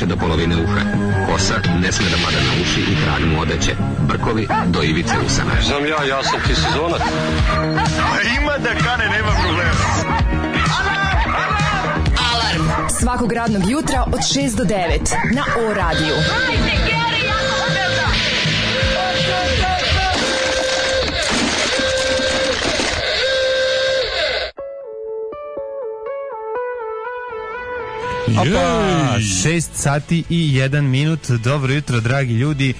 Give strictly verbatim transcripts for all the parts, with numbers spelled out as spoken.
više do polovine uha. Kosa ne sme da pada na uši i krag mu odeće. Brkovi do ivice usana. Znam ja, ja sam ti sezonac. A ima da kane, nema problema. Alarm svakog radnog jutra od šest do devet na O radiju. Hajde, Geri, jako se velda! Opa, šest sati i jedan minut. Dobro jutro, dragi ljudi.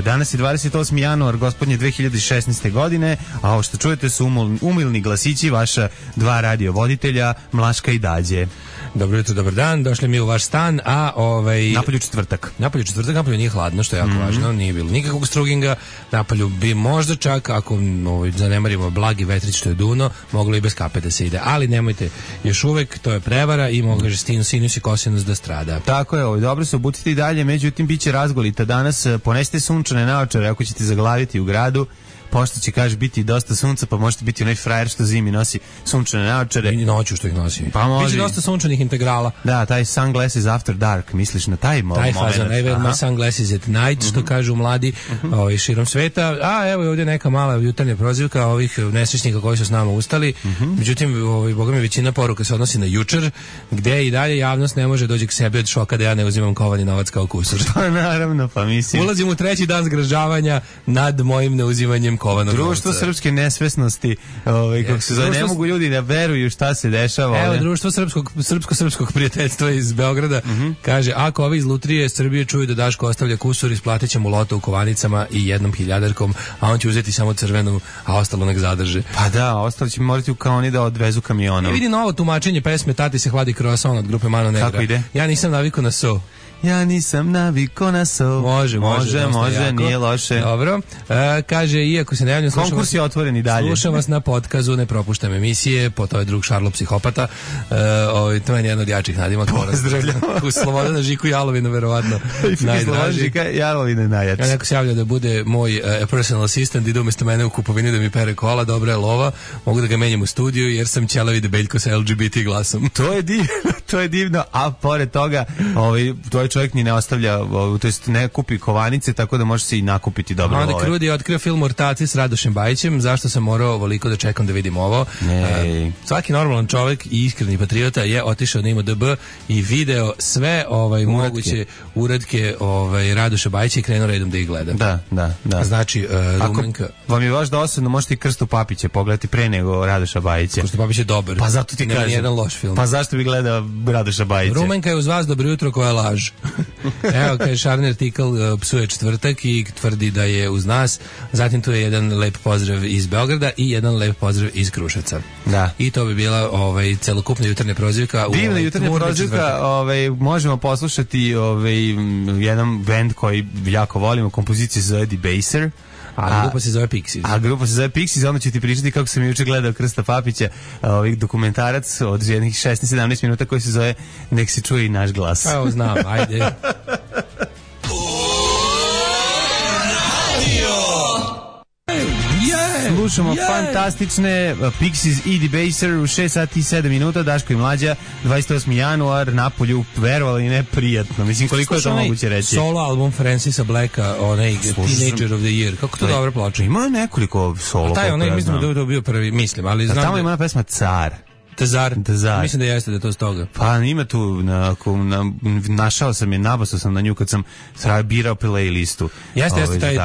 Danas je dvadeset osmi januar, gospodnje dve hiljade šesnaeste godine, a ovo što čujete su umilni glasići vaša dva radiovoditelja, Mlaška i Dađe. Dobro jutro, dobar dan, došli mi u vaš stan, a ovaj... Napolju četvrtak. Napolju četvrtak, napolju nije hladno, što je jako mm-hmm. važno, nije bilo nikakvog struginga, napolju bi možda čak, ako ovaj, zanemarimo blagi vetrić što je duno, moglo i bez kape da se ide, ali nemojte, još uvek, to je prevara i mogu že sinus i kosinus da strada. Tako je, ovaj, dobro se obucite i dalje, međutim, bit će razgolita danas, ponesite sunčane naočare ako ćete zaglaviti u gradu, pošto će, kaže, biti dosta sunca, pa možete biti onaj frajer što zimi nosi sunčane naočare. I noću što ih nosi. Pa može. Biće dosta sunčanih integrala. Da, taj sunglasses after dark, misliš na taj moment? Taj fazan, I wear my sunglasses at night, uh-huh. što kažu mladi uh-huh. ovaj, širom sveta. A evo je ovdje neka mala jutarnja prozivka ovih nesrećnika koji su s nama ustali. Uh-huh. Međutim, ovaj, boga mi većina poruka se odnosi na jučer, gde i dalje javnost ne može doći k sebi od šoka da ja ne uzimam kovani novac kao kusur. Pa naravno, pa mislim. Ulazim u treći dan zgražavanja nad mojim neuzimanjem kovanog društvo novca. Srpske nesvesnosti, ovaj, kako se zove, ne mogu ljudi da veruju šta se dešava. Evo, ovdje. društvo srpskog, srpsko-srpskog prijateljstva iz Beograda uh-huh. kaže, ako ovi iz Lutrije Srbije čuju da Daško ostavlja kusur, isplatit će mu loto u kovanicama i jednom hiljadarkom, a on će uzeti samo crvenu, a ostalo nek zadrže. Pa da, ostalo će morati u kaoni da odvezu kamionom. I vidi novo tumačenje pesme Tati se hladi croissant od grupe Mano Negra. Kako ide? Ja nisam navikao na so. Ja nisam naviko na so. Može, može, može, može nije loše. Dobro. E, kaže, iako se ne javljam, slušam konkurs je otvoren i dalje. Slušam vas na podcastu, ne propuštam emisije, po to je drug Šarlo psihopata. E, ovaj, to je jedan od jačih nadimaka. Pozdravljamo. U Slobodana Žiku Jalovinu, verovatno. Najdraži. Žika Jalovine najjači. Ja neko se javlja da bude moj uh, personal assistant, ide umjesto mene u kupovini da mi pere kola, dobra je lova, mogu da ga menjam u studiju jer sam ćelavi debeljko sa L G B T glasom. To je divno, to je divno, a pored toga, ovaj, tvoj čovjek ni ne ostavlja, to jest ne kupi kovanice, tako da može se i nakupiti dobro love. Onda Krudi je otkrio film Ortaci s Radošem Bajićem, zašto sam morao ovoliko da čekam da vidim ovo. Ne. Uh, svaki normalan čovjek i iskreni patriota je otišao na I M D B i video sve ovaj uradke. moguće uradke ovaj Radoša Bajića i krenuo redom da ih gleda. Da, da, da. Znači, uh, Rumenka... vam je baš dosadno, možete i Krstu Papića pogledati pre nego Radoša Bajića. Krstu Papić je dobar. Pa zato ti kažem. Jedan loš film. Pa zašto bi gledao Radoša Bajića? Rumenka je uz vas, dobro jutro, koja laž. Evo, kaže, šarni artikl uh, psuje četvrtak i tvrdi da je uz nas. Zatim tu je jedan lep pozdrav iz Beograda i jedan lep pozdrav iz Kruševca. Da. I to bi bila ovaj, celokupna jutarnja prozivka. Divna ovaj, jutarnja prozivka, ovaj, možemo poslušati ovaj, jedan band koji jako volimo, kompozicija se zove Debaser. A, a grupa se zove Pixies. A grupa se zove Pixies, onda ću ti pričati kako sam juče gledao Krsta Papića, ovaj dokumentarac od jednih šesnaest sedamnaest minuta koji se zove Nek se čuje i naš glas. Evo znam, ajde. Slušamo yeah. fantastične Pixies i Debaser u šest sati i sedam minuta, Daško i Mlađa, dvadeset osmi januar, napolju, verovali ne prijatno. Mislim, koliko Slušam je to moguće reći? Solo album Francisa Blacka, onaj Teenager of the Year. Kako to dobro ploča? Ima nekoliko solo. A taj, onaj, ja mislim da je to bio prvi, mislim, ali znam. A tamo da... ima ona pesma Car. Tezar. Tezar. Mislim da jeste da je to stoga. Pa ima tu, na, na, našao sam je, nabasao sam na nju kad sam birao playlistu. Jeste, jeste taj,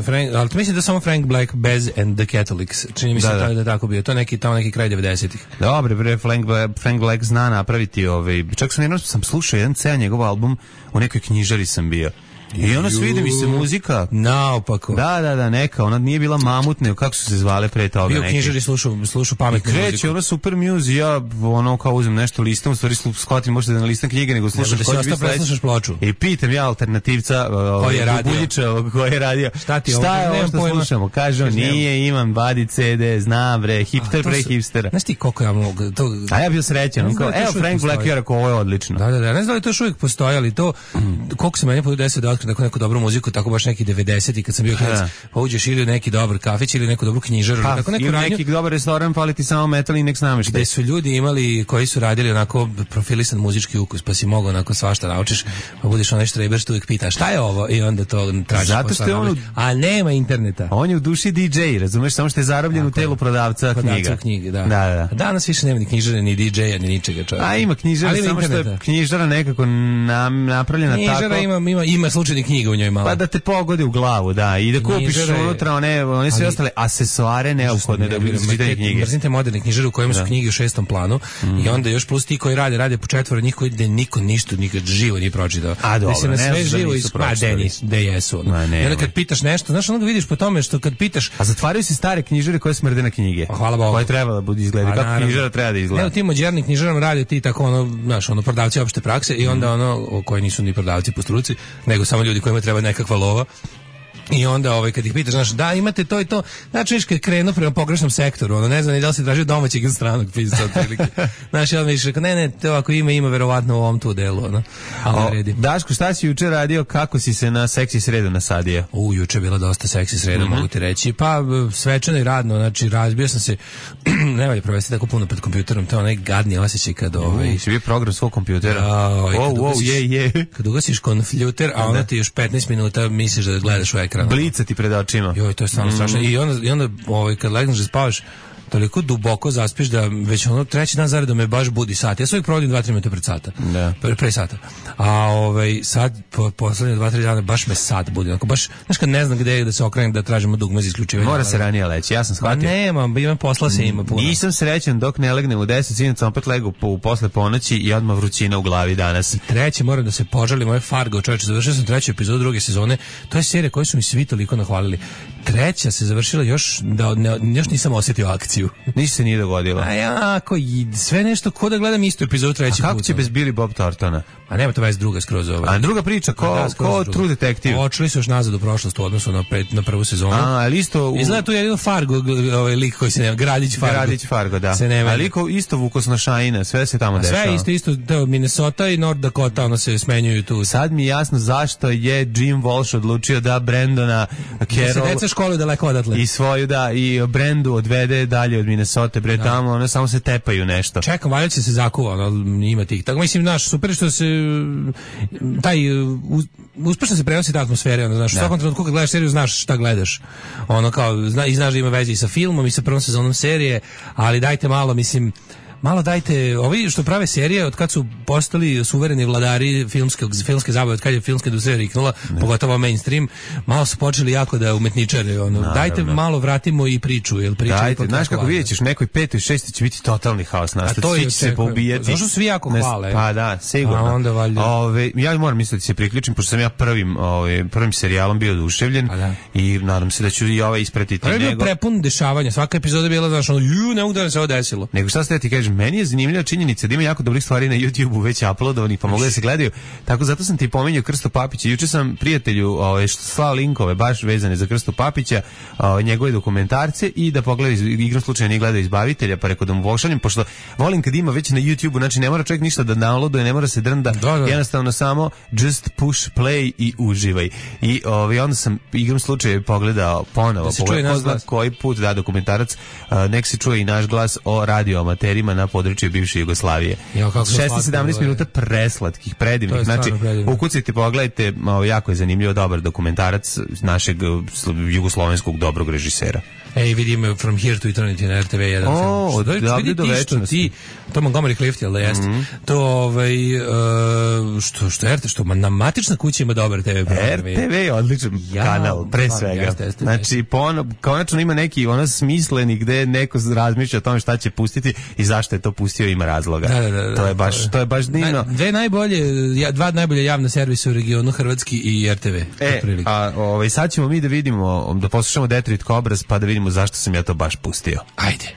Frank, ali mislim da samo Frank Black, Bez and the Catholics. Čini mi se da, da. da je tako bio. To neki, tamo neki kraj devedesetih. Dobre, bre, Frank, Frank Black zna napraviti ovaj. Čak sam jednom sam slušao jedan ceo njegov album, u nekoj knjižari sam bio. I ono svidi mi se muzika. Naopako. Da, da, da, neka. Ona nije bila Mamut, nego kako su se zvale pre toga. Bio knjižari, slušao, slušao pametnu muziku. I kreće, ono super music, ja ono kao uzem nešto listam, u stvari shvatim možda da ne listam knjige, nego slušam koji će biti preslušaš ploču. I pitam ja alternativca, koji je radio. Buljića, koji je radio. Šta ti Šta je ovo što slušamo? Kaže on, nije, imam, vadi ce de, znam bre, hipster pre hipstera. Znaš ti koliko ja mogu to... A ja bio srećan, on kao, evo Frank Black je rekao, ovo je odlično. Da, da, da, ne znam da li to još uvijek postoji, ali to, koliko se meni po deset otkrio neku, neku dobru muziku, tako baš neki devedeseti kad sam bio klinac, pa uđeš ili u neki dobar kafić ili neku dobru knjižaru, pa, tako neku ili radnju, neki dobar restoran, pali ti samo metal i nek nameštaj. gde su ljudi imali koji su radili onako profilisan muzički ukus, pa si mogao onako svašta naučiš, pa budeš onaj štreber što uvijek pita šta je ovo i onda to tražiš. Zato što je on, a nema interneta. On je u duši D J, razumeš, samo što je zarobljen tako u telu prodavca, prodavca knjiga. knjige, da. Da, da. Danas više nema ni knjižare, ni D J-a, ni ničega, čovjek. A ima knjižara, ali samo interneta. što je knjižara nekako nam, napravljena knjižara tako. Knjižara ima, ima, ima slučajnih knjiga u njoj malo. Pa da te pogodi u glavu, da, i da kupiš knjižara unutra one, one sve ostale asesoare neophodne da bi čitali knjige. Mrzim te moderne knjižare u kojima su knjige u šestom planu mm. i onda još plus ti koji rade, rade po četvoro njih koji gde niko ništa nikad živo nije pročitao. A dobro, se na sve ne živo nisu pročitali. Da jesu. No. I onda kad pitaš nešto, znaš, onda vidiš po tome što kad pitaš... A zatvaraju se stare knjižare koje smrde na knjige. Hvala Bogu. Koje treba da budu izgleda. Kako knjižara treba da izgleda. Ne, u tim modernim knjižarama rade ti tako ono, znaš, ono prodavci opšte prakse i onda ono koji nisu ni prodavci po struci, nego samo ljudi kojima treba nekakva lova. I onda ovaj kad ih pitaš, znaš, da imate to i to, znači viš kad krenu prema pogrešnom sektoru, ono ne znam ni da li se traži domaćeg ili stranog pisca otprilike. Znaš, on mi kaže, ne, ne, to ako ima, ima verovatno u ovom tu delu, ono. Ali redi. Daško, šta si juče radio, kako si se na seksi sredu nasadio? U, juče je bila dosta seksi sreda, mm-hmm. mogu ti reći. Pa, svečano i radno, znači, razbio sam se, ne valja provesti tako puno pred kompjuterom, to je onaj gadni osjećaj kad ovaj... Uh, si bio program svog kompjutera. Ovaj, wow, wow, je, je. Kad ugasiš kompjuter, a onda ti još petnaest minuta misliš da gledaš u ekran. Blica ti pred očima. Joj, to je stvarno mm. strašno. I onda, i onda ovaj, kad legneš da spavaš, toliko duboko zaspiš da već ono treći dan zaredom me baš budi sat. Ja se uvijek provodim dva tri minuta pred sata. Da. Pre, pre sata. A ovaj, sad, po, poslednje dva tri dana, baš me sat budi. Onako, baš, znaš kad ne znam gde je da se okrenem da tražimo dugme za isključivanje. Mora se ranije leći, ja sam shvatio. Pa nema, imam posla se ima puno. Nisam srećan dok ne legnem u deset, sinac opet legu po, posle ponoći i odmah vrućina u glavi danas. I treće, moram da se požalim, moje Fargo, čovječe, završio sam treću epizodu druge sezone. To je serija koju su mi svi toliko nahvalili. Treća se završila još da ne, još nisam osjetio akciju. Ništa se nije dogodilo. A jako, sve nešto ko da gledam istu epizodu treći put. A kako će bez Billy Bob Thorntona? A nema to već druga skroz ova. A druga priča, ko, da, ko True Detective? Očeli su još nazad u prošlost u odnosu na, pred, na prvu sezonu. A, ali isto... U... Izgleda tu jedino Fargo, ovaj lik koji se nema, Gradić Fargo. Gradić Fargo, da. Se nema. A liko isto vukosna šajina, sve se tamo dešava. Sve isto, isto, da, Minnesota i North Dakota, ono se smenjuju tu. Sad mi je jasno zašto je Jim Walsh odlučio da Brandona Carroll... Da se deca školuju daleko odatle. I svoju, da, i Brandu odvede dalje od Minnesota, bre, da. Tamo, one samo se tepaju nešto. Čekam, valjda će se zakuva, ono, ima tih. Tako, mislim, naš, super što se taj uz, uspešno se prenosi ta atmosfera, ono, znaš, u svakom trenutku kad gledaš seriju znaš šta gledaš. Ono kao zna, i znaš da ima veze i sa filmom i sa prvom sezonom serije, ali dajte malo, mislim, malo dajte, ovi što prave serije, od kad su postali suvereni vladari filmske, filmske zabave, od kad je filmska industrija riknula, ne. Pogotovo mainstream, malo su počeli jako da umetničare, ono, naravno. Dajte malo vratimo i priču, jel priča dajte, znaš kako vidjet ćeš, u nekoj petoj, šestoj će biti totalni haos nastati, svi će se poubijati. Zašto svi jako hvale? Pa da, sigurno. A onda valjda. Ove, ja moram misliti da se priključim, pošto sam ja prvim, ove, prvim serijalom bio oduševljen da. I nadam se da ću i ovaj ispratiti njegov. Je bio prepun dešavanja, svaka epizoda je bila, znaš, ono, ju, ne mogu da se ovo desilo. Nego šta ste ti kažeš, meni je zanimljiva činjenica da ima jako dobrih stvari na YouTubeu već uploadovanih, pa mogu da se gledaju. Tako zato sam ti pominjao Krsto Papića. Juče sam prijatelju ovaj slao linkove baš vezane za Krsto Papića, ovaj njegove dokumentarce i da pogledaj igrom slučaja nije gledao Izbavitelja, pa rekao da mu pošaljem, pošto volim kad ima već na YouTubeu, znači ne mora čovjek ništa da downloaduje, ne mora se drnda, da, da. Jednostavno samo just push play i uživaj. I ovaj onda sam igrom slučaja pogledao ponovo, da pogledao koji put da dokumentarac, uh, nek se čuje i naš glas o radioamaterima na području bivše Jugoslavije. šesnaest sedamnaest minuta preslatkih, predivnih. Znači, ukucajte, pogledajte, jako je zanimljivo, dobar dokumentarac našeg jugoslovenskog dobrog režisera. Ej, vidimo From Here to Eternity na R T V jedan. O, od davde do večnosti. To Montgomery Clift, jel da jeste? Mm-hmm. To, ovaj, uh, što, što R T V, što na matična kuća ima dobar T V program. R T V je odličan ja, kanal, pre svega. Jeste, jeste, znači, pono, konačno ima neki ono smisleni gde neko razmišlja o tome šta će pustiti i zašto je to pustio, ima razloga. Da, da, da, to je baš, to je baš divno. Dve najbolje, dva najbolje javne servise u regionu, Hrvatski i R T V. E, a ovaj, sad ćemo mi da vidimo, da poslušamo Detroit Cobras, pa da vidimo zašto sam ja to baš pustio. Ajde.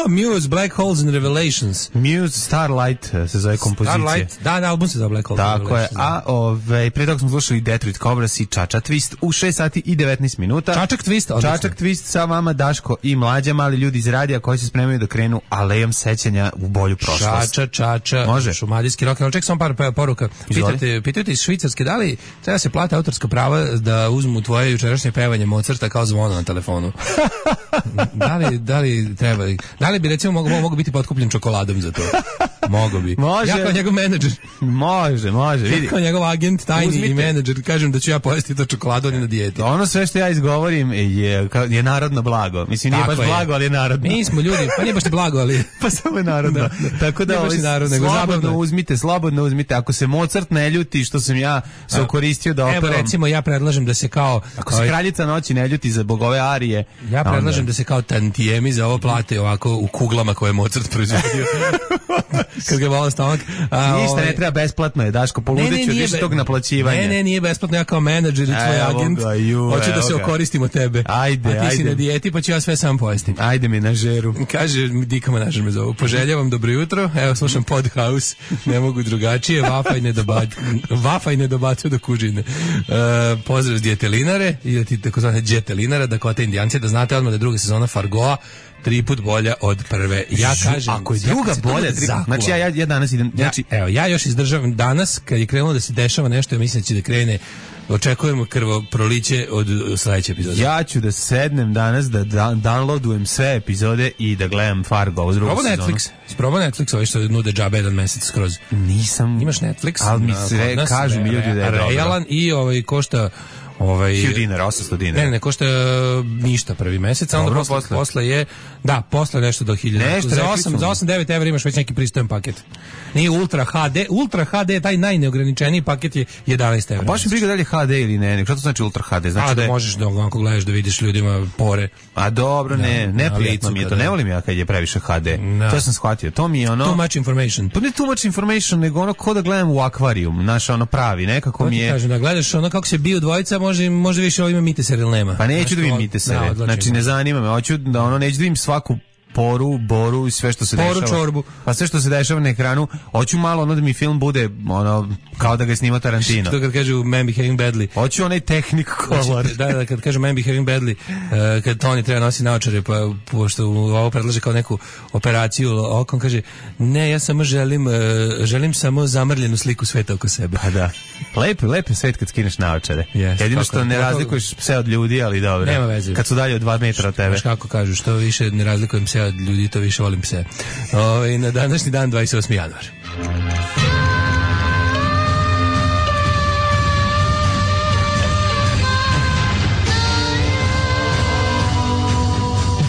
A, Muse, Black Holes and Revelations. Muse, Starlight se zove kompozicija. Starlight, da, da, album se zove Black Holes and Tako je, Revelations. a ove, pre toga smo slušali Detroit Cobras i Čača Twist u šest sati i devetnaest minuta. Čačak Twist, odlično. Čačak Twist sa vama Daško i Mlađa, mali ljudi iz radija koji se spremaju da krenu alejom sećanja u bolju prošlost. Čača, čača, Može. šumadijski rock, ali ček sam par poruka. Pitate, pitate iz Švicarske, da li treba se plate autorska prava da uzmu tvoje jučerašnje pevanje Mozarta kao zvono na telefonu? da, li, da li treba? Da li bi recimo mogu, mogu biti potkupljen čokoladom za to? Mogu bi. Može. Ja kao njegov menadžer. Može, može. Vidi. Ja kao njegov agent, tajni Uzmite. i menadžer, kažem da ću ja pojesti to čokoladu, on je na dijeti. Ono sve što ja izgovorim je, je narodno blago. Mislim, nije Tako baš je. blago, ali je narodno. Mi smo ljudi, pa nije baš ni blago, ali... Pa samo je narodno. Da, da. Tako da Nije baš ovaj, ni narodno, nego zabavno slobodno je. uzmite, slobodno uzmite. Ako se Mozart ne ljuti što sam ja se okoristio da Evo operam. recimo ja predlažem da se kao... Ako se kraljica noći ne ljuti za bogove arije. Ja predlažem onda- da se kao tantijemi za ovo plate ovako u kuglama koje je Mozart proizvodio. Kad ga vola stomak. A, Ništa ovaj- ne treba, besplatno je, Daško, poludeću nije više be- tog naplaćivanja. Ne, ne, nije besplatno, ja kao menadžer i tvoj Evo agent. ga, ju, Hoću da evo se ga. okoristim od tebe. Ajde, A ti si ajde. na dijeti, pa ću ja sve sam pojesti. Ajde mi na žeru. Kaže, Dika Manažer me zovu. Poželjavam dobro jutro. Evo, slušam Podhouse. Ne mogu drugačije. Vafaj ne dobacu, vafaj ne dobacu do kužine. E, pozdrav s djetelinare i ti takozvane djetelinare, da kvote indijanci, da znate odmah da je druga sezona Fargoa tri put bolja od prve. Ja kažem, Ako je ja druga kad se to bolja, bude tri, zakuva- znači ja, ja, ja danas idem, znači, ja, evo, ja još izdržavam danas, kad je krenulo da se dešava nešto, ja mislim da će da krene, očekujemo krvoproliće od sledeće epizode. ja ću da sednem danas da, da downloadujem sve epizode i da gledam Fargo u drugu Probao sezonu. Netflix, isprobao Netflix, ovaj što nude džabe jedan mesec skroz. Nisam. Imaš Netflix, Ali mi na- sve kod nas, kažu mi ljudi da je dobro. realan i ovaj košta ovaj hiljadu dinara, osamsto dinara. Ne, ne, košta uh, ništa prvi mesec, a onda Dobro, posle, posle. posle je, da, posle nešto do hiljadu. Nešto, za rekli osam, su za mi. osam devet evra imaš već neki pristojan paket. Nije Ultra ha de, Ultra ha de, taj najneograničeniji paket je jedanaest evra. Baš mi briga da li je ha de ili ne, ne. Šta to znači Ultra ha de? Znači a da da je... možeš da onako gledaš da vidiš ljudima pore. A dobro, ne, Na- neprijatno na mi je licu to. kada- Ne volim ja kad je previše ha de. Da. To sam shvatio. To mi je ono... Too much information. Pa ne too much information, nego ono ko da gledam u akvarijum, znaš, ono pravi, nekako To mi ti je... kažem, da gledaš ono kako se biju dvojica, može, može više ovo ima miteser ili nema. Pa neću Znaš, da vidim to- mitesere, da, odlačim. znači ne zanima me, hoću da ono, neću da vidim svaku poru, boru i sve što se Poru, dešava. čorbu. Pa sve što se dešava na ekranu, hoću malo ono da mi film bude ono, kao da ga je snimao Tarantino. To kad kažu man behaving badly. Hoću onaj tehnik color. Da, da, kad kaže man behaving badly, uh, kad Tony treba nosi naočare, pa pošto mu ovo predlaže kao neku operaciju okom, kaže, ne, ja samo želim, uh, želim samo zamrljenu sliku sveta oko sebe. Pa da. Lepo, lepo je svet kad skineš naočare. Jest, Jedino tako što je. ne Pogotovo- razlikuješ pse od ljudi, ali dobro. Nema veze. Kad su dalje od dva metra od tebe. Znaš kako kažu, što više ne razlikujem se od ljudi, to više volim pse. Ove, na današnji dan, dvadeset osmi januar.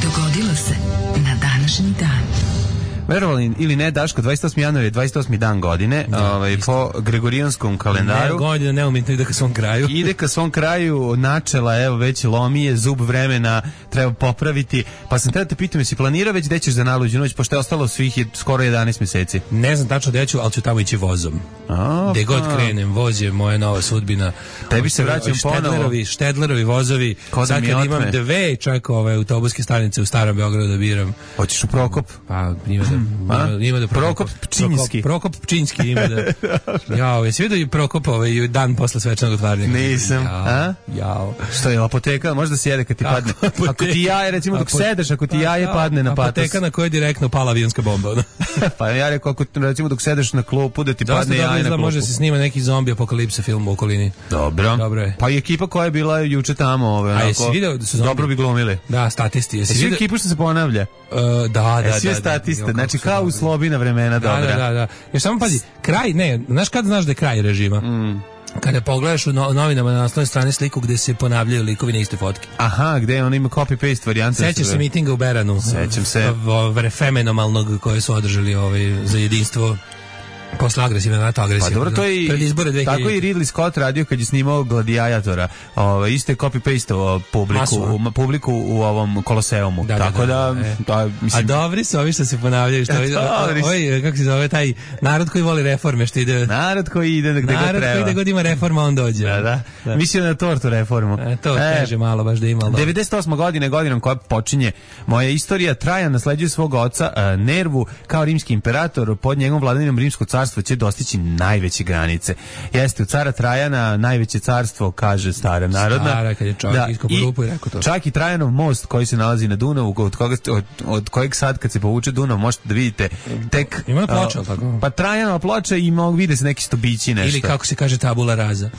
Dogodilo se na današnji dan. Verovali ili ne, Daško, dvadeset osmi januar je dvadeset osmi dan godine, ovaj, po gregorijanskom Ne, kalendaru. godina neumitno ide ka svom kraju. Ide ka svom kraju, načela, evo, već lomi je, zub vremena, treba popraviti. Pa sam tada te pitam, jesi planirao već gde ćeš za najluđu noć, pošto je ostalo svih je skoro jedanaest meseci. Ne znam tačno gde ću, ali ću tamo ići vozom. A, Gde god pa. krenem, voz je moja nova sudbina. Tebi se Ovi vraćam Štedlerovi, ponovo. Štedlerovi vozovi. Ko da Sad mi kad otme. imam dve čak ove autobuske stanice u Starom Beogradu da biram. Hoćeš u Prokop? Pa ima da, ima, ima da Prokop Pčinjski. Prokop, Prokop Pčinjski ima da. Jao, jesi vidio i Prokop ovaj dan posle svečanog otvaranja? Nisam. Jao, A? jao. Što je apoteka, možda se jede kad ti Kako padne. apoteka? Ako ti jaje, recimo dok Apo- sedeš, ako ti jaje Pa, padne na patos. Apoteka na kojoj je direktno pala avionska bomba. ono. Pa ja rekao, ako recimo dok sedeš na klupu, da ti Dosta padne dobro jaje na izgleda, klupu. može se snima neki zombi apokalipsa film u okolini. Dobro. Dobro je. Pa i ekipa koja je bila juče tamo, ove, A onako, jesi video da su zombi? dobro bi glumili. Da, statisti. Jesi Jesi vidio? ekipu što se ponavlja? Uh, da, da, E, svi da, je statiste, da, da, znači kako su kao u dobri. slobina vremena, Da, dobra. da, da, da. Još samo pazi, kraj, ne, znaš kad znaš da je kraj režima? Mm. Kada pogledaš u no, novinama na naslovnoj strani sliku gde se ponavljaju likovi na iste fotke. Aha, gde on ima copy-paste varijante. Sećaš se mitinga u Beranu? Sećam se. V- v- fenomenalnog koje su održali ovaj, za jedinstvo Posle agresivne NATO agresije. Pa dobro, to je pred izbore dve hiljade. Tako i Ridley Scott radio kad je snimao Gladiatora. Ovaj isto je copy-paste publiku, u, publiku u ovom Koloseumu. Da, tako da, da, da, e. da mislim. A dobri su ovi što se ponavljaju, što ovaj kako se zove taj narod koji voli reforme, što ide. Narod koji ide gde god treba. Narod koji ide god ima reforma, on dođe. Da, da. da. Mislim na tortu reformu. E, to e, kaže malo baš da ima. devedeset osma godine godinom koja počinje moja istorija. Trajan nasleđuje svog oca uh, Nervu kao rimski imperator. Pod njegovom vladavinom rimsko carstvo će dostići najveće granice. Jeste u cara Trajana najveće carstvo, kaže stara narodna. Stara, kad je čovjek da, iskopao rupu i rekao to. Čak i Trajanov most koji se nalazi na Dunavu, od, koga, od, od kojeg sad kad se povuče Dunav možete da vidite tek... Ima je ploča, uh, tako? Pa Trajanova ploča i mogu vide se neki stobići nešto. Ili kako se kaže tabula raza.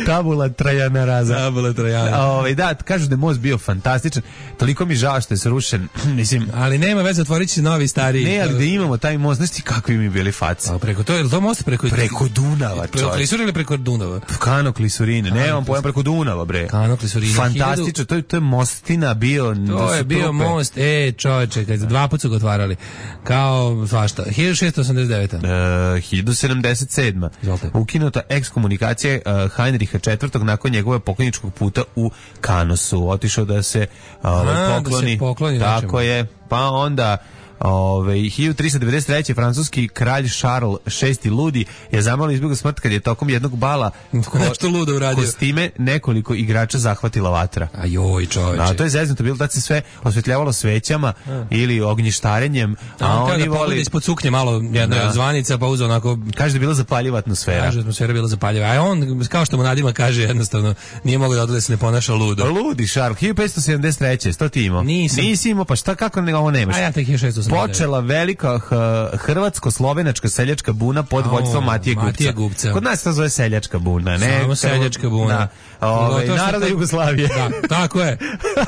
Tabula Trajana raza. Tabula Trajana. Ovaj da, kažu da je most bio fantastičan. Toliko mi žao što je srušen. Mislim, ali nema veze, otvorit će novi stari. Ne, ali da imamo taj most, znaš ti kakvi mi bili faci. A preko to je to most preko preko Dunava, preko Klisurine ili preko Dunava? Kano Klisurine, ne, on pojam preko Dunava, bre. Kano Klisurine. Fantastično, to je to je mostina bio. To je bio trupe. Most, e, čoveče, kad dva puta su ga otvarali. Kao svašta. hiljadu šessto osamdeset deveta. Uh, hiljadu sedamdeset sedma. Ukinuta ekskomunikacija uh, Heinricha četvrtog nakon njegove pokojničkog puta u Kanosu. Otišao da se uh, A, pokloni. Da se pokloni tako nečemu. je. Pa onda Ove, hiljadu tristo devedeset treće. francuski kralj Charles šesti ludi je zamalo izbjegao smrt kad je tokom jednog bala ko, nešto ludo uradio. Kostime nekoliko igrača zahvatila vatra. A joj, čoveče. A to je zeznuto bilo da se sve osvetljavalo svećama a. ili ognjištarenjem, a, a oni da voli ispod suknje malo jedna da. zvanica pa uzeo onako, kaže da je bila zapaljiva atmosfera. Kaže atmosfera bila zapaljiva. A on kao što mu Nadima kaže jednostavno nije mogao da odgleda se ne ponaša ludo. Ludi Charles. hiljadu petsto sedamdeset treće. Sto ti imao? Nisam. Nisi imao, pa šta kako ne ovo nemaš? A ja tek hiljadu šessto osamdeset devet. Počela velika hrvatsko-slovenačka seljačka buna pod vođstvom Matije Gubca. Matije Gubca. Kod nas to zove seljačka buna, ne? Samo seljačka buna. Da. Ove, naroda Jugoslavije. Da, tako je.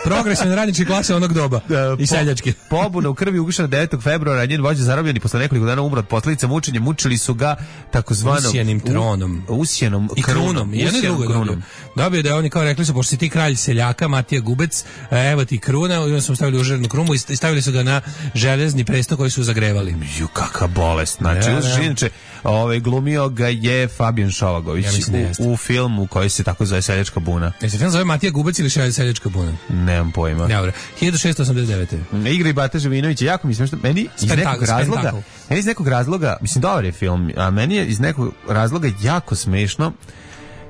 Progresivne radničke klase onog doba. Da, i seljačke. Po, pobuna u krvi ugušena devetog februara, njen vođa zarobljen i posle nekoliko dana umro od posledica mučenja. Mučili su ga takozvanom usjenim tronom. U, usjenom i krunom. I jedno drugo dobio. Dobio da oni kao rekli su, pošto si ti kralj seljaka, Matija Gubec, evo ti kruna, i onda su stavili u železnu krunu i stavili su ga na železni presto koji su zagrevali. Ju, kakva bolest. Znači, ja, ja. Inače, ovaj, glumio ga je Fabijan Šovagović ja u, u filmu koji se tako zove Seljačka buna. Je se film zove Matija Gubac ili Seljačka buna? Nemam pojma. Dobro. hiljadu šessto osamdeset devete. Igra i Bata Živinović, jako mi smiješno. Meni iz nekog razloga, meni iz nekog razloga, mislim, dobar je film, a meni je iz nekog razloga jako smiješno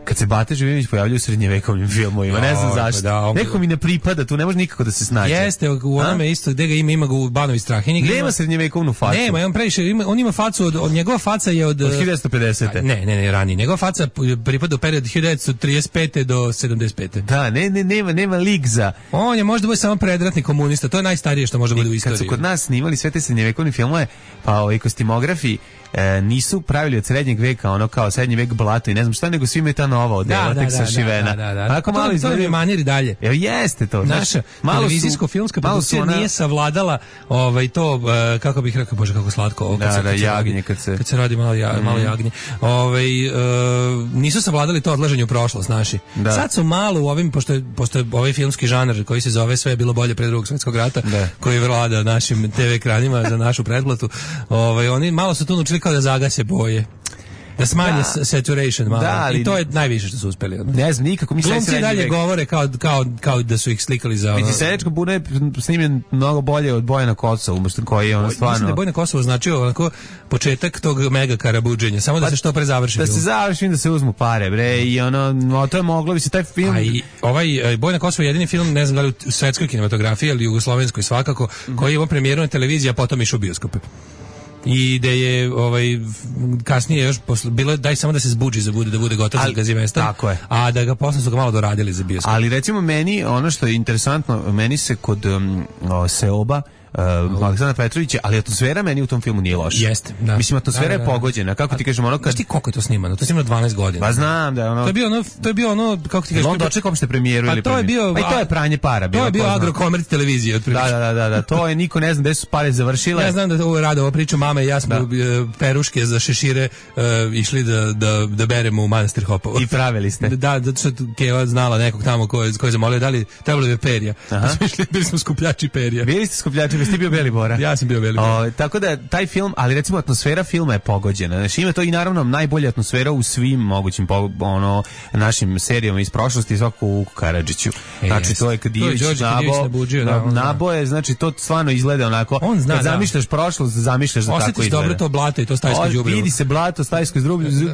kad se Bata Živinović pojavljaju u srednjevekovnim filmovima, ne znam zašto. Da, on... Neko mi ne pripada, tu ne može nikako da se snađe. Jeste, u onome isto, gde ga ima, ima ga u Banovi Strahinji. Nema ima... srednjevekovnu facu. Nema, on previše, ima, on ima facu, od, od njegova faca je od... Od hiljadu devetsto pedesete. Ne, ne, ne, ranije. Njegova faca pripada u period hiljadu devetsto trideset pete do sedamdeset pete. Da, ne, ne, nema, nema lik za... On je možda bude samo predratni komunista, to je najstarije što može bude u istoriji. Kad su kod nas snimali sve te srednjevekovne filmove, pa ovi kostimografi, E, nisu pravili od srednjeg veka ono kao srednji vek blato i ne znam šta, nego svi imaju ta nova odela, da, tek da, sašivena. Da, da, da. Ako malo to, to je manir i dalje. Evo jeste to. Naša televizijsko-filmska produkcija ona... nije savladala ovaj, to, uh, kako bih rekao, bože kako slatko. Ovo, kad da, se, da, kad jagnje. Radi, kad, se... kad se radi malo, ja, mm. malo jagnje. Ovaj, uh, nisu savladali to odlaženje u prošlost naši. Da. Sad su malo u ovim, pošto je, pošto je ovaj filmski žanr koji se zove Sve je bilo bolje pre drugog svjetskog rata, da. Koji vlada našim te ve ekranima za našu pretplatu, ovaj, oni malo su tu naučili kao da zagase boje. Da smanje da. Saturation malo. Da, ali, i to je najviše što su uspeli. Ne znam, nikako mi glumci dalje vek. Govore kao, kao, kao da su ih slikali za... Vidi, Seljačka buna je snimljen mnogo bolje od Bojana Kosovo, koji je ono stvarno... Mislim da je Bojana Kosovo značio onako početak tog mega karabuđenja, samo da pa, se što pre završi. Da film. se završi, da se uzmu pare, bre, i ono, no, to je moglo bi se taj film... A i ovaj Bojana Kosovo je jedini film, ne znam da li u svetskoj kinematografiji, ali jugoslovenskoj svakako, mm. koji je imao premijeru na televiziji, a potom išao u bioskope. I da je ovaj kasnije još posle, bilo daj samo da se zbuđi za bude da bude gotov za Gazimestan. Tako je. A da ga posle su ga malo doradili za bioskop. Ali recimo meni ono što je interesantno, meni se kod um, o, Seoba Uh, Aleksandra Petrovića, ali atmosfera meni u tom filmu nije loša. Jeste, da. Mislim, atmosfera da, da, da. je pogođena. Kako ti kažeš, ono kad... Znaš ti koliko je to snimano? To je snimano dvanaest godina. Pa znam da je ono... To je bio ono, to je bio ono, kako ti kažeš... On dočekao ste premijeru pa ili to je bio, pa i to je pranje para. To je bio agrokomerc televizije. Otprilike. Da, da, da, da, to je, niko ne zna gde su pare završile. Ja znam da ovo rade, ovo priča mama i ja smo da. peruške za šešire uh, išli da, da, da beremo u manastir Hopovo. I pravili ste. Da, zato što Keva znala nekog tamo ko je, ko je zamolio, da li trebalo bi perja. Pa smo išli, bili smo skupljači perja. Bili ste skupljači Jesi ti bio Beli Bora? Ja sam bio Beli Bora. O, tako da taj film, ali recimo atmosfera filma je pogođena. Znači ima to i naravno najbolja atmosfera u svim mogućim po, ono našim serijama iz prošlosti, svakako u Karadžiću. Znači to je kad Ivić nabo, da, naboje, znači to stvarno izgleda onako. On zna, kad da. zamišljaš prošlost, zamišljaš da tako izgleda. Dobro to blato i to stajsko đubrivo. Vidi se blato, stajsko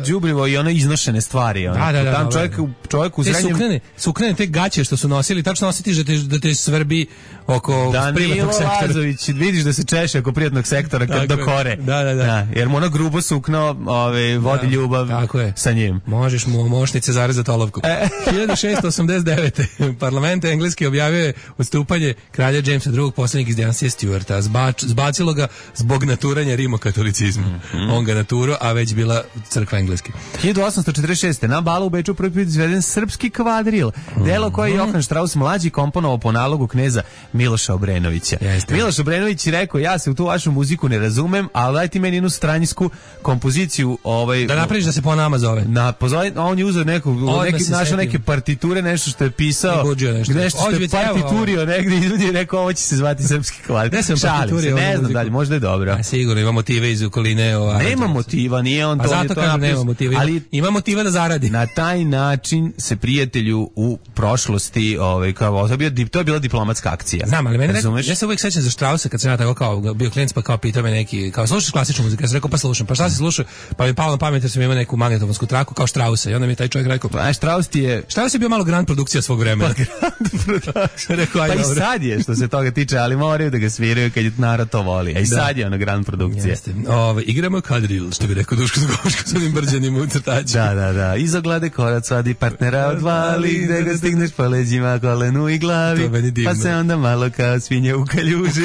đubrivo i ono iznošene stvari. Ono. Da, da, da, tam da, čovjek, čovjek u te srednjem... Suknene, suknene te gaće što su nosili, tačno osjetiš da te, da te svrbi oko privatnog sektora. Danilo Lazović, vidiš da se češe oko privatnog sektora kad do kore. Da, da, da. Da, jer mu ono grubo sukno ove, vodi da, ljubav sa njim. Možeš mu mošnice zarezati olovku. E. hiljadu šeststo osamdeset devete. Parlament engleski objavio je odstupanje kralja Jamesa drugog posljednjeg iz dinastije Stuarta. Zbač, zbacilo ga zbog naturanja rimokatolicizma. Mm-hmm. On ga naturo, a već bila crkva engleski. hiljadu osamsto četrdeset šeste. Na balu u Beču prvi put izveden srpski kvadril. Mm-hmm. Delo koje je Johan Strauss mlađi komponovao po nalogu kneza Miloša Obrenovića. Jeste. Miloš Obrenović je rekao, ja se u tu vašu muziku ne razumem, ali daj ti meni jednu stranjsku kompoziciju. Ovaj, da napraviš da se po nama zove. Na, pozove, on je uzeo neku, neki, našao neke partiture, nešto što je pisao, nešto, nešto što je partiturio negdje i ljudi je rekao, ovo će se zvati srpski kvadril. Ne, Šalim se, ne znam dalje, možda je dobro. A, sigurno, ima motive iz okoline. O, nema motiva, nije on to. A zato kažem, nema motiva, ali ima motiva da zaradi. Na taj način se prijatelju u prošlosti, ovaj, kao, to, je bio, to je bila diplomatska akcija. Znam, ali mene rekao, ja se uvijek sećam za Strausa kad sam ja tako kao bio klijent, pa kao pitao me neki, kao slušaš klasičnu muziku, ja sam rekao pa slušam, pa šta si slušao, pa mi palo na pamet jer sam imao neku magnetofonsku traku kao Strausa i onda mi je taj čovjek rekao, pa Strauss ti je... Strauss je bio malo grand produkcija svog vremena. Pa grand produkcija. Rekao, pa i sad je što se toga tiče, ali moraju da ga sviraju kad je narod to voli, a i da. Sad je ono grand produkcija. Jeste. Ove, igramo kadril, što bi rekao Duško Zgoško s onim brđanim ucrtačima. Da, da, da, iz oglade korac vadi partnera odvali, gde ga stigneš po leđima, kolenu i glavi, pa se onda malo kao svinje u kaljuži.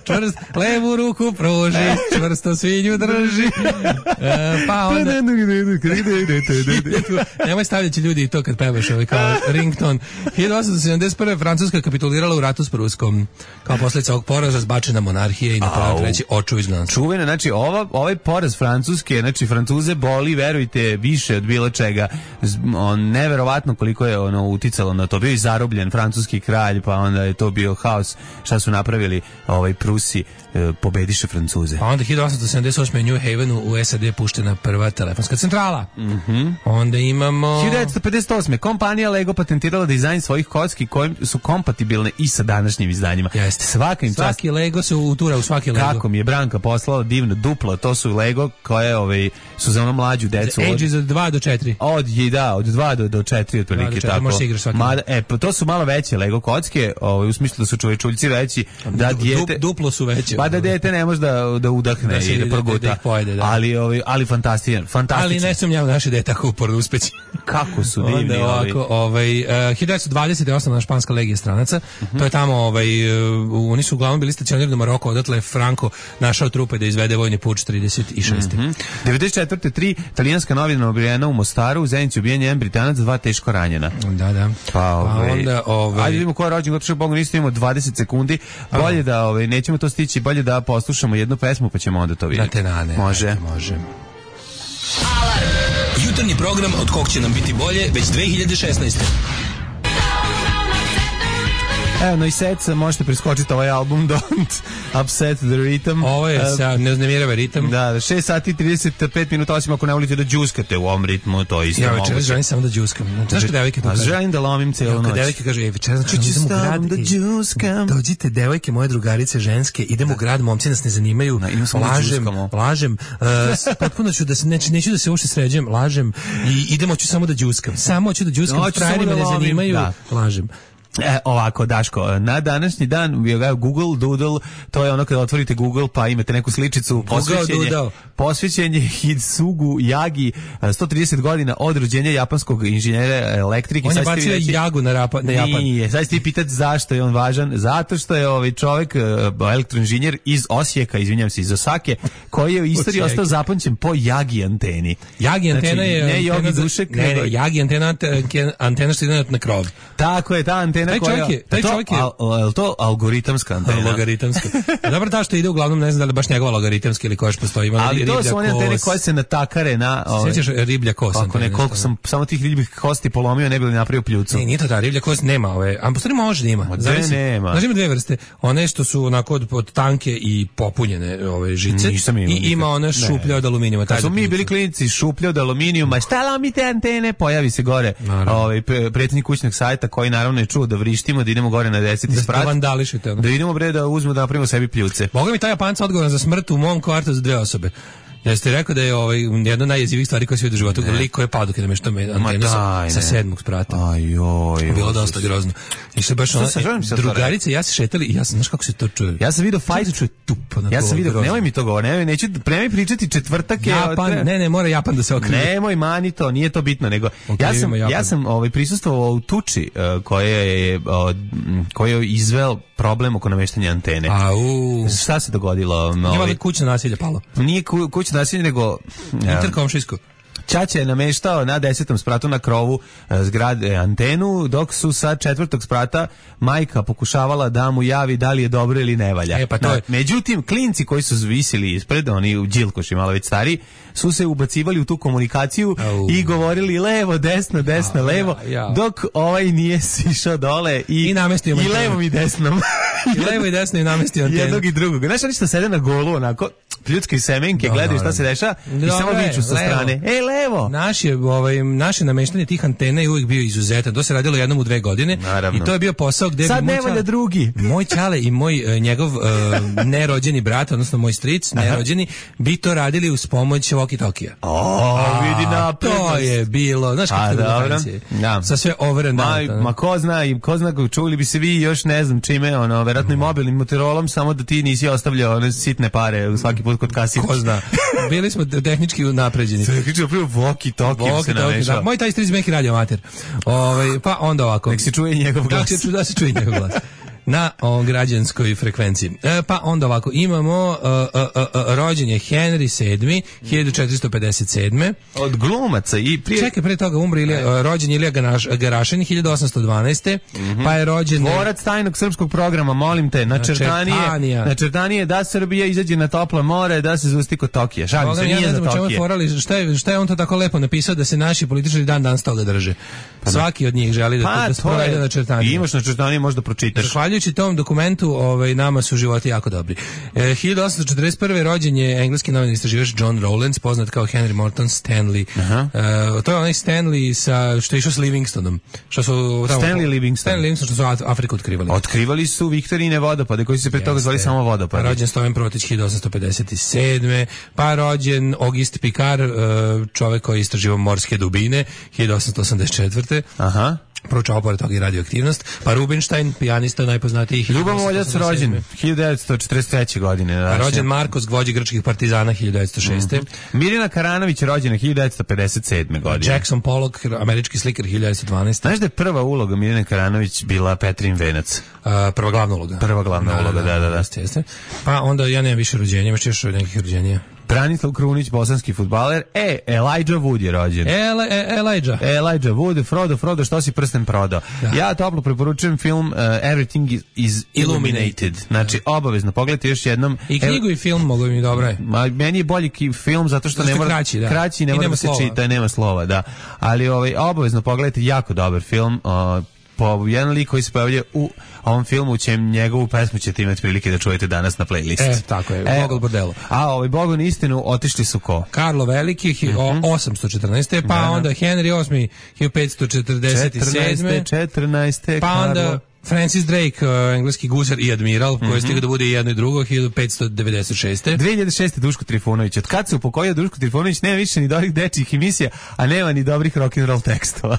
Čvrst, levu ruku pruži, čvrsto svinju drži. E, pa onda... Nemoj stavljati ljudi i to kad pevaš ovaj kao rington. hiljadu osamsto sedamdeset prve. Francuska kapitulirala u ratu s Pruskom. Kao posljedica ovog poraza zbačena monarhija i napravljeno treći oču izgnanstva. Čuvene, znači ova, ovaj poraz Francuske, znači Francuze boli, verujte, više od bilo čega. On, neverovatno koliko je ono uticalo na to. Bio je zarobljen francuski kralj, pa onda je to bio haos. Šta su napravili ovaj Prusi, e, pobediše Francuze. Pa onda hiljadu osamsto sedamdeset osme. u New Havenu u S A D puštena prva telefonska centrala. Mm-hmm. Onda imamo... hiljadu devetsto pedeset osme. kompanija Lego patentirala dizajn svojih kocki koji su kompatibilne i sa današnjim izdanjima. Jeste. Svaka im svaki čast... Lego se utura u svaki Lego. Kako mi je Branka poslala divno duplo, to su Lego koje ovaj, su za ono mlađu decu. Od... Ages od dva do četiri. Od, da, od dva do, do četiri otprilike tako. Možeš igraš svaki. Mada, e, to su malo veće Lego kocke, ovaj, u smislu da su čovečuljci veći, da dijete... Du, duplo su veće. Pa da dijete ne može da, da udahne da i da proguta. Da pojede, da. Ali, ovaj, ali fantastičan, fantastičan. Ali ne sumnjam naše dete tako uporno uspeći. Kako su divni. Onda ovako, ovaj, uh, hiljadu devetsto dvadesete. je osnovna španska legija stranaca. Uh-huh. To je tamo, ovaj, uh, oni su uglavnom bili stacionirani u Maroku, odatle je Franco našao trupe da izvede vojni puč trideset šeste. Uh-huh. devedeset četvrte. tri talijanska novina ubijena u Mostaru, u Zenici ubijen jedan Britanac, dva teško ranjena. Da, da. Pa, ovaj, pa onda, ovaj... ajde vidimo ko je rođen, gotovo Bogu niste imamo dvadeset sekundi. Bolje da, ovaj, nećemo to stići, bolje da poslušamo jednu pesmu pa ćemo onda to vidjeti. Na tenane. Može. Ajde, može. Alarm! Jutarnji program od kog će nam biti bolje već dve hiljade šesnaeste. Evo, no i set, možete preskočiti ovaj album Don't Upset the Rhythm. Ovo je, uh, ne uznemirava ritam. Da, šest sati i trideset pet minuta, osim ako ne volite da džuskate u ovom ritmu, to je isto ja, moguće. Ja večeras želim samo da džuskam. Znaš kad devojke to kažu? Želim da lomim celu noć. Kad devojke kažu, ej, večeras znači idem u grad, da džuskam. Dođite, devojke, moje drugarice ženske, idem da. u grad, momci nas ne zanimaju, da, lažem, lažem, uh, potpuno ću da se, neću, neću da se uopšte sređem, lažem i idemo ću samo da džuskam. Samo ću da džuskam, no, frajerima da ne zanimaju, da. lažem. E, ovako, Daško, na današnji dan Google Doodle, to je ono kada otvorite Google pa imate neku sličicu, posvećenje, posvećenje Hitsugu Yagi, sto trideset godina od rođenja japanskog inženjera elektrike. On je bacio Jagu na, rapa, na Japan. Nije, sad ćete pitati zašto je on važan, zato što je ovaj čovjek, elektroinženjer iz Osijeka, izvinjam se, iz Osake, koji je u istoriji ostao zapamćen po Yagi anteni. Yagi antena znači, je... Ne Yogi Dušek, ne, ne, Yagi antena, antena što ide na krov. Tako je, ta antena antena taj koja... čovjek je, taj to, čovjek je... Al, al, to algoritamska antena? Logaritamska. Dobro, ta što ide uglavnom, ne znam da li baš njegova logaritamska ili koja još postoji. Ima ali to su one antene kos. koje se natakare na... Ove, Sjećaš riblja kost? Ako ne, koliko sam samo tih ribljih kosti polomio, ne bi li napravio pljucu. Ne, nije to ta riblja kost, nema ove. A postoji može da ima. Zavisi, nema. Znači ima dve vrste. One što su onako od, od tanke i popunjene ove žice. I ima one šuplje od aluminijuma. Kad smo mi bili klinici šuplje od aluminijuma, šta lomite antene, pojavi se gore ovaj predsjednik kućnog sajta koji naravno je čuo da vrištimo, da idemo gore na deseti sprat. Da vandališite. Da idemo bre da uzmemo da napravimo sebi pljuce. Boga mi taj Japanca odgovoran za smrt u mom kvartu za dve osobe. Jeste rekao da je ovaj jedna od najjezivih stvari koje se vidi u životu, lik koji je pao dok je namještao antenu sa, sa sedmog sprata. Ajoj. Bilo dosta grozno. I se baš ona, drugarice, ja se šetali i ja sam, znaš kako se to čuje? Ja sam vidio fajt, čuje tup. Ja sam vidio, nemoj mi to govori, nemoj, neću, premaj pričati četvrtak je... Japan, ne, ne, mora Japan da se okrene. Nemoj, mani to, nije to bitno, nego ja sam, ja sam ovaj, prisustvovao u tuči uh, koje je, uh, koje je izveo problem oko nameštanja antene. Au. Šta se dogodilo? Nije valjda kućno nasilje palo? Nije ku, kućno nasilje, nego... Interkomšijsko. Ćaća je nameštao na desetom spratu na krovu zgrade antenu, dok su sa četvrtog sprata majka pokušavala da mu javi da li je dobro ili ne valja. E, pa to je. Međutim, klinci koji su visili ispred, oni u Đilkoši malo već stari, su se ubacivali u tu komunikaciju Au. i govorili levo, desno, desno, ja, levo, ja, ja. dok ovaj nije sišao dole i, I, namestio i levom i desnom. I levo i desno i namestio antenu. Jednog i drugog. Znaš, oni što sede na golu, onako, ljudske semenke, no, gledaju šta se deša i samo viču sa strane. E, levo! Naš je, ovaj, naše nameštanje tih antena je uvijek bio izuzetan. To se radilo jednom u dve godine. Naravno. I to je bio posao gde... Sad ne valja drugi. Moj ćale i moj, njegov uh, nerođeni brat, odnosno moj stric, nerođeni, bi to radili uz pomoć walkie-talkija. O, vidi napred. To je bilo, znaš kako je bilo ja. Sa sve overen ma, ma ko zna, i ko zna, čuli bi se vi još ne znam čime, ono, verovatno i mobilnim Motorolom, samo da ti nisi ostavljao one sitne pare svaki put kod kasira. Ko zna. Bili smo tehnički napređeni. Tehnički napravio walkie-talkie se namešao. Moj taj stric meki radio amater. Ovaj, pa onda ovako. Nek se čuje njegov glas. Da se, da se čuje njegov glas. Na o, građanskoj frekvenciji. E, pa onda ovako, imamo uh, uh, uh, rođen je Henry sedmi, hiljadu četiristo pedeset sedme. Od glumaca i prije... Čekaj, pre toga umri Ilija, uh, rođen Ilija Garašin, hiljadu osamsto dvanaeste. Mm-hmm. Pa je rođen... Tvorac tajnog srpskog programa, molim te, načrtanije, načrtanije da Srbija izađe na toplo more, da se zusti kod Tokija. Šalim se, nije za Tokije. Forali, šta, je, šta je on to tako lepo napisao da se naši političari dan dan toga drže? Pa svaki od njih želi da, pa, da sprovede načrtanije. Imaš načrtanije, možda pročitaš. Zahvaljujući tom dokumentu, ovaj, nama su životi jako dobri. E, hiljadu osamsto četrdeset prve. rođen je engleski novinar istraživač John Rowlands, poznat kao Henry Morton Stanley. E, to je onaj Stanley sa, što je išao s Livingstonom. Što su, tamo, Stanley Livingston. Stanley Livingston, što su Afriku otkrivali. Otkrivali su Viktorine vodopade, koji su se pre toga zvali samo vodopade. Pa rođen Stojan Protić, hiljadu osamsto pedeset sedme. Pa rođen Auguste Picard, čovek koji je istraživao morske dubine, hiljadu osamsto osamdeset četvrte. Aha. Proučavao pored toga i radioaktivnost. Pa Rubinstein, pijanista najpoznatijih. Ljubav Moljac rođen hiljadu devetsto četrdeset treće. godine. Pa rođen Markos, vođa grčkih partizana, hiljadu devetsto šeste. Mm-hmm. Mirjana Karanović rođena hiljadu devetsto pedeset sedme. godine. Jackson Pollock, američki slikar, hiljadu devetsto dvanaeste. Znaš da je prva uloga Mirjane Karanović bila Petrin venac? Uh, prva glavna uloga. Prva glavna da, uloga, da, da, da. da. Jeste, jeste. Pa onda ja nemam više rođenja, imaš još nekih rođenja. Branislav Krunić, bosanski fudbaler. E, Elijah Wood je rođen. Ele, e, Elijah. Elijah Wood, Frodo, Frodo, što si prsten prodao? Da. Ja toplo preporučujem film uh, Everything is, is Illuminated. Znači, obavezno, pogledajte još jednom. I knjigu i film mogu mi dobro je. Ma, meni je bolji film zato što zato ne mora kraći, da. kraći ne mora da se čita, nema slova, da. Ali ovaj, obavezno pogledajte, jako dobar film. Uh, po jedan lik koji se pojavlja u ovom filmu, u čem njegovu pesmu ćete imati prilike da čujete danas na playlisti. E, tako je, e, Bogol Bordelo. A ovaj Bogon istinu otišli su ko? Karlo Veliki, mm-hmm. osamsto četrnaeste. Pa da, onda Henry osmi, hiljadu petsto četrdeset sedme. četrnaeste. Pa onda Karlo. Francis Drake, uh, engleski gusar i admiral, mm-hmm. koji stigao da bude i jedno i drugo, hiljadu petsto devedeset šeste. dve hiljade šeste. Duško Trifunović. Od kad se upokojio Duško Trifunović, nema više ni dobrih dečjih emisija, a nema ni dobrih rock'n'roll tekstova.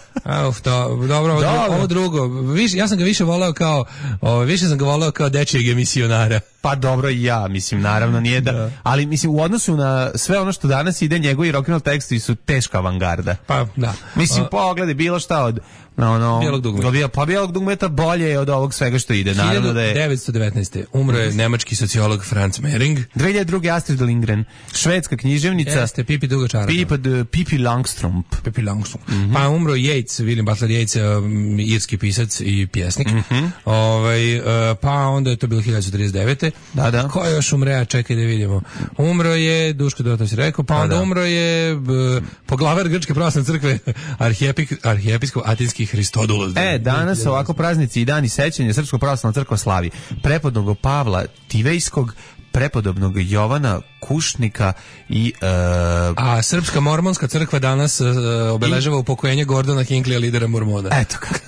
Uf, to, dobro, ovo, dobro. ovo drugo. Viš, ja sam ga više voleo kao, o, više sam ga voleo kao dečijeg emisionara. Pa dobro i ja, mislim, naravno nije da, da, ali mislim u odnosu na sve ono što danas ide, njegovi rock'n'roll tekstovi su teška avangarda. Pa da. Mislim, uh, pogledaj bilo šta od no, no, bijelog dugmeta. Pa bijelog dugmeta bolje je od ovog svega što ide. Naravno da je hiljadu devetsto devetnaeste. umro je nemački sociolog Franz Mehring. dve hiljade druge. Astrid Lindgren, švedska književnica. Jeste, Pipi duga čarapa. Pipi, Pipi Langstrump. Pipi Langstrump. Mm-hmm. Pa umro Yeats, William Butler Yeats, um, irski pisac i pjesnik. Mm-hmm. Ovaj, uh, pa onda je to bilo hiljadu trideset devete. Da, da. Ko je još umre? Čekaj da vidimo. Umro je, Duško Dota si rekao, pa onda da, da. umro je uh, poglavar Grčke pravoslavne crkve, arhijepiskop Atinski Hristodulos. E, danas ovako praznici i dani sećanja Srpsko pravoslavna crkva slavi prepodobnog Pavla Tivejskog, prepodobnog Jovana Kušnika i uh, a Srpska mormonska crkva danas uh, obeležava i upokojenje Gordona Hinckley, lidera mormona. Eto kako.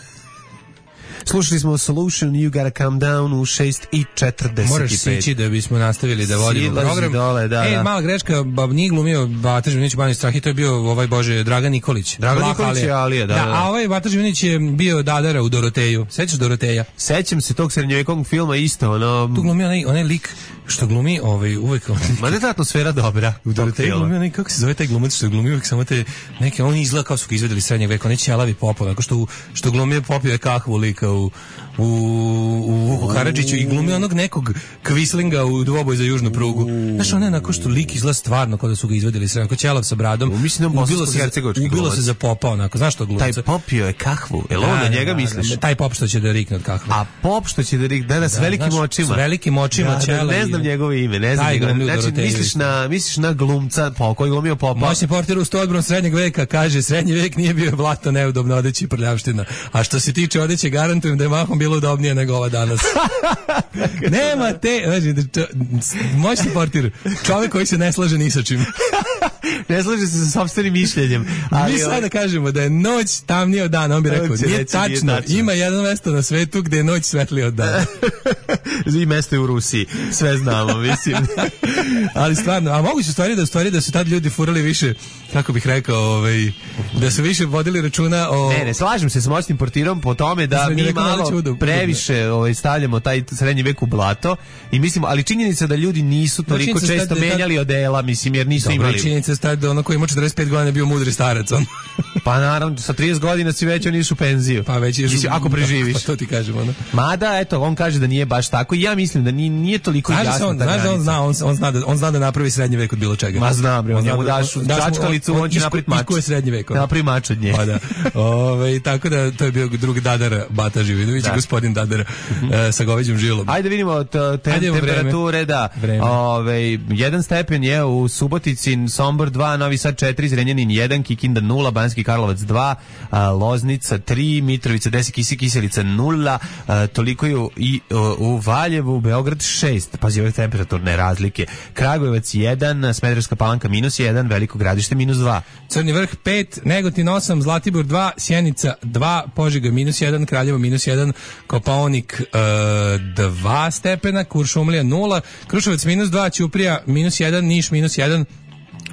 Slušali smo Solution, You Gotta Calm Down u šest i četrdeset pet. Moraš sići da bismo nastavili da vodimo Silazi program. Dole, da, e, da. mala greška, bab nije glumio Bata Živinić Bani Strahi, to je bio ovaj Bože Dragan Nikolić. Dragan Nikolić je Alija, da, da, da. A ovaj Bata Živinić je bio Dadara u Doroteju. Sećaš Doroteja? Sećam se tog srednjovjekovnog filma isto, ono. Tu glumi onaj, onaj lik što glumi ovaj uvek onaj. Ma ne ta atmosfera dobra. U Doroteju glumi onaj, kako se zove taj glumac što glumi uvek samo te neke, on izgleda kao su ga izvedeli srednjeg veka, onaj ćelavi Popov, tako što što glumi popio je kahvu lika u u, u, u Karadžiću i glumi onog nekog kvislinga u dvoboj za južnu prugu. Znaš, on je onako što lik izgleda stvarno kao da su ga izvedeli srednjeg, kao ćelav sa bradom. Mislim da ubilo se, ubilo se za popa onako, znaš što glumca? Taj popio je kahvu, jel on na njega misliš? Taj pop što će da rikne od kahve. A pop što će da rikne, da, da, s velikim znaš, očima. S velikim očima da, ćela. Ne znam njegovo ime, ne znam njegove. Znači, misliš na, misliš na glumca po, koji glumio popa. Moćni portir u Stodbrom srednjeg veka kaže, srednji vek nije bio blato, neudobno odeći i prljavština. A što se tiče odeće, garantujem da je mahom bilo udobnije nego ova danas. Nema te, znači, moćni portir, čovjek koji se ne slaže ni sa čim. Ne slaže se sa sopstvenim mišljenjem. Ali mi sada kažemo da je noć tamnija od dana, on bi rekao, nije tačno, ima jedno mesto na svetu gde je noć svetlija od dana. I mesto je u Rusiji, sve znamo, mislim. Ali stvarno, a moguće stvari da stvari da su tad ljudi furali više, kako bih rekao, ovaj, da su više vodili računa o... Ne, ne, slažem se s moćnim portirom po tome da mi rekao, malo čudu, previše ovaj, stavljamo taj srednji vek u blato i mislimo, ali činjenica da ljudi nisu toliko često tad, menjali tad, odela, mislim, jer nisu dobro, imali... Činjenica je da ono koji ima četrdeset pet godina bio mudri starac, on. Pa naravno, sa trideset godina si već oni su u penziju. Pa već ješ, mislim, ako preživiš. Pa to ti kažem, ono. Mada, eto, on kaže da nije baš tako i ja mislim da nije, nije toliko znaš jasno. On, znaš da on zna, on, on, zna da, on zna da napravi srednji vek od bilo čega. Ma znam, bre, on njemu daš čačkalicu, on, on će napraviti mač. Isko je srednji vek. Napravi mač od nje. Pa da. Ove, tako da, to je bio drug Dadar Bata Živinović, da. Gospodin Dadar uh, sa goveđim žilom. Ajde vidimo te, te, Ajde temperature, da. Ove, jedan stepen je u Subotici, Sombor dva, Novi Sad četiri, Zrenjanin jedan, Kikinda nula, Banski Karlovac dva, Loznica tri, Mitrovica deset, Kisi Kiselica nula, toliko je i u Valjevu, Beograd šest, pazi ove temperaturne razlike, Kragujevac jedan, Smederevska Palanka minus jedan, Veliko Gradište minus dva. Crni Vrh pet, Negotin osam, Zlatibor dva, Sjenica dva, Požega minus jedan, Kraljevo minus jedan, Kopaonik dva stepena, Kuršumlija nula, Kruševac minus dva, Ćuprija minus jedan, Niš minus jedan,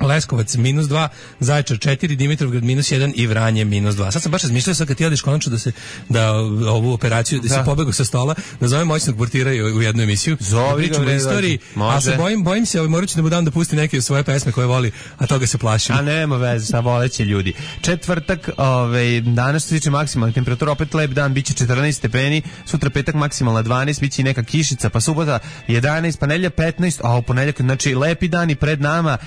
Leskovac minus dva, Zaječar četiri, Dimitrovgrad minus jedan i Vranje minus dva. Sad sam baš razmišljao, sad kad ti odeš konačno da se da ovu operaciju, da, da. se pobegu sa stola, da zovem moćnog portira u jednu emisiju. Zovi ga, u istoriji, a se bojim, bojim se, ovaj, morat ću da mu dam da pusti neke svoje pesme koje voli, a toga se plašim. A nema veze, sa voleće ljudi. Četvrtak, ovaj, danas se tiče maksimalna temperatura, opet lep dan, biće četrnaest stepeni, sutra petak maksimalna dvanaest, biće i neka kišica, pa subota jedanaest, pa nedelja petnaest, a u ponedeljak, znači lepi dani pred nama.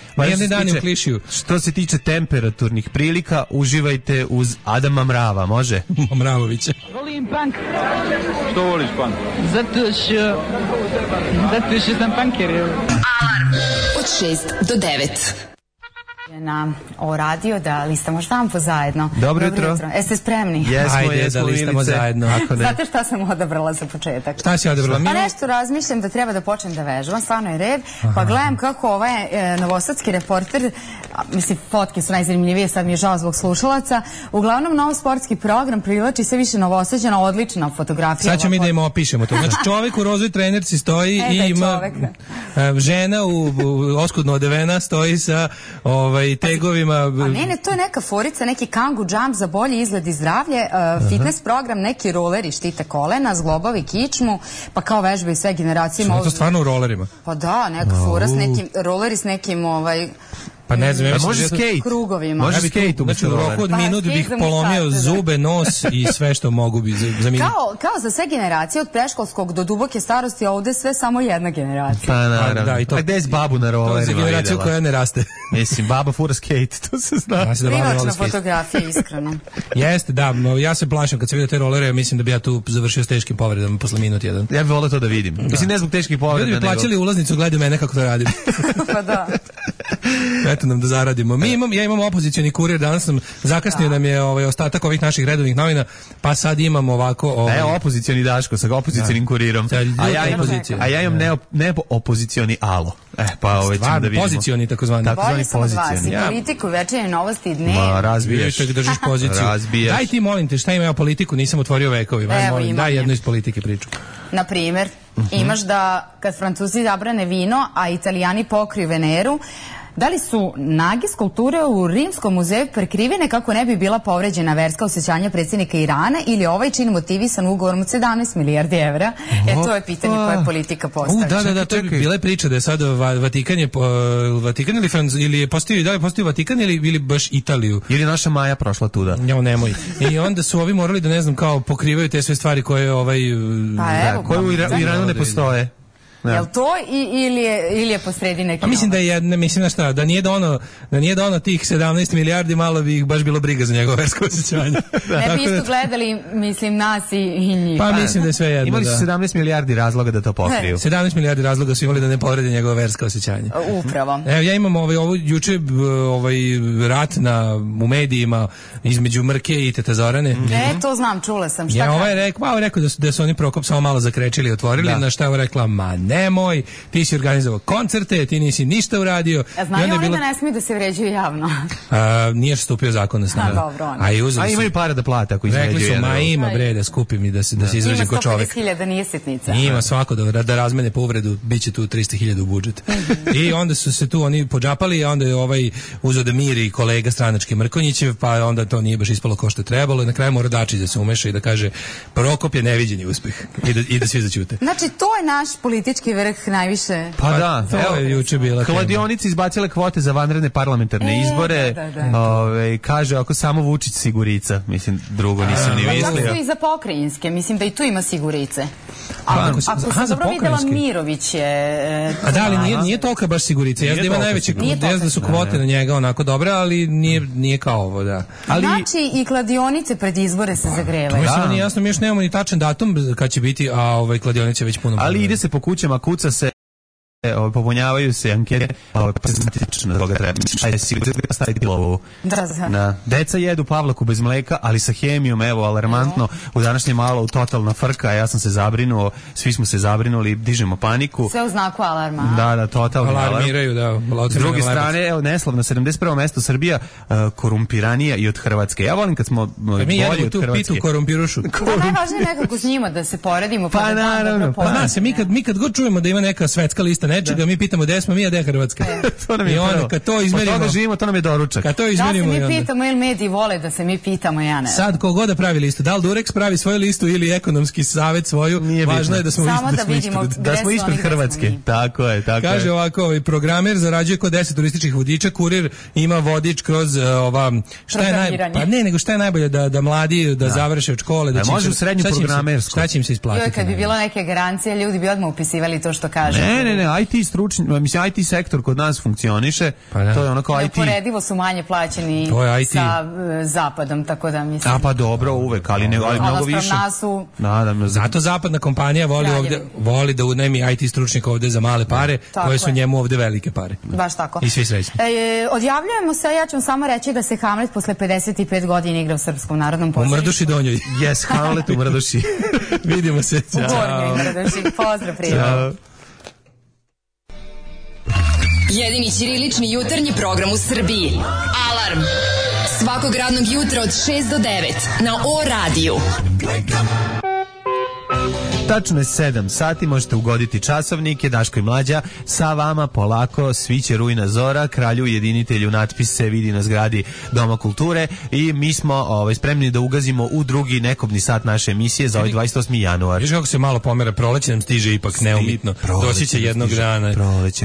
Tiče, što se tiče temperaturnih prilika, uživajte uz Adama Mrava, može? Mravovića. Volim punk. Što voliš punk? Zato što zato što sam punker. Alarm od šest do devet. Na o radio da listamo štampu zajedno. Dobro jutro. Jeste spremni? Jesmo, Ajde jesmo, da listamo zajedno. Ako ne. Znate šta sam odabrala za početak? Šta si odabrala? Pa nešto razmišljam da treba da počnem da vežbam, stvarno je red. Aha. Pa gledam kako ovaj e, novosadski reporter, a, mislim, fotke su najzanimljivije, sad mi je žao zbog slušalaca. Uglavnom, nov sportski program privlači sve više Novosađana, odlična fotografija. Sad ćemo mi da im opišemo to. Znači, čovjek u rozoj trenerci stoji e, i ima a, žena u, u oskudno odevena stoji sa ovaj ovaj, tegovima. A ne, ne, to je neka forica, neki kangu jump za bolji izgled i zdravlje, uh, fitness program, neki roleri štite kolena, zglobovi kičmu, pa kao vežbe i sve generacije. Što je to stvarno u rolerima? Pa da, neka fora s nekim, roleri s nekim, ovaj... Pa ne znam, ja mislim može da skate. Krugovima. Može skate, znači u roku od Pa, minut skate bih za polomio muškarce, da. zube, nos i sve što mogu bi za, za minut. Kao, kao za sve generacije, od preškolskog do duboke starosti, a ovde sve samo jedna generacija. Pa naravno. Da, i to- A gde je s babu na To je za rolerima generaciju videla? koja ne raste. Mislim, baba fura skate, to se zna. Ja se da bavim Privlačna roller skate. fotografija, iskreno. Jeste, da, no, ja se plašim kad se vidio te rolere, mislim da bi ja tu završio s teškim povredama posle minut jedan. Ja bih volio to da vidim. Mislim, ne zbog teških povreda, Ljudi bi plaćali ulaznicu, gledaju mene kako to radim. Pa da. Eto nam da zaradimo. Mi imam, ja imam opozicioni kurir, danas sam zakasnio nam je ovaj, ostatak ovih naših redovnih novina, pa sad imam ovako... Ovaj, Evo opozicioni Daško sa opozicijonim kurirom. Da, A ja imam, opozicija. a ja imam ne, ne opozicioni alo. E, pa ovo ćemo Stvarno, da vidimo. pozicioni takozvani. Tako Bolje zvani sam od vas i pozicioni. Ja. politiku, večernje novosti i dne. Ma, razbijaš. Vidite, držiš poziciju. Razbijaš. Daj ti, molim te, šta ima ja politiku, nisam otvorio vekovi. Aj, Evo, molim, imam daj je. jednu iz politike priču. Na primer, imaš da kad Francuzi zabrane vino, a Italijani pokriju Veneru, da li su nage skulpture u Rimskom muzeju prekrivene kako ne bi bila povređena verska osjećanja predsjednika Irana ili ovaj čin motivisan ugovorom od sedamnaest milijardi evra? E, to je pitanje koje politika postavlja. U, da, da, da, to je bila je priča da je sad Va- Vatikan je, po- Vatikan ili, Franz, ili je postavio, da li je postavio Vatikan ili, ili baš Italiju? Ili naša Maja prošla tuda. Jo, nemoj. I onda su ovi morali da, ne znam, kao pokrivaju te sve stvari koje ovaj... Pa evo, Koje u, Ira- u Iranu ne postoje. Da. Jel to i, ili, je, ili je posredi neki Pa mislim da je jedna, mislim na šta, da nije da ono, da nije da ono tih sedamnaest milijardi, malo bi ih baš bilo briga za njegovo versko osjećanje. Ne bi isto gledali, mislim, nas i, i njih. Pa mislim da je sve jedno, Imali su da. sedamnaest milijardi razloga da to pokriju. sedamnaest milijardi razloga su imali da ne povrede njegovo versko osjećanje. Upravo. Evo, ja imam ovaj, ovo, juče b- ovaj rat na, u medijima između Mrke i Teta Zorane. E, to znam, čula sam. Šta Ja, ovaj kaže? rekao, pa, ovaj rekao da su, da su oni Prokop samo malo zakrečili i otvorili, Da. na šta je ovo rekla, ma nemoj, ti si organizovao koncerte, ti nisi ništa uradio. A I znaju onda je oni bilo- da ne smiju da se vređuju javno? A, nije što stupio zakon na snagu. A, dobro, oni. A i uzeli A su- imaju para da plate ako između Rekli su, jedan ma drugog. ima bre da skupim i da se, da se izrađe Ima ko sto čovek. pedeset hiljada, nije sitnica. Ima svako da, da razmene povredu, bit će tu tristo hiljada u budžet. I onda su se tu oni podžapali, a onda je ovaj uzeo da miri kolega stranački Mrkonjićev, pa onda to nije baš ispalo kao što je trebalo i na kraju mora Dačić da se umeša i da kaže Prokop je neviđeni uspeh i da, i da svi zaćute. Znači, to je naš politički vrh najviše. Pa da, To evo, je juče bila tema. kladionice izbacile kvote za vanredne parlamentarne E, izbore. da, da, da. Ove, kaže, ako samo Vučić sigurica. Mislim, drugo nisam ni Pa čak mislio. su i za pokrajinske, mislim da i tu ima sigurice. Pa, Ako, ako se- ako aha, sam za dobro videla, pokrajinske. Mirović je... e, A da, ali nije, nije tolika baš sigurica. Jeste da ima tolika najveće, sigurica. Nije jeste da su tolika. kvote na njega onako dobre, ali nije, nije kao ovo, da. Ali, Znači, i kladionice pred izbore se To zagrevaju. mi Da. samo nije jasno, mi još nemamo ni tačan datum kad će biti, a ovaj kladionica je već puno. ali ide se po kućama, kuca se, ove, popunjavaju se ankete, ove, pa se znatično toga treba. Šta je sigurno staviti lovu? Da, da. Da. Deca jedu pavlaku bez mleka, ali sa hemijom, evo, alarmantno. U današnjem malo totalna frka, ja sam se zabrinuo, svi smo se zabrinuli, dižemo paniku. Sve u znaku alarma. Da, da, totalni alarm. Alarmiraju, da. S druge strane, evo, neslavno, sedamdeset prvo mesto Srbija, uh, korumpiranija i od Hrvatske. Ja volim kad smo uh, mi bolji jedemo od tu Hrvatske. pitu korumpirušu. Da, najvažnije je nekako s njima da se poredimo. Pa da da, naravno, dobro pa Pa poznamo. zna se, mi kad, mi kad god čujemo da ima neka svetska lista nečega, mi pitamo gde smo mi, a gde je Hrvatska. To nam je I onda prvo. kad to Od izmerimo, toga živimo, to nam je doručak. kad to Da se izmerimo i mi onda. pitamo ili mediji vole da se mi pitamo, ja ne. Sad kogod da pravi listu, da li Durex pravi svoju listu ili ekonomski savet svoju, Nije važno bitno. je da smo, Samo ispred, da smo vidimo ispred. Da gde smo su ispred oni, gde smo Hrvatske. mi. Tako je, tako Kaže je. ovako, ovaj programer zarađuje kod deset turističkih vodiča, kurir ima vodič kroz uh, ova šta je naj, Programiranje. pa ne, nego šta je najbolje da da mladi da, završe od škole, da A će im može se- u srednju šta će im se- programersku. Šta će im se isplatiti? Joj, kad bi bilo neke garancije, ljudi bi odmah upisivali to što kaže. Ne, ne, ne, I T stručni, mislim, I T sektor kod nas funkcioniše, Pa da. to je ono kao I T. Neuporedivo su manje plaćeni To je I T. sa e, zapadom, tako da mislim. A pa dobro, uvek, ali, ne, ali A mnogo naspram više. nas su- Da, da, da. Zato zapadna kompanija voli Kraljevi. ovde voli da unajmi I T stručnjaka ovde za male pare, Tako koje su je. njemu ovde velike pare. Baš tako. I svi srećni. E, odjavljujemo se, ja ću vam samo reći da se Hamlet posle pedeset pet godina igra u Srpskom narodnom U pozorištu. Mrduši Donjoj. Yes, Hamlet u Mrduši. Vidimo se. U Gornjoj Mrduši. Pozdrav, prijatelj. Ćao. Jedini ćirilični jutarnji program u Srbiji. Alarm. Svakog radnog jutra od šest do devet na O radiju. Tačno je sedam sati, možete ugoditi časovnike, Daško i Mlađa, sa vama polako sviće rujna zora, kralju jedinitelju natpis se vidi na zgradi Doma kulture i mi smo ovaj, spremni da ugazimo u drugi nekobni sat naše emisije za ovaj dvadeset osmi januar. Viš kako se malo pomera, proleće nam stiže ipak neumitno, doći će jednog dana,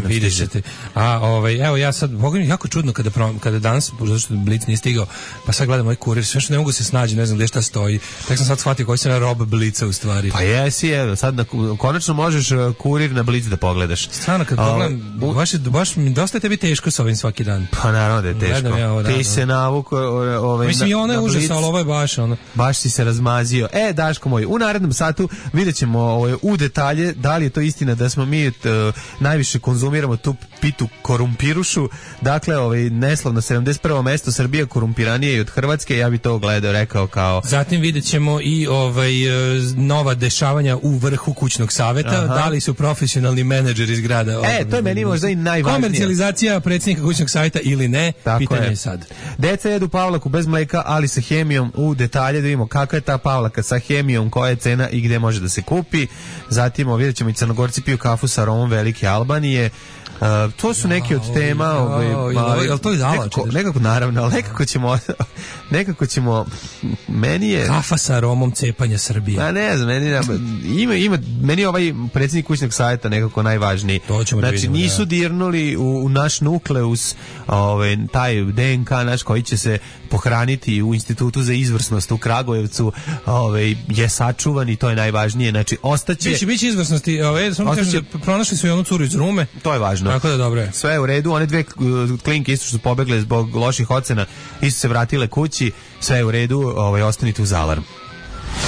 vidjet ćete. A ovaj, evo ja sad, Boga mi jako čudno kada, kada danas, zato što Blic nije stigao, pa sad gledam ovaj kurir, sve što ne mogu se snađi, ne znam gdje šta stoji, tak sam sad shvatio koji se na rob Blica u stvari. Pa jesi, evo, sad na, konačno možeš kurir na Blic da pogledaš. Stvarno, kad pogledam, baš, baš mi dosta je tebi teško s ovim svaki dan. Pa naravno da je teško. Ja ovo, da, ti da. se navuko ovaj, mislim, i ono je užas, ali ovo je baš ono. Baš si se razmazio. E, Daško moj, u narednom satu vidjet ćemo ovaj, u detalje da li je to istina da smo mi t, najviše konzumiramo tu pitu korumpirušu. Dakle, ovaj, neslavno sedamdeset prvo mesto, Srbija korumpiranije i od Hrvatske, ja bi to gledao, rekao kao... Zatim vidjet ćemo i ovaj, nova dešavanja u vrhu kućnog saveta. Aha. Da li su profesionalni menadžeri iz grada? Ovaj, e, to je meni možda i najvažnije. Komercijalizacija predsjednika kućnog saveta ili ne? Tako pitanje je. je sad. Deca jedu pavlaku bez mleka, ali sa hemijom, u detalje da vidimo kakva je ta pavlaka sa hemijom, koja je cena i gde može da se kupi. Zatim vidjet ćemo i Crnogorci piju kafu sa aromom Velike Albanije. Uh, to su neki od tema, ovaj, jel to iz nekako, nekako naravno, ali nekako ćemo nekako ćemo meni je kafa sa aromom cepanja Srbije. A ne znam, meni ima ima meni ovaj predsjednik kućnog savjeta nekako najvažniji. Znači da vidimo, nisu ja. dirnuli u, u naš nukleus, ovaj taj D N K naš koji će se pohraniti u Institutu za izvrsnost u Kragujevcu, ovaj je sačuvan i to je najvažnije. Znači ostaće biće biće izvrsnosti, ovaj samo kažem da pronašli su i onu curu iz Rume. To je važno. Tako da dobro je. Sve je u redu, one dve klinke isto što su pobegle zbog loših ocena, isto se vratile kući, sve je u redu, ovaj, ostanite uz Alarm.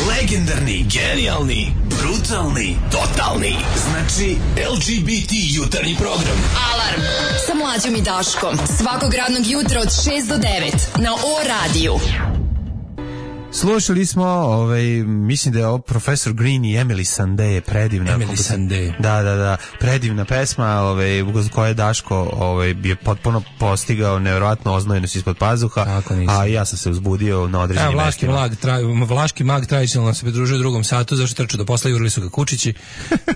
Legendarni, genijalni, brutalni, totalni, znači L G B T jutarnji program. Alarm sa Mlađom i Daškom, svakog radnog jutra od šest do devet na O radiju. Slušali smo, ovaj, mislim da je ovo Profesor Green i Emily Sandé, predivna. Emily Sandé. Da, da, da, predivna pesma, ovaj, koja je Daško ovaj, je potpuno postigao nevjerojatno oznojenost ispod pazuha, a ja sam se uzbudio na određenim ja, vlaški mestima. Mag, tra, vlaški mag tradicionalno se pridružio u drugom satu, zašto trču do posla, jurili su ga kučići,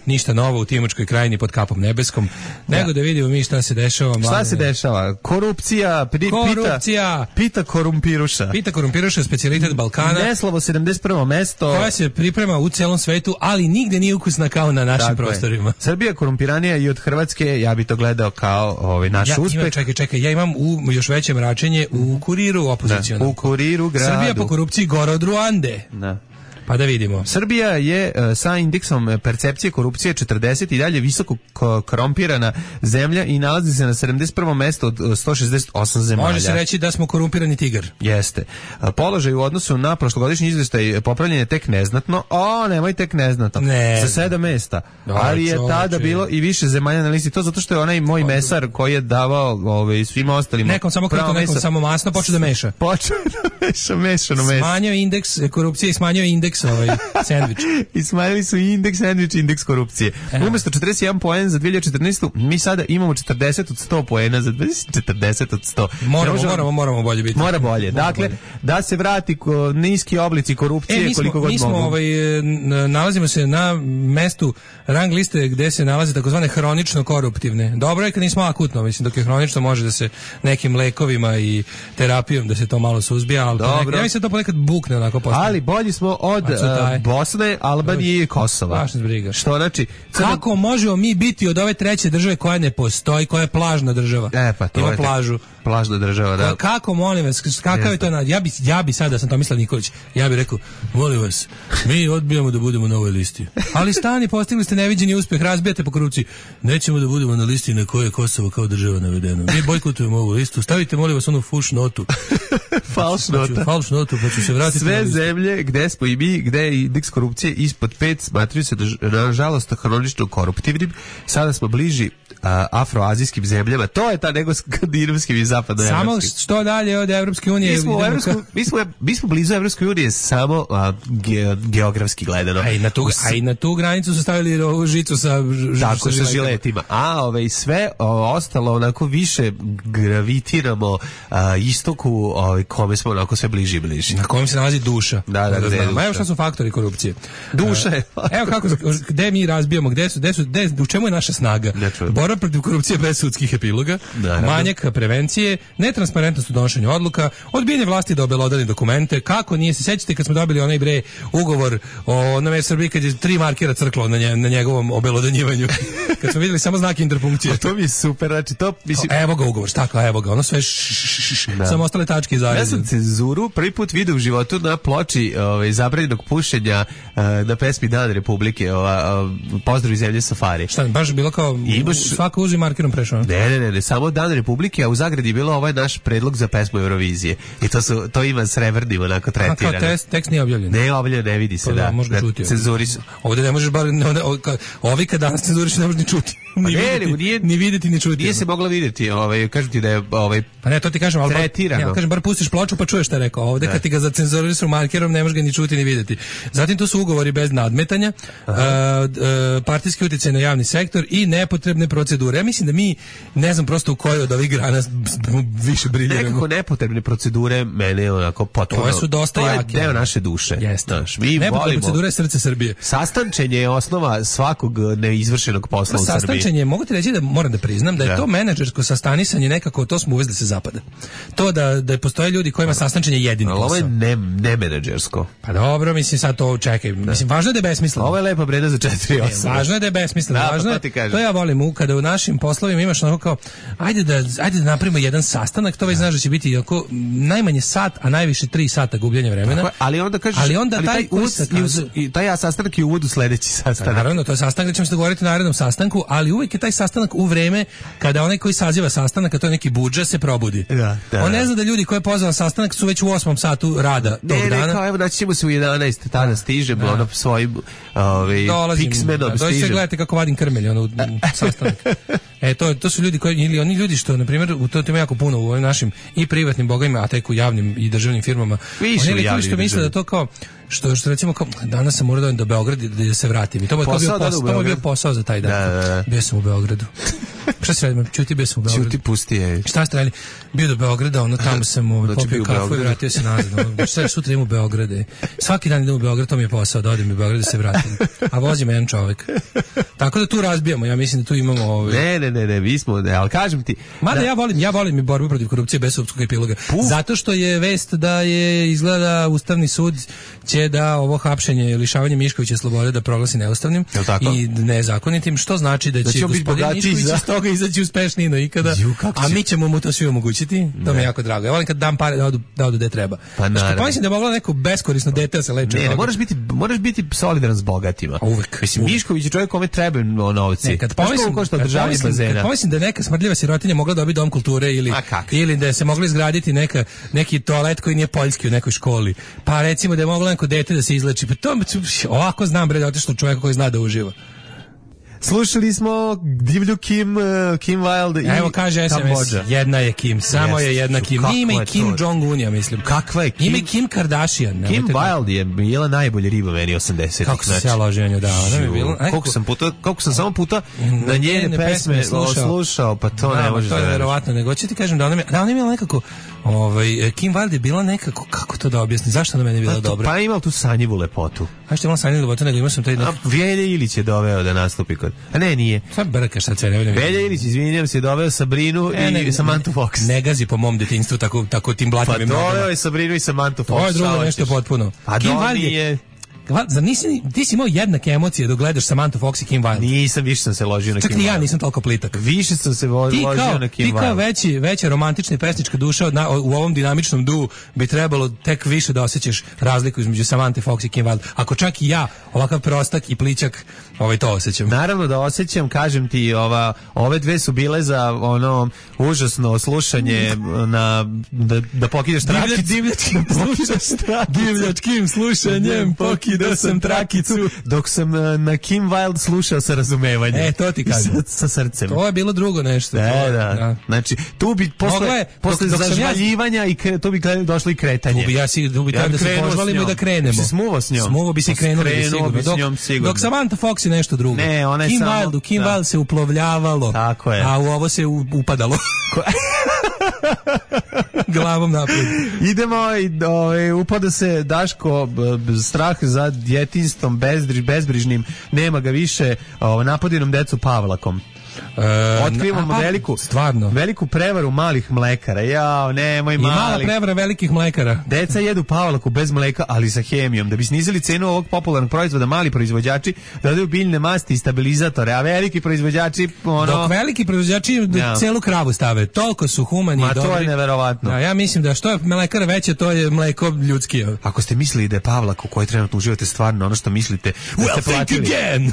ništa novo u Timočkoj krajini pod kapom nebeskom, nego ja. da vidimo mi šta se dešava. Šta mladine. se dešava? Korupcija, pri, Korupcija. Pita, pita korumpiruša. Pita korumpiruša, specijalitet Balkana. Neslavo sedamdeset prvo mesto. Koja se priprema u celom svetu, ali nigde nije ukusna kao na našim Tako prostorima. Je. Srbija korumpiranija i od Hrvatske, ja bi to gledao kao ovaj naš ja, uspeh. Imam, čekaj, čekaj, ja imam u još veće mračenje u Kuriru opozicionom. U Kuriru gradu. Srbija po korupciji gora od Ruande. Da. Pa da vidimo. Srbija je uh, sa indeksom percepcije korupcije četrdeset i dalje visoko korumpirana zemlja i nalazi se na sedamdeset prvo mesto od uh, sto šezdeset osam zemalja. Može se reći da smo korumpirani tigar. Jeste. Uh, položaj u odnosu na prošlogodišnji izvještaj popravljen je tek neznatno. O, nemoj tek neznatno. Ne. Za sedam mesta. Dobar, ali je čovječe. Tada bilo i više zemalja na listi. To zato što je onaj moj mesar koji je davao ovaj, svima ostalima. Nekom samo krito, nekom mesa. samo masno, počeo da meša. Počeo da meša, mešano meso. Smanjio indeks korupcije i smanjio indeks ovaj sendvič. I smanjili su i indeks sendvič, indeks korupcije. E. Umesto četrdeset jedan poen za dve hiljade četrnaestu mi sada imamo četrdeset od sto poena za četrdeset od sto. Moramo, možemo, moramo, moramo bolje biti. Mora bolje. Mora dakle, bolje. Da se vrati ko, niski oblici korupcije e, smo, koliko god mi smo, mogu. Ovaj, nalazimo se na mestu rang liste gde se nalaze takozvane hronično koruptivne. Dobro je kad nismo akutno, mislim, dok je hronično može da se nekim lekovima i terapijom da se to malo suzbija, ali nek, ja mislim da to ponekad bukne onako postane. Ali bolji smo od Bosne, Albanije i Kosova. Što znači? Crna... Kako možemo mi biti od ove treće države koja ne postoji, koja je plažna država? E, pa to ima je plažu. Plažna država, da. Kako, molim vas, kakav je to? Ja bi, ja bi sada, sam Tomislav Nikolić, ja bih rekao, molim vas, mi odbijamo da budemo na ovoj listi. Ali stani, postigli ste neviđeni uspjeh, razbijate po korupciji. Nećemo da budemo na listi na kojoj je Kosovo kao država navedeno. Mi bojkotujemo ovu listu. Stavite, molim vas, onu fuš notu. Falš nota. Falš notu, pa ću se vratiti. Sve zemlje gde smo i mi, gde je indeks korupcije ispod pet, smatruju se nažalost hronično koruptivnim. Sada smo bliži a, afroazijskim zemljama. To je ta nego skandinavskim i zapadnoevropskim. Samo što dalje od Evropske unije. Mi smo, Evropsku, mi smo, mi smo blizu Evropske unije samo a, ge, geografski gledano. A i na tu, a i na tu granicu su stavili ovu žicu sa, ž, tako, sa, sa žiletima. A ove, sve o, ostalo onako više gravitiramo a, istoku ove, kome smo onako sve bliži i bliži. Na kojem se nalazi duša. Da, da, da. Ma evo šta su faktori korupcije? Duše. Evo kako, gde mi razbijamo, gde su, gde su, gde, u čemu je naša snaga? Borba protiv korupcije bez sudskih epiloga, manjak prevencije, netransparentnost u donošenju odluka, odbijanje vlasti da obelodani dokumente, kako nije se sećate kad smo dobili onaj bre ugovor o nove Srbiji kad je tri markera crklo na, nje, na njegovom obelodanjivanju. Kad smo videli samo znake interpunkcije. To mi je super, znači to mislim... Evo ga ugovor, stakla, evo ga, ono sve samo ostale tačke i zareze. Ja sam cenzuru prvi put vidio u životu na ploči ovaj, zabranjenog pušenja uh, na pesmi Dan Republike, ova, uh, Pozdrav iz zemlje Safari. Šta, baš bilo kao imaš... svako uzi markerom prešao? Ne, ne, ne, ne, samo Dan Republike, a u zagradi je bilo ovaj naš predlog za pesmu Eurovizije. I to, su, to ima srebrnim onako tretirano. A kao tekst, tekst nije objavljen? Ne, objavljen, ne vidi se, pa, da. Možda čuti. Cenzuri su. Ovdje ne možeš bar, ovi kad danas cenzuriš ne možeš ni čuti. Ni, ne, vidjeti, nije, ni vidjeti, ni čuti. Nije se mogla vidjeti, ovaj, kažem ti da je ovaj, pa ne, to ti kažem, ali tretirano. Ja kažem, bar pustiš ploču pa čuješ šta je rekao. Ovdje kad ti ga zacenzuriš markerom ne možeš ga ni čuti ni vidjeti. Zatim to su ugovori bez nadmetanja, uh, uh, partijski utjecaj na javni sektor i nepotrebne procedure. Ja mislim da mi, ne znam prosto u kojoj od ovih grana više briljiramo. Nekako nepotrebne procedure mene onako potpuno... To su dosta jake. To je deo naše duše. Jeste. Naš, mi nepotrebne procedure je srce Srbije. Sastančenje je osnova svakog neizvršenog posla u Srbiji. Sastančenje, mogu ti reći da moram da priznam da je da. to menadžersko sastanisanje nekako, to smo uvezli sa zapada. To da, da postoje ljudi kojima sastančenje jedini posao. Ovo je ne, ne menadžersko. Pa dobro, mislim sad to čekaj. Da. Mislim, važno je da je besmisleno. Ovo je lepa breda za četiri osam. Važno je da je besmisleno. Da, važno pa to, to ja volim u, kada u našim poslovima imaš onako kao, ajde da, ajde da napravimo jedan sastanak, to već znaš da će biti jako, najmanje sat, a najviše tri sata gubljenja vremena. Tako, ali onda kažeš, ali onda ali taj, taj, uz, kazu, i, taj ja sastanak je uvod u sledeći sastanak. Naravno, to je sastanak gde ćemo se dogovoriti na narednom sastanku, ali uvijek je taj sastanak u vreme kada onaj koji saziva sastanak, a to je neki budža, se probudi. Da, da, on ne zna da ljudi koji je pozvao sastanak su već u osmom satu rada tog ne, dana. Ne, kao evo naći ćemo se u jedanaest, tada stižemo, ono svojim ovaj, Pixmenom stižem. Dođite gledajte kako vadim krmelj, ono, sastanak. E, to, to su ljudi koji, ili oni ljudi što, na primjer, u to ima jako puno u ovim našim i privatnim bogovima, a tek u javnim i državnim firmama. Više oni ljudi što misle da to kao, što, što recimo kao, danas sam morao do Beograda da se vratim. I to je bio, pos, to bio posao za taj dan. Da, da, da. Bio sam u Beogradu. Šta se radim? Čuti, bio sam u Beogradu. Čuti, pusti je. Šta ste radili? Bio do Beograda, ono tamo sam ovaj, popio kafu i vratio se nazad. Ono, šta, sutra idem u Beograd. Svaki dan idem u Beograd, to mi je posao, da odem u Beograd da se vratim. A vozi me jedan čovek. Tako da tu razbijamo, ja mislim da tu imamo... Ovaj... Ne, ne, ne, ne, mi smo, ne, ali kažem ti... Mada da... ja volim, ja volim i borbu protiv korupcije bez sudskog epiloga. Puf. Zato što je vest da je izgleda Ustavni sud će da ovo hapšenje, lišavanje Miškovića slobode da proglasi neustavnim i nezakonitim, što znači da će, da će gospodin Mišković iz toga izaći uspešniji no ikada, Ju, a mi ćemo mu to svi omogućiti. To mi je jako drago. Ja volim kad dam pare da odu, da odu gde treba. Pa naravno. Mislim da je moglo neko beskorisno dete da se leče. Ne, ne, moraš biti, moraš biti solidaran s bogatima. A uvek. Mislim, uvek. Mišković je čovjek kome treba novci. Ne, kad pomislim, kad pomislim, kad pomislim da je neka smrdljiva sirotinja mogla dobiti dom kulture ili, ili da se moglo izgraditi neka, neki toalet koji nije poljski u nekoj školi. Pa recimo da je moglo neko dete da se izleči. Pa to ovako znam bre da otišlo čovjeka koji zna da uživa. Slušali smo divlju Kim, uh, Kim Wilde i evo kaže es em es, Kambodža. Jedna je Kim, samo yes. je jedna Kim. Ima i Kim Jong-un, ja mislim. Kakva je Kim? Ima i Kim Kardashian. Kim Wilde je bila najbolje riba meni osamdesetih. Kako se ja ložio nju, da. Ona je bila. Koliko sam puta, koliko sam samo puta na njene pesme slušao, slušao pa to da, ne može da. To je verovatno, nego ću ti kažem da ona mi, da ona mi nekako ovaj Kim Wilde je bila nekako, kako to da objasnim, zašto ona meni bila pa, dobra? Pa ima tu sanjivu lepotu. A što ima sanjivu lepotu, nego imao sam taj... A Velja Ilić je doveo da nastupi kod... A ne, nije. Sad brkaš, sad sve ne vidim. Velja Ilić, izvinjam se, doveo Sabrinu e, i ne, Samantha Fox. Ne gazi po mom detinjstvu tako, tako tim blatim. Pa doveo je Sabrinu i Samantha Fox. To je drugo nešto potpuno. A Kim Wilde je... Zar nisi, ti si imao jednake emocije dok gledaš Samantha Fox i Kim Wilde? Nisam, više sam se ložio na Kim Wilde. Čak i ja nisam toliko plitak. Više sam se vo, ložio kao, na Kim Wilde. Ti kao veći, veća romantična i pesnička duša od na, u ovom dinamičnom duu bi trebalo tek više da osjećaš razliku između Samantha Fox i Kim Wilde. Ako čak i ja, ovakav prostak i plićak, ovaj to osjećam. Naravno da osjećam, kažem ti, ova, ove dve su bile za ono užasno slušanje na, da, da pokidaš trakicu. Divljačkim slušanjem, divljačkim slušanjem, pokidam video sam trakicu. Dok sam uh, na Kim Wilde slušao sa razumevanjem. E, to ti kažem. Sa, sa srcem. To je bilo drugo nešto. Da, to, da. da. Znači, tu bi posle, je, posle dok, dok zažvaljivanja ja... i kre, tu bi došlo i kretanje. Tu bi ja si, tu bi ja da se požvalimo i da krenemo. Si smuvo s njom. Smuvo bi si krenuo sigurno. Bi s njom, sigurno. Dok, dok Samantha Fox je nešto drugo. Ne, ona je Kim samo... Wilde, Kim Wilde se uplovljavalo. Tako je. A u ovo se upadalo. Glavom napred. Idemo i ovaj upada se Daško b, b, strah za djetinjstvom bezdriž, bezbrižnim, nema ga više, ovaj napadinom decu Pavlakom. E, Otkrivamo a, veliku, stvarno. veliku prevaru malih mlekara. Jao, nemoj malih. I mala prevara velikih mlekara. Deca jedu Pavlaku bez mleka, ali sa hemijom. Da bi snizili cenu ovog popularnog proizvoda, mali proizvođači dodaju biljne masti i stabilizatore, a veliki proizvođači ono... Dok veliki proizvođači ja. celu kravu stave. Toliko su humani Ma, i dobri. to je neverovatno. Ja, ja mislim da što je mlekara veće, to je mleko ljudski. Ako ste mislili da je Pavlak u kojoj trenutno uživate stvarno ono što mislite, da well, ste platili. Again.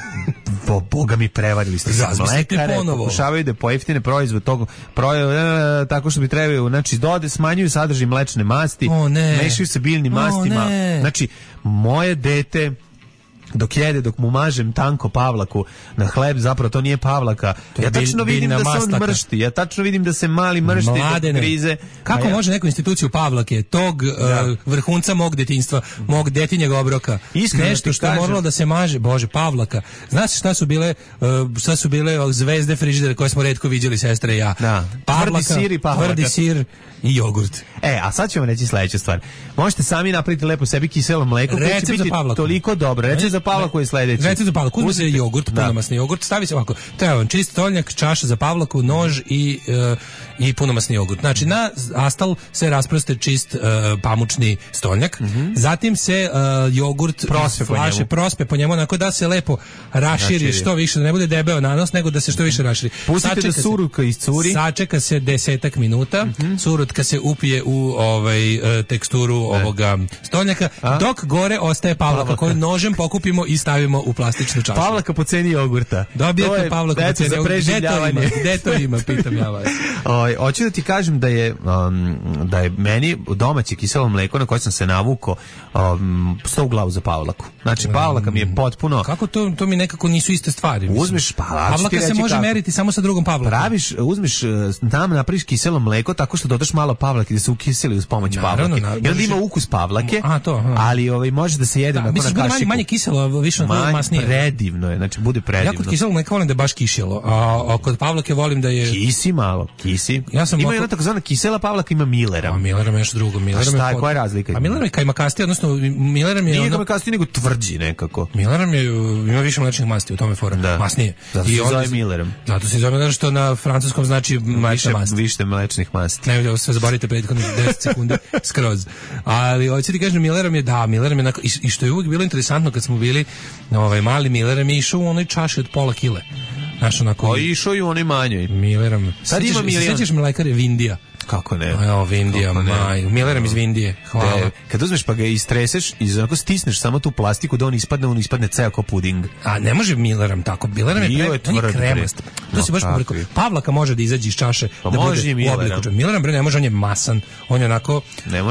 Bo, Boga mi prevarili ste. Mlekare pokušavaju da pojeftine proizvod tog proizvoda tako što bi trebaju, znači dode smanjuju sadržaj mlečne masti, oh, mešaju se biljnim mastima. Oh, znači moje dete dok jede, dok mu mažem tanko Pavlaku na hleb, zapravo to nije Pavlaka. To ja tačno bil, vidim da se on mršti. Ja tačno vidim da se mali mršti do krize. Kako ja... može neku instituciju Pavlake, tog ja. uh, vrhunca mog detinjstva, mog detinjeg obroka, Iskreno nešto što je kažem. moralo da se maže, Bože, Pavlaka. Znaš šta su bile, uh, šta su bile zvezde frižidera koje smo retko viđali, sestre i ja? Da. Pavlaka, tvrdi sir i Pavlaka. Tvrdi sir i jogurt. E, a sad ćemo reći sledeću stvar. Možete sami napraviti lepo sebi kiselo mleko koje će biti toliko dobro. Recept za Pavlaku je sledeći. Recept za Pavlaku. Uzme se jogurt, punomasni jogurt, stavi se ovako. Treba vam čist stolnjak, čaša za Pavlaku, nož i, uh, i punomasni jogurt. Znači, na astal se rasproste čist uh, pamučni stolnjak. Mm-hmm. Zatim se uh, jogurt prospe po flaše, njemu. prospe po njemu, onako da se lepo raširi, raširi. Što više, da ne bude debeo nanos, nego da se što više raširi. Pustite sačeka da surutka iscuri. Sačeka se desetak minuta, mm-hmm. surutka se upije u ovaj, uh, teksturu ne. ovoga stolnjaka, a? Dok gore ostaje Pavlaka, koju nožem pokupimo i stavimo u plastičnu čašu. Pavlaka po ceni jogurta. Dobijete Pavlaka po ceni jogurta. Gde to ima? Gde to ima? Pitam ja vas. Oj, hoću da ti kažem da je um, da je meni domaće kiselo mleko na koje sam se navukao um, sto u glavu za Pavlaku. Znači Pavlaka mi je potpuno. Kako to to mi nekako nisu iste stvari. Mislim. Uzmeš Pavlaka. Pavlaka se može kako. meriti samo sa drugom Pavlakom. Praviš, uzmeš tam napraviš kiselo mleko tako što dodaš malo Pavlake da se ukiseli uz pomoć Pavlake. I onda ima ukus Pavlake. A to, aha. Ali ovaj može da se jede na kašiku. Manje, manje kiselo, više manje, masnije. Predivno je, znači bude predivno. Ja kod kiselog mleka volim da je baš kišjelo, a, a kod Pavlake volim da je... Kisi malo, kisi. Ja sam ima ovako... jedna takozvana kisela Pavlaka, ima Millera. A Millera je nešto drugo. Millera šta je, koja je razlika? A Millera je kajmakasti, odnosno Millera je... Nije kajmakasti, nego tvrđi nekako. Millera je, ima više mlečnih masti, u tome fora. Da. Masnije. Zato se zove Millerom. Zato se zove Millerom što na francuskom znači mlečna masti. Više mlečnih masti. Ne, sve zaborite prethodnih deset sekundi skroz. Ali hoću ti kažem, Millerom je, da, Millerom je onako, i, i što je uvijek bilo interesantno kad smo bili ovaj mali Millerom je išao u onoj čaši od pola kile. Znaš, onako... O, išao i u onoj manjoj. Millerom. Sad ima milijon. Sećaš mlekare Vindija? Kako ne? Evo, Vindija, maj. Millerom iz Vindije. Hvala. De, kad uzmeš pa ga istreseš i onako stisneš samo tu plastiku da on ispadne, on ispadne ceo kao puding. A ne može Millerom tako. Millerom je, pre, on je kremast. To se baš pobrkao. Pavlaka može da izađe iz čaše. Pa da može bude u obliku. Millerom bre ne može, on je masan. On je onako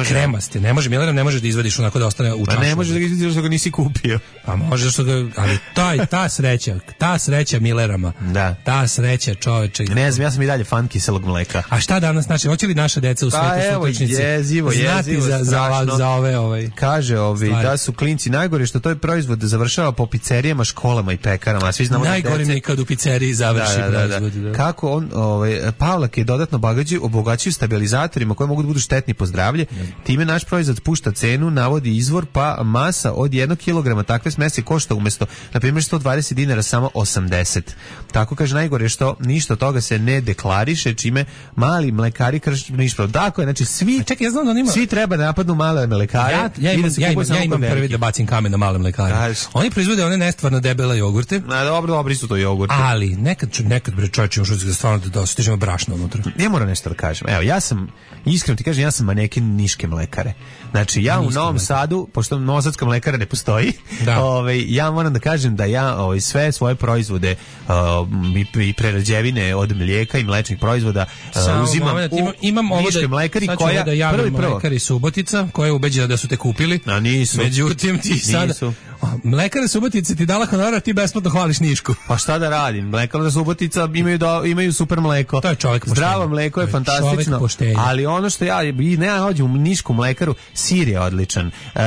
kremast. Ne može Millerom, ne može da izvadiš onako da ostane u čaši. A ne može da ga izvadiš što ga nisi kupio. Pa može što ga, ali taj, ta sreća, ta sreća Millerama. Da. Ta sreća, čoveče. Ne znam, ja sam i dalje fan kiselog mleka. A šta danas znači, hoće li naša deca u svetu sutračnici jezivo, jezivo, za, za, za ove ovaj kaže ovi stvari. Da su klinci najgore što to je proizvod da završava po pizzerijama, školama i pekarama, a svi znamo najgore mi kad u pizzeriji završi da, da, proizvod. Da, da. Kako on ovaj Pavlak je dodatno bagađi obogaćuju stabilizatorima koji mogu da budu štetni po zdravlje. Time naš proizvod spušta cenu, navodi izvor, pa masa od jednog kilograma takve smesi košta umesto na primjer sto dvadeset dinara samo osamdeset. Tako kaže najgore što ništa od toga se ne deklariše, čime mali mlekari krše ništa. Tako je, znači svi, čekaj, ja znam da onima, svi treba da napadnu male mlekare. Ja, ja imam, da ja imam, ja imam prvi da bacim kamen na male mlekare. Daš. Oni proizvode one nestvarno debele jogurte. Na dobro, dobri su to jogurte. Ali nekad nekad bre čovječe još da stvarno da dostižemo brašno unutra. Ne mora nešto da kažem. Evo, ja sam iskreno ti kažem, ja sam maneken niške mlekare. Znači ja u Novom Sadu, pošto novosadska mlekara ne postoji, ovaj ja moram da kažem da ja ovaj sve svoje proizvode uh, i, i prerađevine od mlijeka i mlečnih proizvoda uh, uzimam moment, u imam niške mlekari koja da javim prvi prvo mlekari Subotica koja je ubeđena da su te kupili. A nisu. Međutim ti sada Mlekara Subotica ti dala honorar, ti besplatno hvališ Nišku. Pa šta da radim? Mlekara Subotica imaju do, imaju super mleko. To je čovjek poštenja. Zdravo mleko je, je fantastično. Ali ono što ja i ne nađem u Nišku mlekaru, sir je odličan. Uh,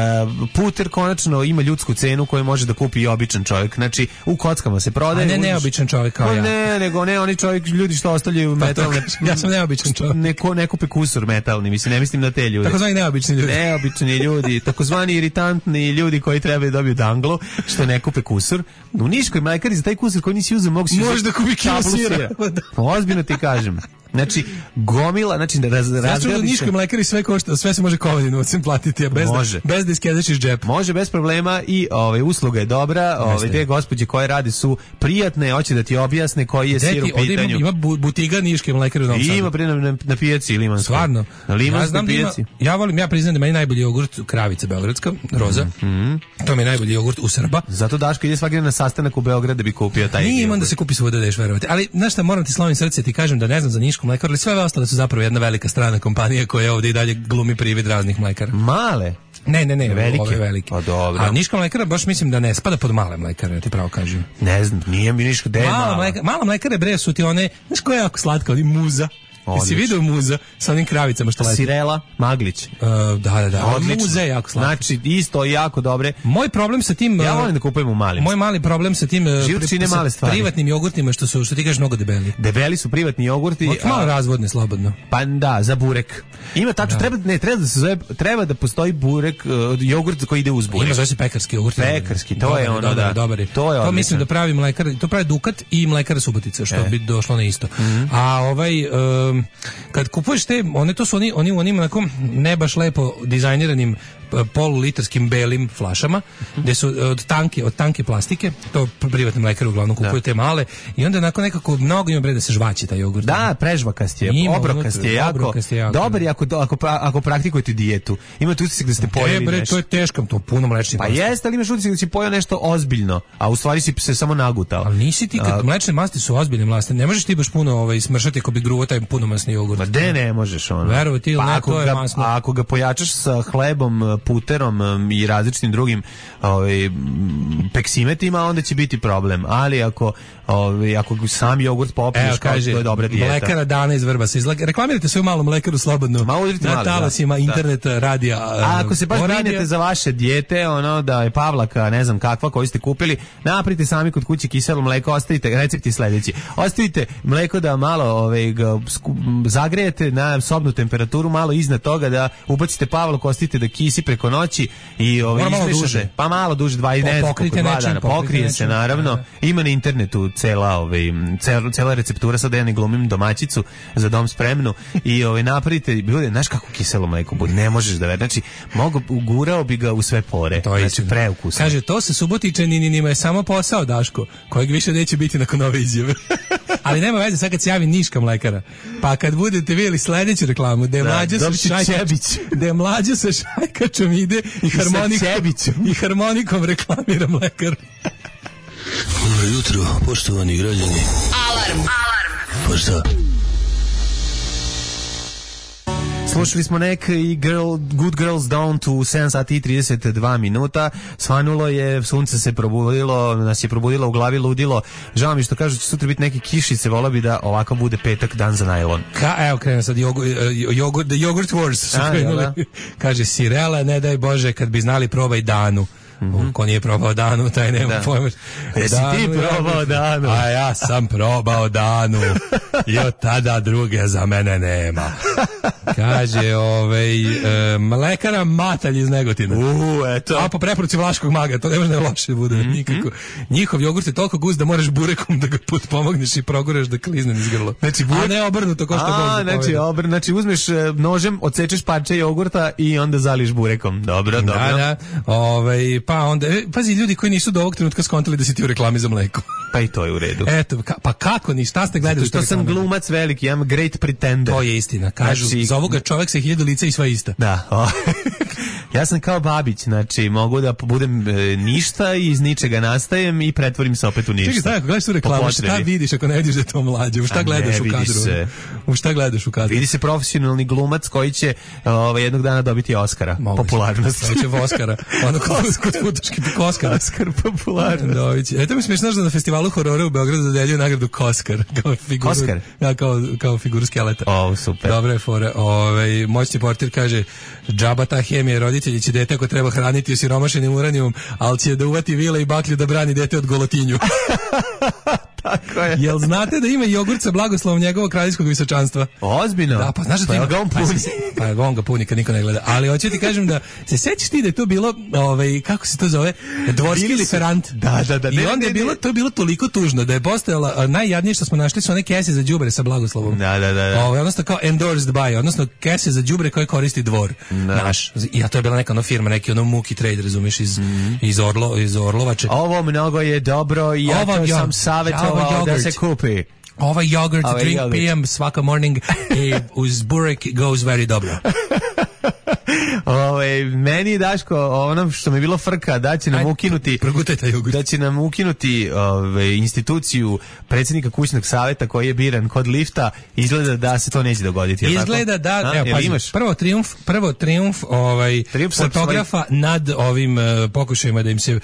puter konačno ima ljudsku cenu koju može da kupi i običan čovjek. Znači u kockama se prodaje. A ne neobičan čovjek kao pa ja. Ne, nego ne oni čovjek, ljudi što ostavljaju pa metalne. Ja sam neobičan čovjek. Neko ne kupe kusur metalni, mislim ne mislim na te ljude. Takozvani neobični ljudi. Neobični ljudi, takozvani iritantni ljudi koji trebaju dobiju danglu, što ne kupe kusur. U Niškoj mlekari za taj kusur koji nisi uzeo mogu si može da kupi kilo sira. Ozbiljno ti kažem. Znači, gomila, znači da raz, razgradi se. Niškoj mlekari sve košta, sve se može kovanim novcem platiti, a bez, može. Da, bez da iskedaš iz džepa. Može, bez problema i ovaj, usluga je dobra, ovaj, te gospođe koje radi su prijatne, hoće da ti objasne koji je sir u pitanju. Ima, ima butiga Niške mlekare u Novom Sadu. Ima na, na, na pijaci Limanskoj. Stvarno. Na Limanskoj ja pijaci. Da ima, ja volim, ja priznam da meni najbolji jogurt Kravica Beogradska, roza. Mm -hmm. To mi je najbolji jogurt u Srba. Zato Daško ide svaki na sastanak u Beograd da bi kupio taj. Nije imam da se kupi svuda, deš verovati. Ali znaš šta, moram ti slovim srce, ti kažem da ne znam za Nišku mlekaru, ali sve ostale su zapravo jedna velika strana kompanija koja ovdje i dalje glumi privid raznih mlekara. Male? Ne, ne, ne, velike. Ove velike. Pa dobro. A Niška mlekara baš mislim da ne spada pod male mlekare, ja ti pravo kažem. Ne znam, nije mi Niška, gde je mala? Mleka, mala mlekare bre su ti one, znaš koja je jako slatka, oni muza. Jesi vidio muza sa onim kravicama što leti? Sirela, Maglić. Uh, da, da, da. Odlično. Muze je jako slatka. Znači, isto jako dobre. Moj problem sa tim... Ja volim da kupujem u malim. Moj mali problem sa tim pri, male sa privatnim jogurtima što su, što ti kažeš, mnogo debeli. Debeli su privatni jogurti. Od malo razvodne, slobodno. Pa da, za burek. Ima tačno, da. treba, ne, treba da se zove, treba da postoji burek, uh, jogurt koji ide uz burek. Ima zove se pekarski jogurt. Pekarski, to dobar, je ono, dobar, da. Dobar je. To je to mislim da pravi mlekar, to pravi Dukat i mlekara Subotica, što e. bi došlo na isto. Mm -hmm. A ovaj, um, kad kupuješ te, one to su oni, oni u onim onako ne baš lepo dizajniranim polulitarskim belim flašama, gde su od tanke, od tanke plastike, to privatni mlekari uglavnom kupuju da. Te male, i onda nakon nekako mnogo ima bre da se žvaći taj jogurt. Da, prežvakast je, obrokast je jako, obrokast je jako dobar je ako, ako, ako praktikujete dijetu. Imate utisak da ste pojeli bre, nešto. To je teško, to puno mlečnih. Pa jeste, ali imaš utisak da si pojeo nešto ozbiljno, a u stvari si se samo nagutao. Ali nisi ti, kad a, mlečne masti su ozbiljne masti, ne možeš ti baš puno ovaj, smršati ako bi gruvo taj puno masni jogurt. Ma de ne možeš ono. Veruj ti, pa ne, ako to je ga, masno. A ako ga pojačaš sa hlebom, puterom i različitim drugim ovaj, peksimetima, onda će biti problem. Ali ako, ovaj, ako sam jogurt popiješ, kao to je dobra dijeta. Mlekara Dana iz Vrbasa. Izla... Reklamirajte svoju malu mlekaru slobodno. Ma na talasima da. Interneta, da. Radija. A ako se baš brinete za vaše dijete, ono da je Pavlaka, ne znam kakva, koju ste kupili, napravite sami kod kuće kiselo mleko, ostavite, recepti sledeći. Ostavite mleko da malo ovaj, ga zagrejete na sobnu temperaturu, malo iznad toga da ubacite Pavlaku, ostavite da kisi preko noći i ovaj izmešate, pa malo duže, dva i ne znam, dva dana, pokrije se naravno. Da. Ima na internetu cela, ovaj, cela, cela receptura, sad ja ne glumim domaćicu za dom spremnu i ovaj, napravite, bude, znaš kako kiselo mleko bude, ne možeš da već, znači, mogu, ugurao bi ga u sve pore, to znači, preukusno. Kaže, to sa Subotičaninima je samo posao, Daško, kojeg više neće biti nakon ove izjave. Ali nema veze, sad kad se javi Niška mlekara, pa kad budete vidjeli sledeću reklamu, da je da, mlađa sa šajkačom, da je mlađa sa šajkačom ide i harmonikom, i harmonikom reklamira mlekar. Dobro jutro, poštovani građani. Alarm! Alarm! Pa šta? Slušali smo nek i girl, Good Girls Down to sedam sati i trideset dva minuta. Svanulo je, sunce se probudilo, nas je probudilo u glavi ludilo. Žao mi što kažu će sutra biti neke kišice, volao bi da ovako bude petak, dan za najlon. Ka, evo krenuo sad, jogu, jogu, the Yogurt Wars su krenuli. Kaže, Sirela, ne daj Bože, kad bi znali probaj Danu. Mm-hmm. Ko nije probao Danu, taj nema da. Pojma. Jesi ti probao Danu? A ja sam probao Danu. I od tada druge za mene nema. Kaže, ovaj, e, mlekara Matalj iz Negotina. U, eto. A po preporuci Vlaškog maga, to ne može da loše bude, mm-hmm. nikako. Njihov jogurt je toliko gust da moraš burekom da ga put pomogneš i progureš da klizne niz grlo. Znači, burek... A ne obrnuto, ko što A, znači, obr... znači, uzmeš nožem, odsečeš parče jogurta i onda zališ burekom. Dobro, dobro. Da, da. Ovaj, pa onda, pazi, ljudi koji nisu do ovog trenutka skontali da si ti u reklami za mleko. Pa i to je u redu. Eto, ka, pa kako ni, šta ste gledali? Što sam glumac veliki, I'm great pretender. To je istina. Kažu, znači, za ovoga čovjek sa hiljadu lica i sva ista. Da. Ja sam kao Babić, znači mogu da budem e, ništa i iz ničega nastajem i pretvorim se opet u ništa. Čekaj, ako gledaš tu reklamu, šta vidiš ako ne vidiš da je to mlađe? U šta gledaš u kadru? Se. U šta gledaš u kadru? Vidi se profesionalni glumac koji će ovaj, jednog dana dobiti Oscara. Moguće. Popularnost. Dobit će Oscara. Ono kod, kod futoški Koskar. Oskar popularnost. Eto mi smiješno da na festivalu horora u Beogradu dodeljuju nagradu Koskar. Kao figuru, Koskar? Ja, kao, kao figuru skeleta. O, super. Dobra je fora. Ove, moćni portir kaže, džaba ta hemija, roditelji će dete ako treba hraniti osiromašenim uranijumom, ali će da uvati vile i baklju da brani dete od golotinju. Tako je. Jel znate da ima jogurt sa blagoslovom njegovog kraljevskog visočanstva? Ozbiljno? Da, pa znaš da to ima. Pa ga on puni. Pa, pa on ga puni kad niko ne gleda. Ali hoću ti kažem da se sećaš ti da je to bilo, ovaj, kako se to zove, dvorski liferant. Da, da, da. I onda je bilo, to je bilo toliko tužno da je postojala, najjadnije što smo našli su one kese za đubre sa blagoslovom. Da, da, da. Ovaj, odnosno kao endorsed by, odnosno kese za đubre koje koristi dvor. Da. Naš. I a to je bila neka ono firma, neki ono Muki Trade, razumiješ, iz, mm. iz, Orlo, iz Orlovače. Ovo mnogo je dobro i ja to sam savjetovao da se kupi. Ovaj yogurt, ovaj drink yogurt. Pijem svaka morning i uz burek goes very dobro. Ove, meni Daško, ono što mi je bilo frka, da će nam Ajde, ukinuti da će nam ukinuti ove, instituciju predsjednika kućnog savjeta koji je biran kod lifta, izgleda da se to neće dogoditi. Izgleda tako? da, A, evo, pazi, imaš? prvo trijumf, prvo trijumf ovaj, trijumf fotografa svoj... nad ovim uh, pokušajima da im se uh,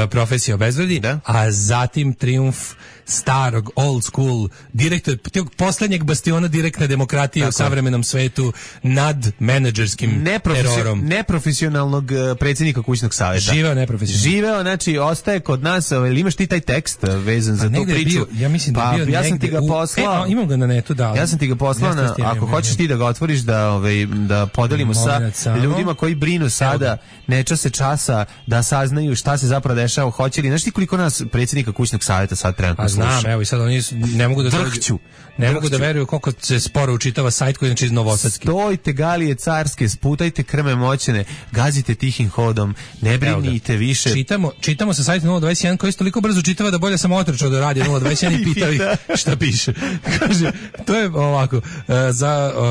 profesija obezvredi, da? A zatim trijumf starog, old school, direktor, tog poslednjeg bastiona direktne demokratije tako u savremenom svetu nad menadžerskim terorom. Neprofesionalnog uh, predsjednika kućnog savjeta. Živeo neprofesionalno. Živeo, znači, ostaje kod nas, ili imaš ti taj tekst vezan za tu priču? Bio, ja mislim da pa, bio ja sam ti ga poslao. U, e, imam ga na netu, da. Ja sam ti ga poslao, na, ako hoćeš ti da ga otvoriš, da, ovaj, da podelimo sa ljudima koji brinu sada, neča se časa, da saznaju šta se zapravo dešava, hoće li, znaš ti koliko nas predsjednika kućnog savjeta sad trenutno sluša? Znam, evo i sad oni ne mogu da Drhću. Ne Drhću. mogu da veruju koliko se sporo učitava sajt koji je znači iz Novosadski. Stojite galije carske, sputajte krme moćene, gazite tihim hodom, ne brinite više. Čitamo, čitamo sa sajta nula dvadeset jedan koji se toliko brzo čitava da bolje sam otrčao do radija nula dvadeset jedan i pitao ih šta piše. Kaže, to je ovako, za uh,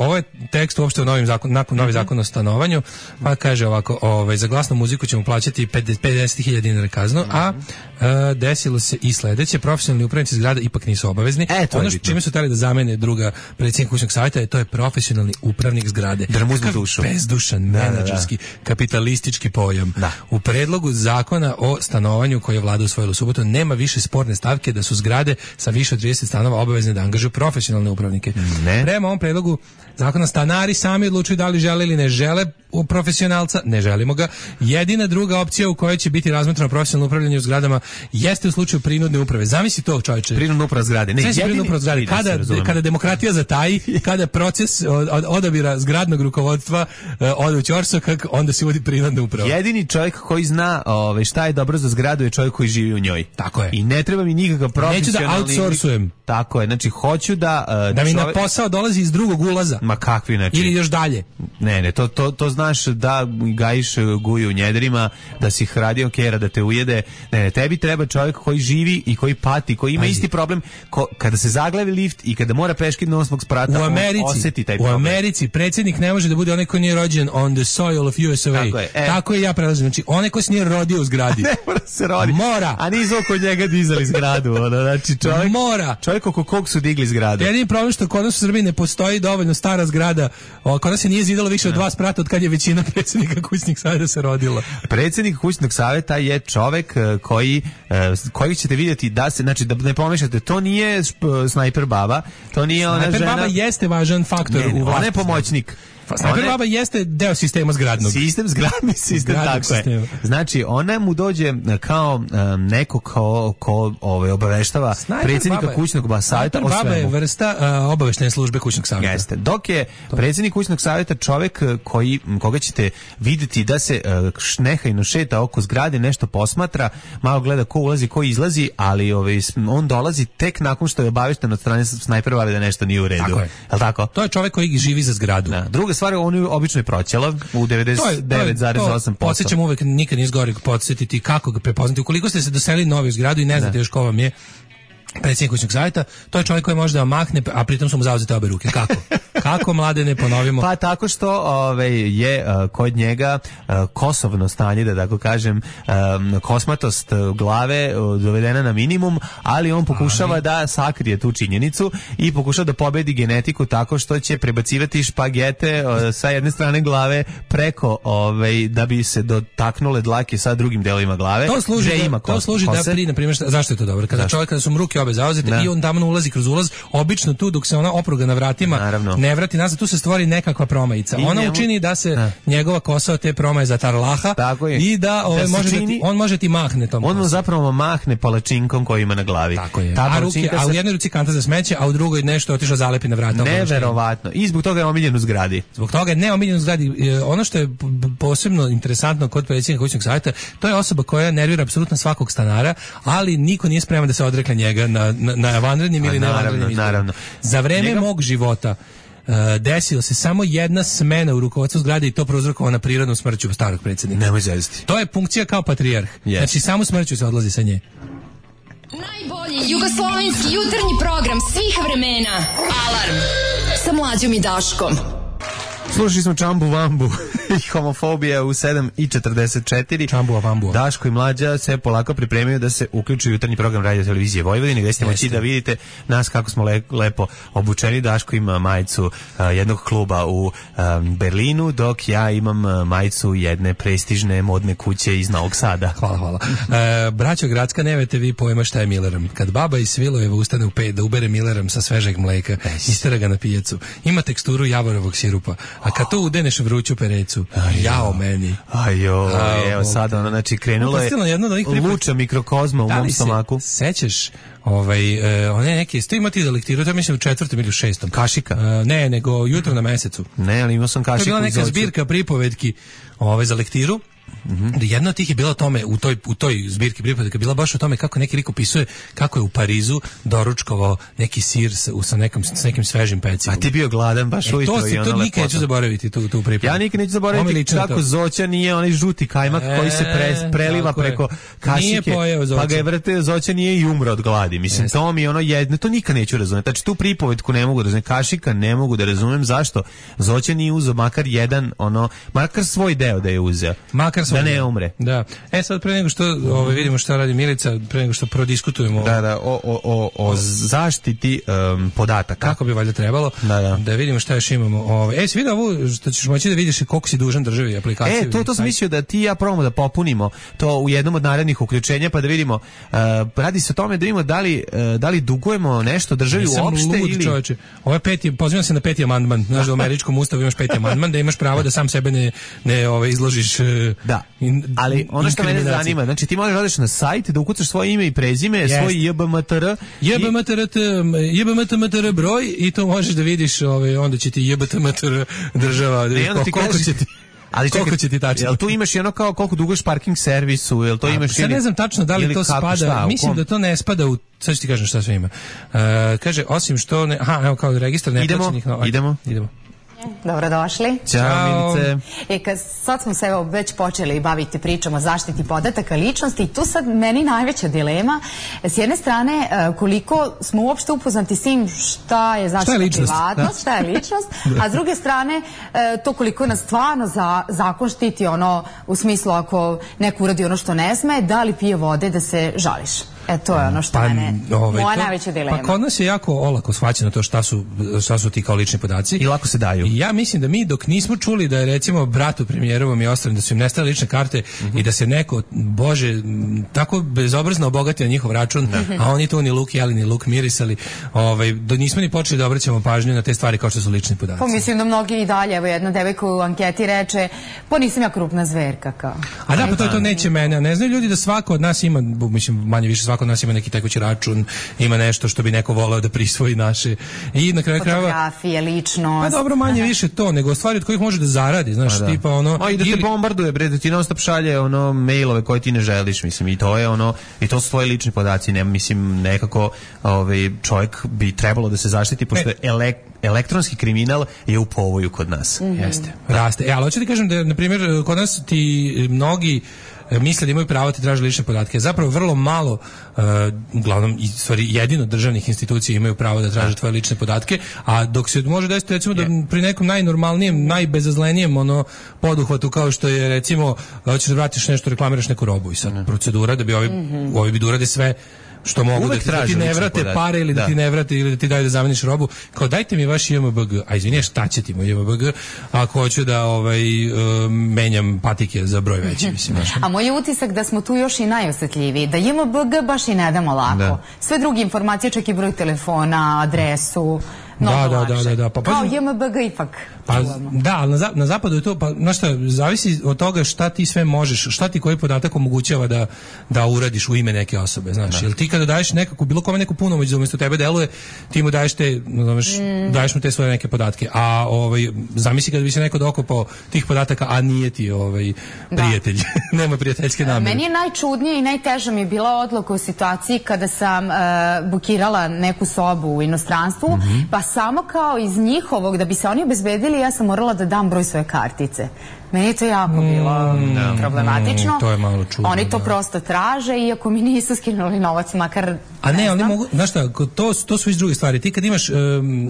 ovo je tekst uopšte u novim zakon, nakon novi zakon o stanovanju, pa kaže ovako, ovaj, za glasnu muziku ćemo plaćati pedeset hiljada dinara kaznu, a uh, desilo se i sledeće, profesionalni upravnici zgrada ipak nisu obavezni. E, ono što čime su teli da zamene druga predsjednika kućnog savjeta je to je profesionalni upravnik zgrade. Drmuznu dušu. Bezdušan, menadžerski, da, da. kapitalistički pojam. Da. U predlogu zakona o stanovanju koji je vlada usvojila u subotu nema više sporne stavke da su zgrade sa više od trideset stanova obavezne da angažuju profesionalne upravnike. Ne. Prema ovom predlogu zakona stanari sami odlučuju da li žele ili ne žele u profesionalca, ne želimo ga. Jedina druga opcija u kojoj će biti razmotreno profesionalno upravljanje u zgradama jeste u slučaju prinudne uprave. Zamisli to, čovječe. Prinudna uprava zgrade. Ne, jedini uprava zgrade. Kada, kada demokratija zataji, kada proces od, od odabira zgradnog rukovodstva uh, ode u ćorsokak, onda se uvodi prinudna uprava. Jedini čovjek koji zna ove, šta je dobro za zgradu je čovjek koji živi u njoj. Tako je. I ne treba mi nikakav profesionalni... Neću da outsourcujem. Tako je. Znači, hoću da... Uh, da mi čovjek... na posao dolazi iz drugog ulaza. Ma kakvi, znači... Ili još dalje. Ne, ne, to, to, to znaš da gajiš guju u njedrima, da si hradio kera, da te ujede. Ne, ne, tebi treba čovjek koji živi i koji pati, koji ima Pazi. isti problem ko, kada se zaglavi lift i kada mora peški na osmog sprata, u Americi, on osjeti taj u problem. Americi predsjednik ne može da bude onaj koji nije rođen on the soil of U S A. Tako je, e. Tako je ja prelazim. Znači, onaj koji se nije rodio u zgradi. Ne mora se rodi. Mora. A nisu oko njega dizali zgradu. Ono, znači, čovjek, mora. Čovjek oko kog su digli zgradu. Jedini problem što kod nas u Srbiji ne postoji dovoljno stara zgrada. O, kod nas se nije zidalo više od dva sprata od kad je većina predsjednika kućnih savjeta se rodila. Predsjednik kućnog savjeta je čovjek koji, koji ćete vidjeti da se, znači da ne pomešate, to nije snajper baba, to nije ona snajper žena. Snajper baba jeste važan faktor ne, u vlasti. Ona je pomoćnik. Snajper baba jeste deo sistema zgradnog. Sistem zgradni sistem, tako sistema. je. Znači, ona mu dođe kao um, neko ko, ko ove, obaveštava Snajper predsjednika baba, kućnog savjeta o svemu. Snajper baba je vrsta uh, obaveštene službe kućnog savjeta. Jeste. Dok je to. predsjednik kućnog savjeta čovjek koji, koga ćete vidjeti da se uh, šnehajno šeta oko zgrade, nešto posmatra, malo gleda ko ulazi, ko izlazi, ali ove, on dolazi tek nakon što je obavešten od strane Snajper babe da nešto nije u redu. Tako je. Jel tako? To je čovjek koji živi za zgradu. Da. Druga stvar, on je obično proćelav u devedeset devet zarez osam posto. Podsjećam uvek, nikad nije zgoreg podsjetiti kako ga prepoznati. Ukoliko ste se doselili novi u zgradu i ne znate da. još ko vam je predsjednik kućnog savjeta, to je čovjek koji može da vam mahne, a pritom su mu zauzete obe ruke. Kako? Kako, mlade, ne ponovimo? Pa tako što ovaj, je uh, kod njega uh, kosovno stanje, da tako kažem, um, kosmatost glave uh, dovedena na minimum, ali on pokušava ali... da sakrije tu činjenicu i pokušava da pobedi genetiku tako što će prebacivati špagete uh, sa jedne strane glave preko, ovaj, da bi se dotaknule dlake sa drugim delovima glave. To služi, da, ima to služi da pri, na primjer, zašto je to dobro? Kada čovjek, kada su mu ruke obe zauzete da. I on tamo ulazi kroz ulaz, obično tu dok se ona opruga na vratima Naravno. ne vrati nazad, tu se stvori nekakva promajica. I ona njemu... učini da se da. njegova kosa od te promaje zatarlaha i da, ove, da može čini... da ti, on može ti mahne tom on mu zapravo mahne palačinkom koji ima na glavi. Tako je. Ta a, ruke, a u jednoj ruci kanta za smeće, a u drugoj nešto otišao zalepi na vrata. Neverovatno. I zbog toga je omiljen u zgradi. Zbog toga je ne omiljen u zgradi. Ono što je posebno interesantno kod predsjednika kućnog savjeta, to je osoba koja nervira apsolutno svakog stanara, ali niko nije spreman da se odrekne njega na, na, na vanrednim ili nevanrednim izborima. Za vreme Njega... mog života uh, desilo se samo jedna smena u rukovodstvu zgrade i to prouzrokovana prirodnom smrću starog predsjednika. Nemoj zezati. To je funkcija kao patrijarh. Yes. Znači samo smrću se odlazi sa nje. Najbolji jugoslovenski jutarnji program svih vremena. Alarm sa Mlađom i Daškom. Slušali smo Čambu Vambu i homofobija u sedam i četrdeset četiri. Čambu Vambu. Daško i Mlađa se polako pripremaju da se uključuju jutarnji program Radio Televizije Vojvodine, gde ste moći da vidite nas kako smo le, lepo obučeni. Daško ima majicu uh, jednog kluba u um, Berlinu, dok ja imam uh, majicu jedne prestižne modne kuće iz Novog Sada. Hvala, hvala. E, braćo Gradska, nemate vi pojma šta je Millerom. Kad baba iz Svilojeva ustane u pet da ubere Millerom sa svežeg mleka, istera ga na pijacu. Ima teksturu javorovog sirupa. A kad to udeneš vruću perecu, aj, jao meni. Ajo, evo sad ono, znači krenulo je luča mikrokozma u mom stomaku. Sećaš ovaj, uh, one neke, sto imati da lektiru, to mislim u četvrtom ili u šestom. Kašika? Uh, ne, nego jutro na mesecu. Ne, ali imao sam kašiku. To je bila neka zbirka pripovetki ovaj, za lektiru. Mm-hmm. Jedna od tih je bila o tome u toj u toj zbirki pripovedaka bila baš o tome kako neki lik opisuje kako je u Parizu doručkovao neki sir sa, sa nekom s nekim svežim pecivom. A ti bio gladan baš e, ujutro to se, i ono to nikad neću zaboraviti tu tu pripovedku. Ja nikad neću zaboraviti kako to. Zoća nije onaj žuti kajmak e, koji se pre, preliva preko kašike, pa ga je vrteo Zoća nije i umro od gladi. Mislim Jeste. To mi ono jedno, to nikad neću razumeti. Znači tu pripovetku ne mogu da razumem, kašika ne mogu da razumem zašto Zoća nije uzeo makar jedan ono, makar svoj deo da je uzeo. Makar svoj da ne umre. Da. E sad pre nego što ovaj vidimo šta radi Milica, pre nego što prodiskutujemo da, da, o, o, o, o zaštiti um, podataka. Kako bi valjda trebalo. Da, da. Da vidimo šta još imamo. Ovaj e, si vidio ovo što ćeš moći da vidiš koliko si dužan državi aplikaciju. E, to to sam mislio da ti ja probamo da popunimo to u jednom od narednih uključenja pa da vidimo uh, radi se o tome da vidimo da li uh, da li dugujemo nešto državi uopšte ili čoveče. Ovo je peti, pozivam se na peti amandman. Znaš da u američkom ustavu imaš peti amandman da imaš pravo da sam sebe ne ne ovaj izložiš. Uh, da. In, ali ono što mene zanima, znači ti možeš odeš na sajt da ukucaš svoje ime i prezime, yes. svoj J B M T R, J B M T R, J B M T M T R broj i to možeš da vidiš, ovaj onda će ti J B T M T R država, da koliko će ti ali koliko će ti tačno? Jel tu imaš i ono kao koliko duguješ parking servisu, jel to A, imaš ili... ne znam tačno da li to kako, spada, šta, mislim da to ne spada u, sad ću ti kažem šta sve ima. Uh, kaže, osim što, ne, aha, evo kao registar neplaćenih... Idemo, idemo. Idemo. Dobrodošli. Ćao, Milice. E, kad sad smo se evo već počeli baviti pričom o zaštiti podataka ličnosti i tu sad meni najveća dilema. S jedne strane, koliko smo uopšte upoznati s tim šta je zaštita privatnost, šta je ličnost, a s druge strane, to koliko nas stvarno za, zakon štiti ono u smislu ako neko uradi ono što ne sme, da li pije vode da se žališ. E, to je ono što pa, mene, ovaj, moja to, najveća dilema. Pa kod nas je jako olako shvaćeno to šta su, šta su ti kao lični podaci. I lako se daju. I ja mislim da mi dok nismo čuli da je recimo bratu premijerovom i ostalim da su im nestale lične karte mm-hmm. i da se neko, bože, tako bezobrazno obogati na njihov račun, mm-hmm. a oni tu ni luk jeli, ni luk mirisali, ovaj, da nismo ni počeli da obraćamo pažnju na te stvari kao što su lični podaci. Pa mislim da mnogi i dalje, evo jedna devojka u anketi reče, pa nisam ja krupna zverka kao. A da, pa to, to neće mene, a ne znaju ljudi da svako od nas ima, mislim, manje više svako od nas ima neki tekući račun, ima nešto što bi neko voleo da prisvoji naše. I na kraju krajeva fotografije, ličnost. Pa dobro, manje više to, nego stvari od kojih može da zaradi, znaš, da. tipa ono... A i da te ili... bombarduje, bre, da ti non stop šalje ono mailove koje ti ne želiš, mislim, i to je ono, i to su tvoji lični podaci, ne, mislim, nekako ovaj, čovjek bi trebalo da se zaštiti, pošto e. elek, elektronski kriminal je u povoju kod nas. Mm-hmm. Jeste, raste. E, ali hoću ti kažem da, na primjer, kod nas ti mnogi misle da imaju pravo ti traže lične podatke. Zapravo vrlo malo, uh, uglavnom, i stvari jedino državnih institucija imaju pravo da traže tvoje lične podatke, a dok se može desiti recimo da pri nekom najnormalnijem, najbezazlenijem ono poduhvatu kao što je recimo hoćeš da vratiš nešto, reklamiraš neku robu i sad procedura da bi ovi, mm-hmm. ovi bi da urade sve što mogu da ti, da ti ne vrate pare ili da. da ti ne vrate ili da ti daju da zameniš robu. Kao dajte mi vaš J M B G. A izvini, šta će ti moj J M B G ako hoću da ovaj, uh, menjam patike za broj veći, mislim. A moj je utisak da smo tu još i najosetljiviji. Da J M B G baš i ne damo lako. Da. Sve druge informacije, čak i broj telefona, adresu, Da, da, da, da, da. Pa, kao J M B G ipak. Pa, da, ali na, na zapadu je to, pa, znaš šta, zavisi od toga šta ti sve možeš, šta ti koji podatak omogućava da, da uradiš u ime neke osobe, znaš. Jer ti kada daješ nekako, bilo kome neku punomoć da umjesto tebe deluje, ti mu daješ te, znaš, mm. daješ mu te svoje neke podatke. A ovaj, zamisli kada bi se neko dokopao tih podataka, a nije ti ovaj, prijatelj, nema prijateljske namere. Meni je najčudnije i najteža mi je bila odluka u situaciji kada sam uh, bukirala neku sobu u inostranstvu, mm-hmm. pa samo kao iz njihovog, da bi se oni obezbedili, ja sam morala da dam broj svoje kartice. Meni je to jako bilo mm, problematično. Mm, to je malo čudno. Oni to da. prosto traže, iako mi nisu skinuli novac, makar A ne, ne oni mogu, znaš šta, to, to su iz druge stvari. Ti kad imaš, um,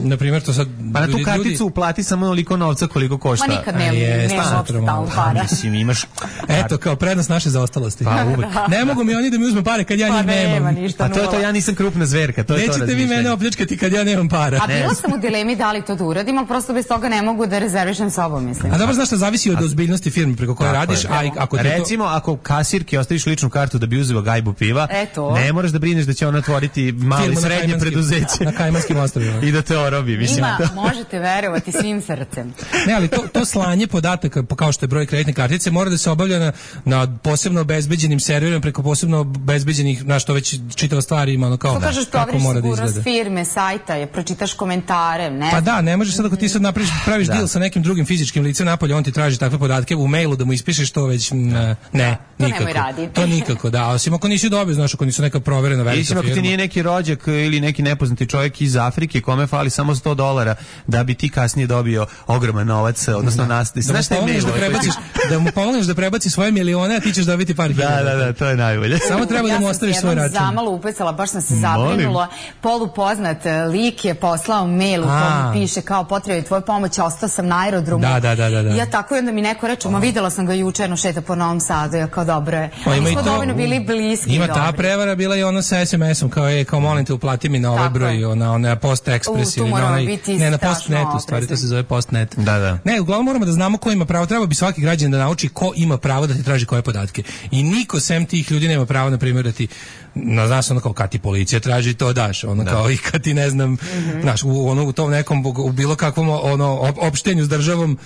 na primjer, to sad... Pa na tu karticu ljudi... uplati samo onoliko novca koliko košta. Ma nikad nema, nema uopšte tamo para. Mislim, imaš... Eto, kao prednost naše zaostalosti. Pa uvek. Ne mogu mi oni da mi uzme pare kad ja pa njih nemam. Nema ništa, a to je to, ja nisam krupna zverka. To je Nećete to vi mene opljačkati kad ja nemam para. A bila sam u dilemi da li to da uradim, ali prosto bez toga ne mogu da rezervišem sobom, mislim. A dobro, znaš šta, zavisi od ozbiljnosti firme preko koje radiš, a ako ti recimo to... ako kasirki ostaviš ličnu kartu da bi uzeo gajbu piva, Eto. ne moraš da brineš da će ona otvoriti malo i srednje preduzeće na Kajmanskim ostrvima i da te orobi, mislim. Ima, možete verovati svim srcem. Ne, ali to, to slanje podataka, kao što je broj kreditne kartice, mora da se obavlja na, na posebno obezbeđenim serverima, preko posebno obezbeđenih, na što već čitava stvari ima, ono kao to kažeš, kako mora da izgleda. Firme, sajta, je, pročitaš komentare, ne? Pa da, ne možeš sad ako ti sad napraviš, praviš da. deal sa nekim drugim fizičkim licem napolje, on ti traži takve podatke u mailu da mu ispišeš to već, ne, ne to nikako. To nikako, da. Osim ako nisi dobio, znaš, ako nisu neka proverena velika firma. Isim ako ti nije neki rođak ili neki nepoznati čovjek iz Afrike kome fali samo sto dolara da bi ti kasnije dobio ogroman novac, odnosno da. nas. Da, znaš šta je mail? Da, prebaciš, da mu pomogneš da prebaci svoje milione, a ti ćeš dobiti par hiljada. Da, da, da, to je najbolje. Samo treba ja da mu ostaviš svoj račun. Ja sam zamalo upecala, baš sam se zabrinula. Polupoznat lik je poslao mail u kojem piše kao potrebi tvoje pomoći, ostao sam na aerodromu. Da, da, da, da, da. I ja tako i onda mi neko reče, ma videla sam ga juče, jedno šeta po Novom Sadu, ja kao dobro je. Pa mi smo dovoljno bili bliski. Ima ta prevara bila i ono sa es em esom, kao je, kao molim te uplati mi na ovaj broj, ona, ona Post Express ili na onaj, ne, na Postnetu, stvari, to se zove Postnet. Da, da. Ne, uglavnom moramo da znamo ko ima pravo, treba bi svaki građanin da nauči ko ima pravo da ti traži koje podatke. I niko sem tih ljudi nema pravo, na primjer, da ti, no, znaš, ono kao kad ti policija traži, to daš, ono da. Kao i kad ti, ne znam, mm-hmm. znaš, u, ono, u tom nekom, u bilo kakvom, ono, opštenju s državom,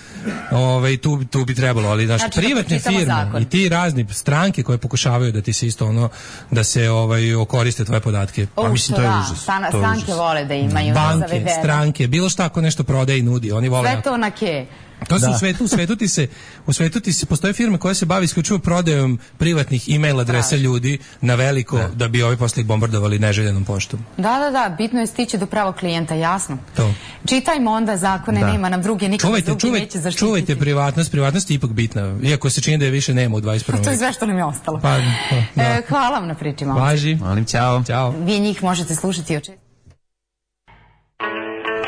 ovaj, tu, tu bi trebalo, ali, znaš, znači, privatne firme zakon. I ti razni stranke koje pokušavaju da ti se isto, ono, da se, ovaj, okoriste tvoje podatke. Pa mislim, to je užas. Stana, to je stranke užas. Vole da imaju banke, zavedene. Stranke, bilo šta ako nešto prodaje i nudi, oni vole. Sve to na ke. To su u svetu, u svetu ti se, u svetu ti se, postoje firme koje se bavi isključivo prodajom privatnih e-mail adresa ljudi na veliko, da, da bi ovi posle ih bombardovali neželjenom poštom. Da, da, da, bitno je stići do pravog klijenta, jasno. To. Čitajmo onda zakone, da. Nema nam druge, nikad čuvajte, drugi čuvajte, neće zaštititi. Čuvajte privatnost, privatnost je ipak bitna, iako se čini da je više nema u dvadeset prvom. To je sve što nam je ostalo. Pa, da. e, hvala vam na priči, momci. Važi. Molim, ćao. Ćao. Vi njih možete slušati oče.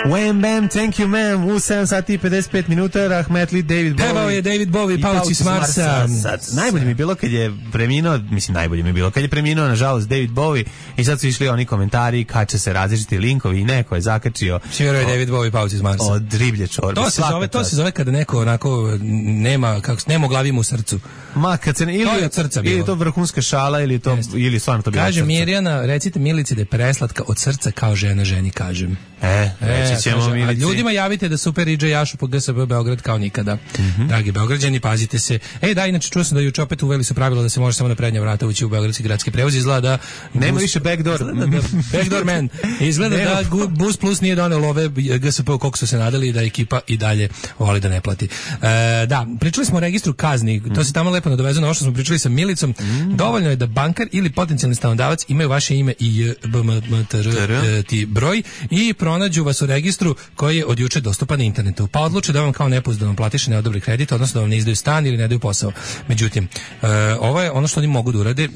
Wham bam, thank you ma'am, u sedam sati i pedeset pet minuta, Rahmetli David Bowie. Pevao je David Bowie, Pauci s Marsa. Najbolje mi je bilo kad je preminuo, mislim najbolje mi je bilo kad je preminuo, nažalost, David Bowie, i sad su išli oni komentari, kače se različiti linkovi i neko je zakačio. Svirao je David Bowie, Pauci s Marsa. Od riblje čorbe. To se zove, to se zove kada neko onako nema, kako nema glavi u srcu. Ma, kad se, ili, to je od srca bilo. Ili to vrhunska šala, ili to, Jeste. Ili stvarno to bilo Kaže Mirjana, recite Milici da je preslatka od srca kao žena ženi, kažem. E, reći ćemo kaže, Milici. Ljudima javite da Super I Dž Jašu po G S B Beograd kao nikada. Mm-hmm. Dragi Beograđani, pazite se. E, da, inače čuo sam da juče opet uveli su pravilo da se može samo na prednja vrata ući u beogradski gradski prevoz. Izgleda da... Nema bus, više backdoor. Izgleda da, backdoor man. Izgleda da Bus Plus nije doneo ove G S P koliko su se nadali, da ekipa i dalje voli da ne plati. E, da, pričali smo o registru kazni. Mm. To se tamo lepo nadovezuje na ovo što smo pričali sa Milicom. Mm. Dovoljno je da bankar ili potencijalni stanodavac imaju vaše ime i B M T R ti broj i pronađu vas u registru registru koji je od juče dostupan na internetu. Pa odluče da vam kao nepouzdano platiše ne odobri kredit, odnosno da vam ne izdaju stan ili ne daju posao. Međutim, e, ovo je ono što oni mogu da urade. E,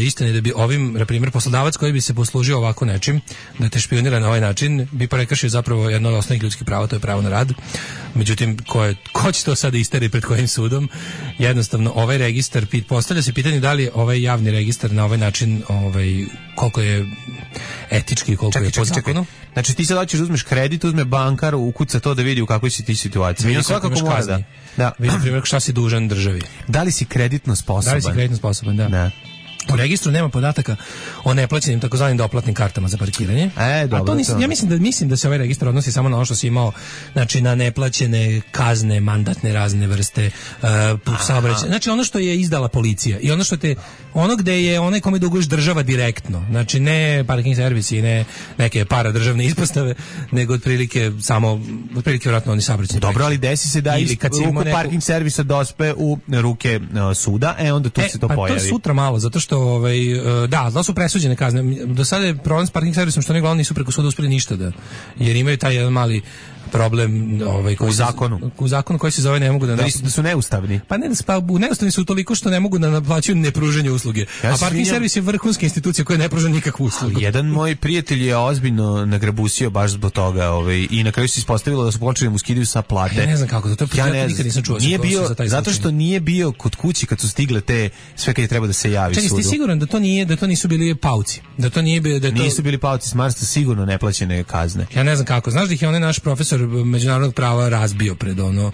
istina je da bi ovim, na primjer, poslodavac koji bi se poslužio ovako nečim, da te špionira na ovaj način, bi prekršio zapravo jedno od osnovnih ljudskih prava, to je pravo na rad. Međutim, ko, je, ko će to sada isteri pred kojim sudom? Jednostavno, ovaj registar, postavlja se pitanje da li je ovaj javni registar na ovaj način, ovaj, koliko je etički, koliko čekaj, je po čekaj, zakonu. Čekaj. Znači ti sad hoćeš uzmeš kredit, uzme bankar, ukuca to da vidi u kakvoj si ti situaciji. Vidi svakako mora da. Da. Vidi na primjer šta si dužan državi. Da li si kreditno sposoban? Da li si kreditno sposoban, da. Da. U registru nema podataka o neplaćenim takozvanim doplatnim kartama za parkiranje. E, dobro, a to nisam, ja mislim da mislim da se ovaj registar odnosi samo na ono što si imao, znači na neplaćene kazne, mandatne razne vrste uh, saobraćaja. Znači ono što je izdala policija i ono što te ono gde je onaj kome duguješ država direktno. Znači ne parking servisi i ne neke paradržavne ispostave, nego otprilike samo otprilike vjerojatno oni saobraćajni. Dobro, ali desi se da iz ruku neku... parking servisa dospe u ruke uh, suda, e onda tu e, se to pa pojavi. To je sutra malo, zato što ovaj da, da su presuđene kazne. Do sada je problem s parking servisom što oni glavno nisu preko suda uspeli ništa da, jer imaju taj jedan mali problem ovaj koji u zakonu u zakonu koji se zove ne mogu da da, da su neustavni. Pa ne, pa neustavni su toliko što ne mogu da naplaćuju nepružanje usluge. Ja a parking servis je vrhunska institucija koja ne pruža nikakvu uslugu. Jedan moj prijatelj je ozbiljno nagrabusio baš zbog toga, ovaj i na kraju se ispostavilo da su počeli mu skidaju sa plate. Ja ne znam kako to, to ja ne, nikad nisam čuo. Nije bio za zato što nije bio kod kući kad su stigle te sve kad je treba da se javi sudu. Čekaj, ste siguran da to nije da to nisu bili pauci? Da to nije bio da to nisu bili pauci, smarsta sigurno neplaćene kazne. Ja ne znam kako. Znaš da ih je onaj naš profesor međunarodnog prava razbio pred ono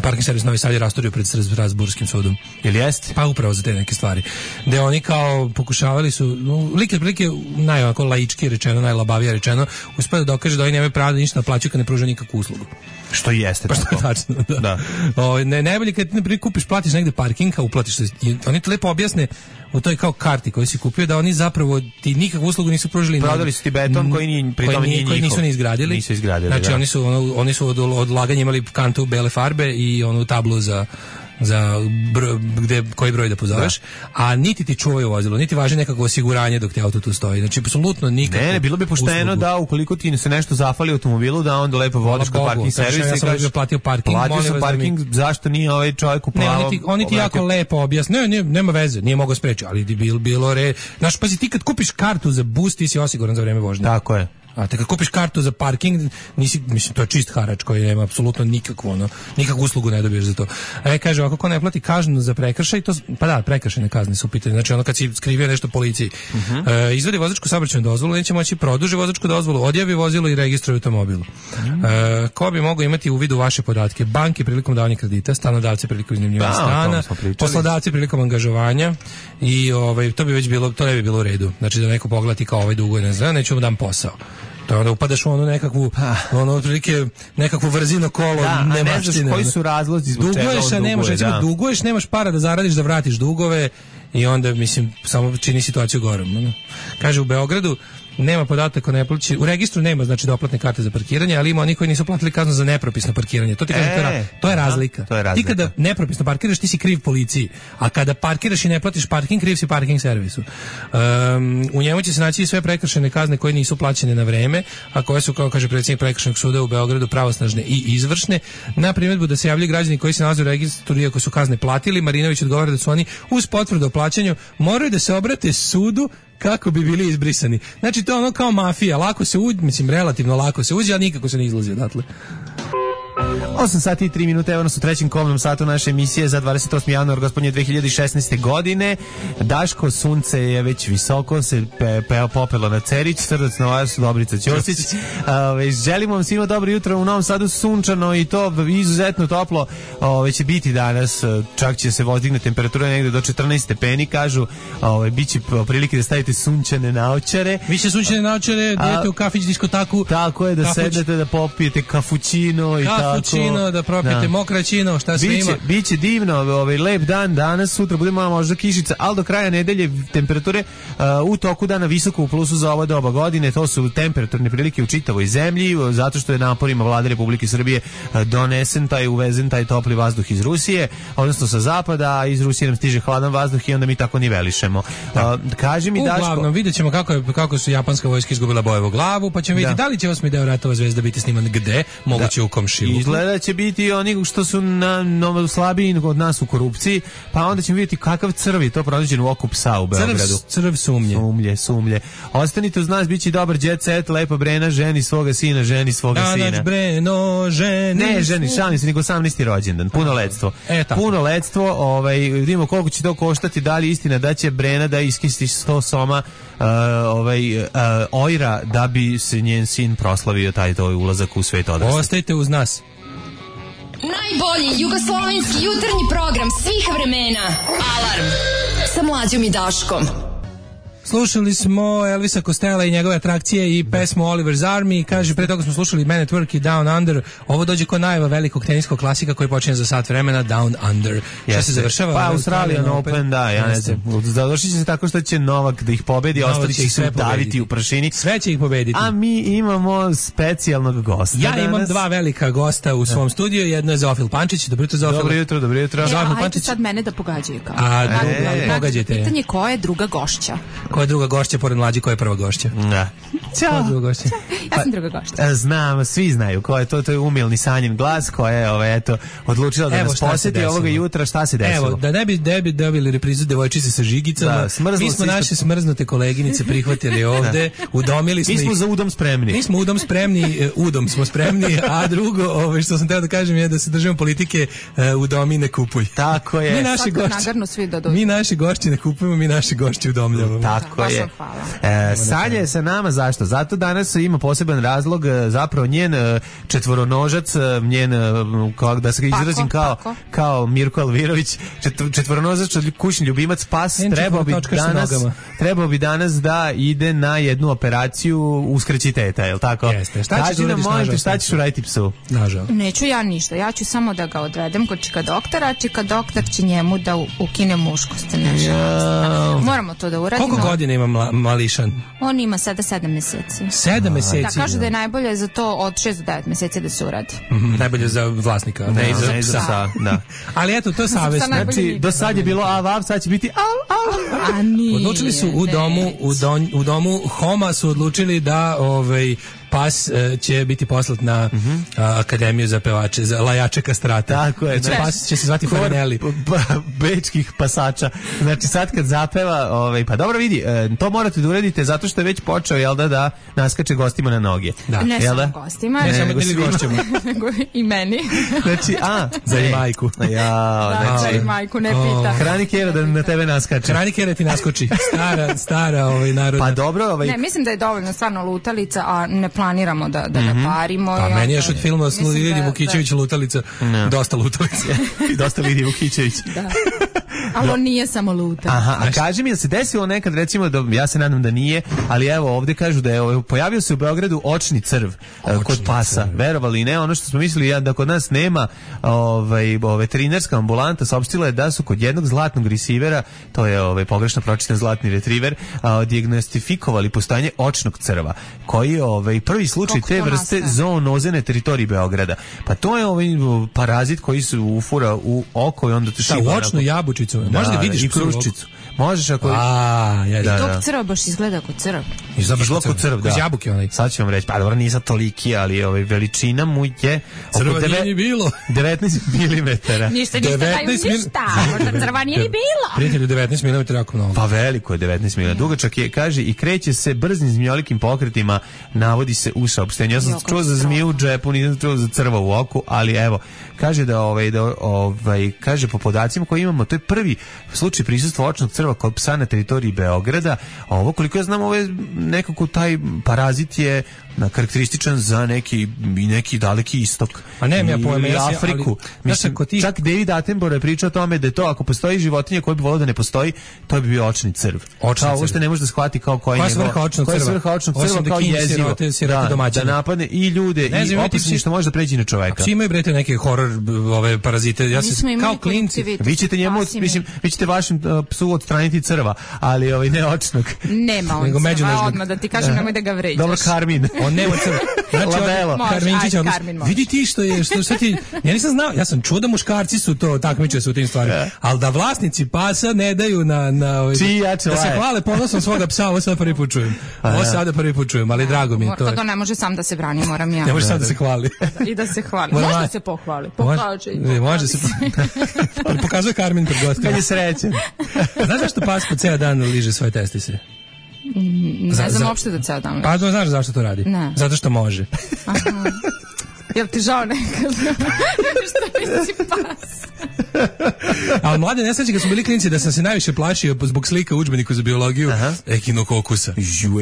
parking servis Novi Sad je rastorio pred Strasburskim sudom. Jel jeste? Pa upravo za te neke stvari. Da oni kao pokušavali su no, like prilike najovako laički rečeno, najlabavije rečeno, uspeli da dokaže da oni nemaju pravo da ništa naplaćuju kad ne pruže nikakvu uslugu. Što jeste pa što je tačno, da. da. O, ne, najbolje kad ne prikupiš, platiš negde parking, a uplatiš se. Oni to lepo objasne u toj kao karti koju si kupio da oni zapravo ti nikakvu uslugu nisu pružili. Prodali su ti beton koji ni pri tome nije koji nisu ni izgradili. Nisu izgradili. Znači da. oni su ono, oni su od odlaganja imali kantu bele farbe i onu tablu za za bro, gde koji broj da pozoveš, da. A niti ti čuvaju vozilo, niti važi nekako osiguranje dok ti auto tu stoji. Znači apsolutno nikako. Ne, ne, bilo bi pošteno uslugu. Da ukoliko ti se nešto zafali automobilu da onda lepo vodiš kod parking servisa i kažeš platio parking, platio sam parking, mi... zašto nije ovaj čovjek u plavom? Ne, oni ti, oni ti jako lepo objasne. Ne, ne, nema veze, nije mogao spreči, ali bilo bilo re. Znaš, pazi, ti kad kupiš kartu za bus, ti si osiguran za vreme vožnje. Tako je. A te kad kupiš kartu za parking, nisi, mislim, to je čist harač koji nema apsolutno nikakvu, ono, nikakvu uslugu ne dobiješ za to. E, kaže, ako ko ne plati kaznu za prekršaj, to, pa da, prekršajne kazne su u pitanju. Znači, ono kad si skrivio nešto policiji, uh-huh. e, izvedi vozačku saobraćajnu dozvolu, neće moći produži vozačku dozvolu, odjavi vozilo i registruje automobil. Uh-huh. E, ko bi mogao imati uvid u vaše podatke? Banke prilikom davanja kredita, stanodavci prilikom iznajmljivanja stana, poslodavci prilikom angažovanja i ovaj, to bi već bilo, to ne bi bilo u redu. Znači, da neko pogleda kao ovaj duguje, ne znam, neću mu dam posao. To onda upadaš u onu nekakvu, ono otprilike nekakvu vrzino kolo, da, nemaštine. Ne znaš koji su razlozi zbog čega on duguješ, a nemaš, recimo, da. duguješ, nemaš para da zaradiš, da vratiš dugove i onda, mislim, samo čini situaciju gorom. Ono. Kaže, u Beogradu nema podataka o neplaći, u registru nema znači doplatne karte za parkiranje, ali ima oni koji nisu platili kaznu za nepropisno parkiranje. To ti kažem, e, to, je, to je razlika. To je razlika. Ti kada nepropisno parkiraš, ti si kriv policiji, a kada parkiraš i ne platiš parking, kriv si parking servisu. Um, u njemu će se naći sve prekršajne kazne koje nisu plaćene na vreme, a koje su, kao kaže predsjednik prekršajnog suda u Beogradu, pravosnažne i izvršne. Na primjedbu da se javljaju građani koji se nalaze u registru iako su kazne platili, Marinović odgovara da su oni uz potvrdu o plaćanju moraju da se obrate sudu kako bi bili izbrisani. Znači to je ono kao mafija, lako se uđe, mislim relativno lako se uđe, a nikako se ne izlazi odatle. osam sati i tri minute, evo nas u trećem komnom satu naše emisije za dvadeset osmi januar gospodnje dve hiljade šesnaeste. godine. Daško, sunce je već visoko, se pe, pe, popelo na Cerić, srdac na vas, Dobrica Ćosić. Ove, želimo vam svima dobro jutro, u Novom Sadu sunčano i to izuzetno toplo. Ove, će biti danas, čak će se vozdigne temperatura negde do četrnaest stepeni, kažu. Ove, biće prilike da stavite sunčane naočare. Vi će sunčane naočare, idete u kafić, diskotaku. Tako je, da kafuć. Sednete, da popijete kafućino i tako. Cappuccino, da propijete da. Mokraćino, šta sve biće, ima. Biće divno, ovaj, lep dan danas, sutra bude malo možda kišica, ali do kraja nedelje temperature uh, u toku dana visoko u plusu za ovo doba godine, to su temperaturne prilike u čitavoj zemlji, zato što je naporima vlade Republike Srbije uh, donesen taj, uvezen taj topli vazduh iz Rusije, odnosno sa zapada, a iz Rusije nam stiže hladan vazduh i onda mi tako nivelišemo. Uh, kaži mi, Daško... Uglavnom, vidjet ćemo kako, je, kako su japanska vojska izgubila Bojevu glavu, pa ćemo vidjeti da. da li će osmi deo Ratova zvezda biti sniman gde, moguće da. u komšiluku. Izgleda će biti oni što su na, na, slabiji od nas u korupciji, pa onda ćemo vidjeti kakav crv je to pronađen u oku psa u Beogradu. Crv, crv sumnje. Sumlje, sumlje. Ostanite uz nas, bit će dobar jet set, lepa Brena, ženi svoga sina, ženi svoga da, sina. Dač Breno, ženi. Ne, ženi, šalim se, nego osamnaesti rođendan, punoletstvo. E, punoletstvo, ovaj, vidimo koliko će to koštati, da li istina da će Brena da iskisti sto soma uh, ovaj, uh, ojra da bi se njen sin proslavio taj to ulazak u svet odraslih. Ostajte uz nas. Najbolji jugoslovenski jutarnji program svih vremena. Alarm sa Mlađom i Daškom. Slušali smo Elvisa Costello i njegove atrakcije i pesmu Oliver's Army. Kaže, pre toga smo slušali Man at Work i Down Under. Ovo dođe kod najava velikog teniskog klasika koji počinje za sat vremena, Down Under. Šta se završava? Pa Australian Open, Open, da, ja ne znam. Završit će se tako što će Novak da ih pobedi, a ostali će se daviti u prašini. Sve će ih pobediti. A mi imamo specijalnog gosta. Ja imam danas. dva velika gosta u svom studiju. Jedno je Zofil Pančić. Dobro jutro, Zofil. Dobro jutro, dobro jutro. E, a hajde sad mene da pogađaju kao. A, e, pogađajte. Pitanje ko je druga gošća? Ko je druga gošća pored Mlađi, ko je prva gošća? Da. Ćao. Druga gošća? Ja sam druga gošća. Znam, svi znaju ko je to, to je umilni Sanjin glas koja je, ovaj, eto, odlučila da Evo, nas posjeti ovoga jutra, šta se desilo? Evo, da ne bi, ne bi dobili reprizu devojčice sa žigicama, da, mi smo naše smrznute koleginice prihvatili ovde, udomili smo ih. Mi smo za udom spremni. Mi smo udom spremni, udom smo spremni, a drugo, ovaj, što sam teo da kažem je da se držimo politike uh, udomi ne kupuj. Tako je. Mi naši gošći, mi naši gošći ne kupujemo, mi naši gošći udomljavamo. Tako je. E, Sanja je sa nama, zašto? Zato danas ima poseban razlog, zapravo njen četvoronožac, njen, kao, da se ga izrazim kao, kao Mirko Alvirović, četvoronožac, kućni ljubimac, pas, trebao bi, danas, trebao bi danas da ide na jednu operaciju uskraćiteta, je li tako? Jeste. Šta Kaži nam, molim te, šta ćeš uraditi psu? Nažal. Neću ja ništa, ja ću samo da ga odvedem kod čika doktora, čika doktor će njemu da ukine muškost. Ja. Moramo to da uradimo. Koliko godina ima mla, mališan? On ima sada sedam meseci. Sedam meseci? Da, kažu da je najbolje za to od šest do devet meseci da se uradi. Mm-hmm. Najbolje za vlasnika, ne, ne za ne psa. psa. Da. Ali eto, to je savjesno. Znači, do sad je bilo av, av, sad će biti av, av. A nije. Odlučili su u domu, u, don, u domu Homa su odlučili da ovaj, pas uh, će biti poslat na uh-huh. uh, akademiju za pevače, za lajače kastrata. Tako je. Znači, pas će se zvati Farinelli. Bečkih pasača. Znači sad kad zapeva, ovaj, pa dobro vidi, to morate da uradite zato što je već počeo, jel da, da naskače gostima na noge. Da. Ne jel samo da? gostima. Ne, ne samo ili gošćama. Nego i meni. Znači, a, za i majku. Ja, da, znači, i majku, ne pita. Hrani Kjera da na tebe naskače. Hrani Kjera ti naskoči. Stara, stara ovaj, narodna. Pa dobro, ovaj... Ne, mislim da je dovoljno stvarno lutalica, a ne planiramo da, da mm-hmm. parimo. Pa meni još od filma s Lidija Vukićević lutalica. No. Dosta lutalica. Dosta Lidija Vukićević. Da. Ali on nije samo lutan. Aha, a kaži mi, da se desilo nekad, recimo, da, ja se nadam da nije, ali evo, ovde kažu da je ovaj, pojavio se u Beogradu očni crv očni kod pasa. Crv. Verovali ne, ono što smo mislili ja, da kod nas nema ovaj, veterinarska ambulanta, saopštila je da su kod jednog zlatnog resivera, to je ovaj, pogrešno pročitan zlatni retriver, a, dijagnostifikovali postojanje očnog crva, koji je ovaj, prvi slučaj te vrste zoonoze na teritoriji Beograda. Pa to je ovaj parazit koji se ufura u oko i onda to šiba. Ta očnu jabučicu. Da, možda vidiš i kruščicu. Možeš ako... A, ja, da, tog crva baš izgleda kao crv. Izgleda kao crv, da. Jabuke onaj. Sad ću vam reći, pa dobro, nisam toliki, ali ovaj, veličina mu je... Crva nije ni bilo. devetnaest milimetara. Ništa, ništa, daju ništa. Možda crva nije ni bilo. Prijatelju, devetnaest milimetara jako mnogo. Pa veliko je devetnaest milimetara. Dugačak je, kaže, i kreće se brzim zmijolikim pokretima, navodi se u saopštenju. Ja sam čuo za zmiju u džepu, nisam čuo za crva u oku, ali evo, kaže da, ovaj, da ovaj, kaže po podacima koje imamo, to je prvi slučaj prisustva očnog crva crva kod psa na teritoriji Beograda, a ovo koliko ja znam, ovo je nekako taj parazit je karakterističan za neki i neki daleki istok. A ne, ja pojma, i Afriku. Ali, mislim, ja ti... čak David Attenborough je pričao o tome da je to, ako postoji životinja koja bi volio da ne postoji, to bi bio očni crv. Očni kao, uopšte ne može da shvati kao koji je svrha očnog crva. Svrha očnog crva kao jezivo. Da, da napadne i ljude ne, i opasni što može da pređe na čoveka. Svi imaju brete neke horor ove parazite. Ja se kao klinci. Vi ćete njemu, mislim, vi ćete vašem psu odstraniti crva, ali ovaj ne očnog. Nema on crva, odmah da ti kažem, nemoj da ga vređaš. Dobro, Karmin. On nema crva. Znači, Karminčić, vidi ti što je, što šta ti, ja nisam znao, ja sam čuo da muškarci su to takmiče su u tim stvarima, ali da vlasnici pasa ne daju na, na da se hvale ponosom svoga psa, ovo sad prvi put čujem. Ovo sada prvi put čujem, ali drago mi je to. To ne može sam da se brani, moram ja. Ne može sam da se hvali. I da se hvali. Može da se pohvali. Pokaže i pohvali. Može se. Pokazuje Karmin pred gostima. Kad je srećen. Znaš zašto pas po ceo dan liže svoje testise? Ne znam uopšte da ceo dan. Pa znaš zašto to radi? Ne. Zato što može. Aha. Jel ti žao nekad? Što nisi pas? Ali mlade nesreće kad smo bili klinci da sam se najviše plašio zbog slika u udžbeniku za biologiju ehinokokusa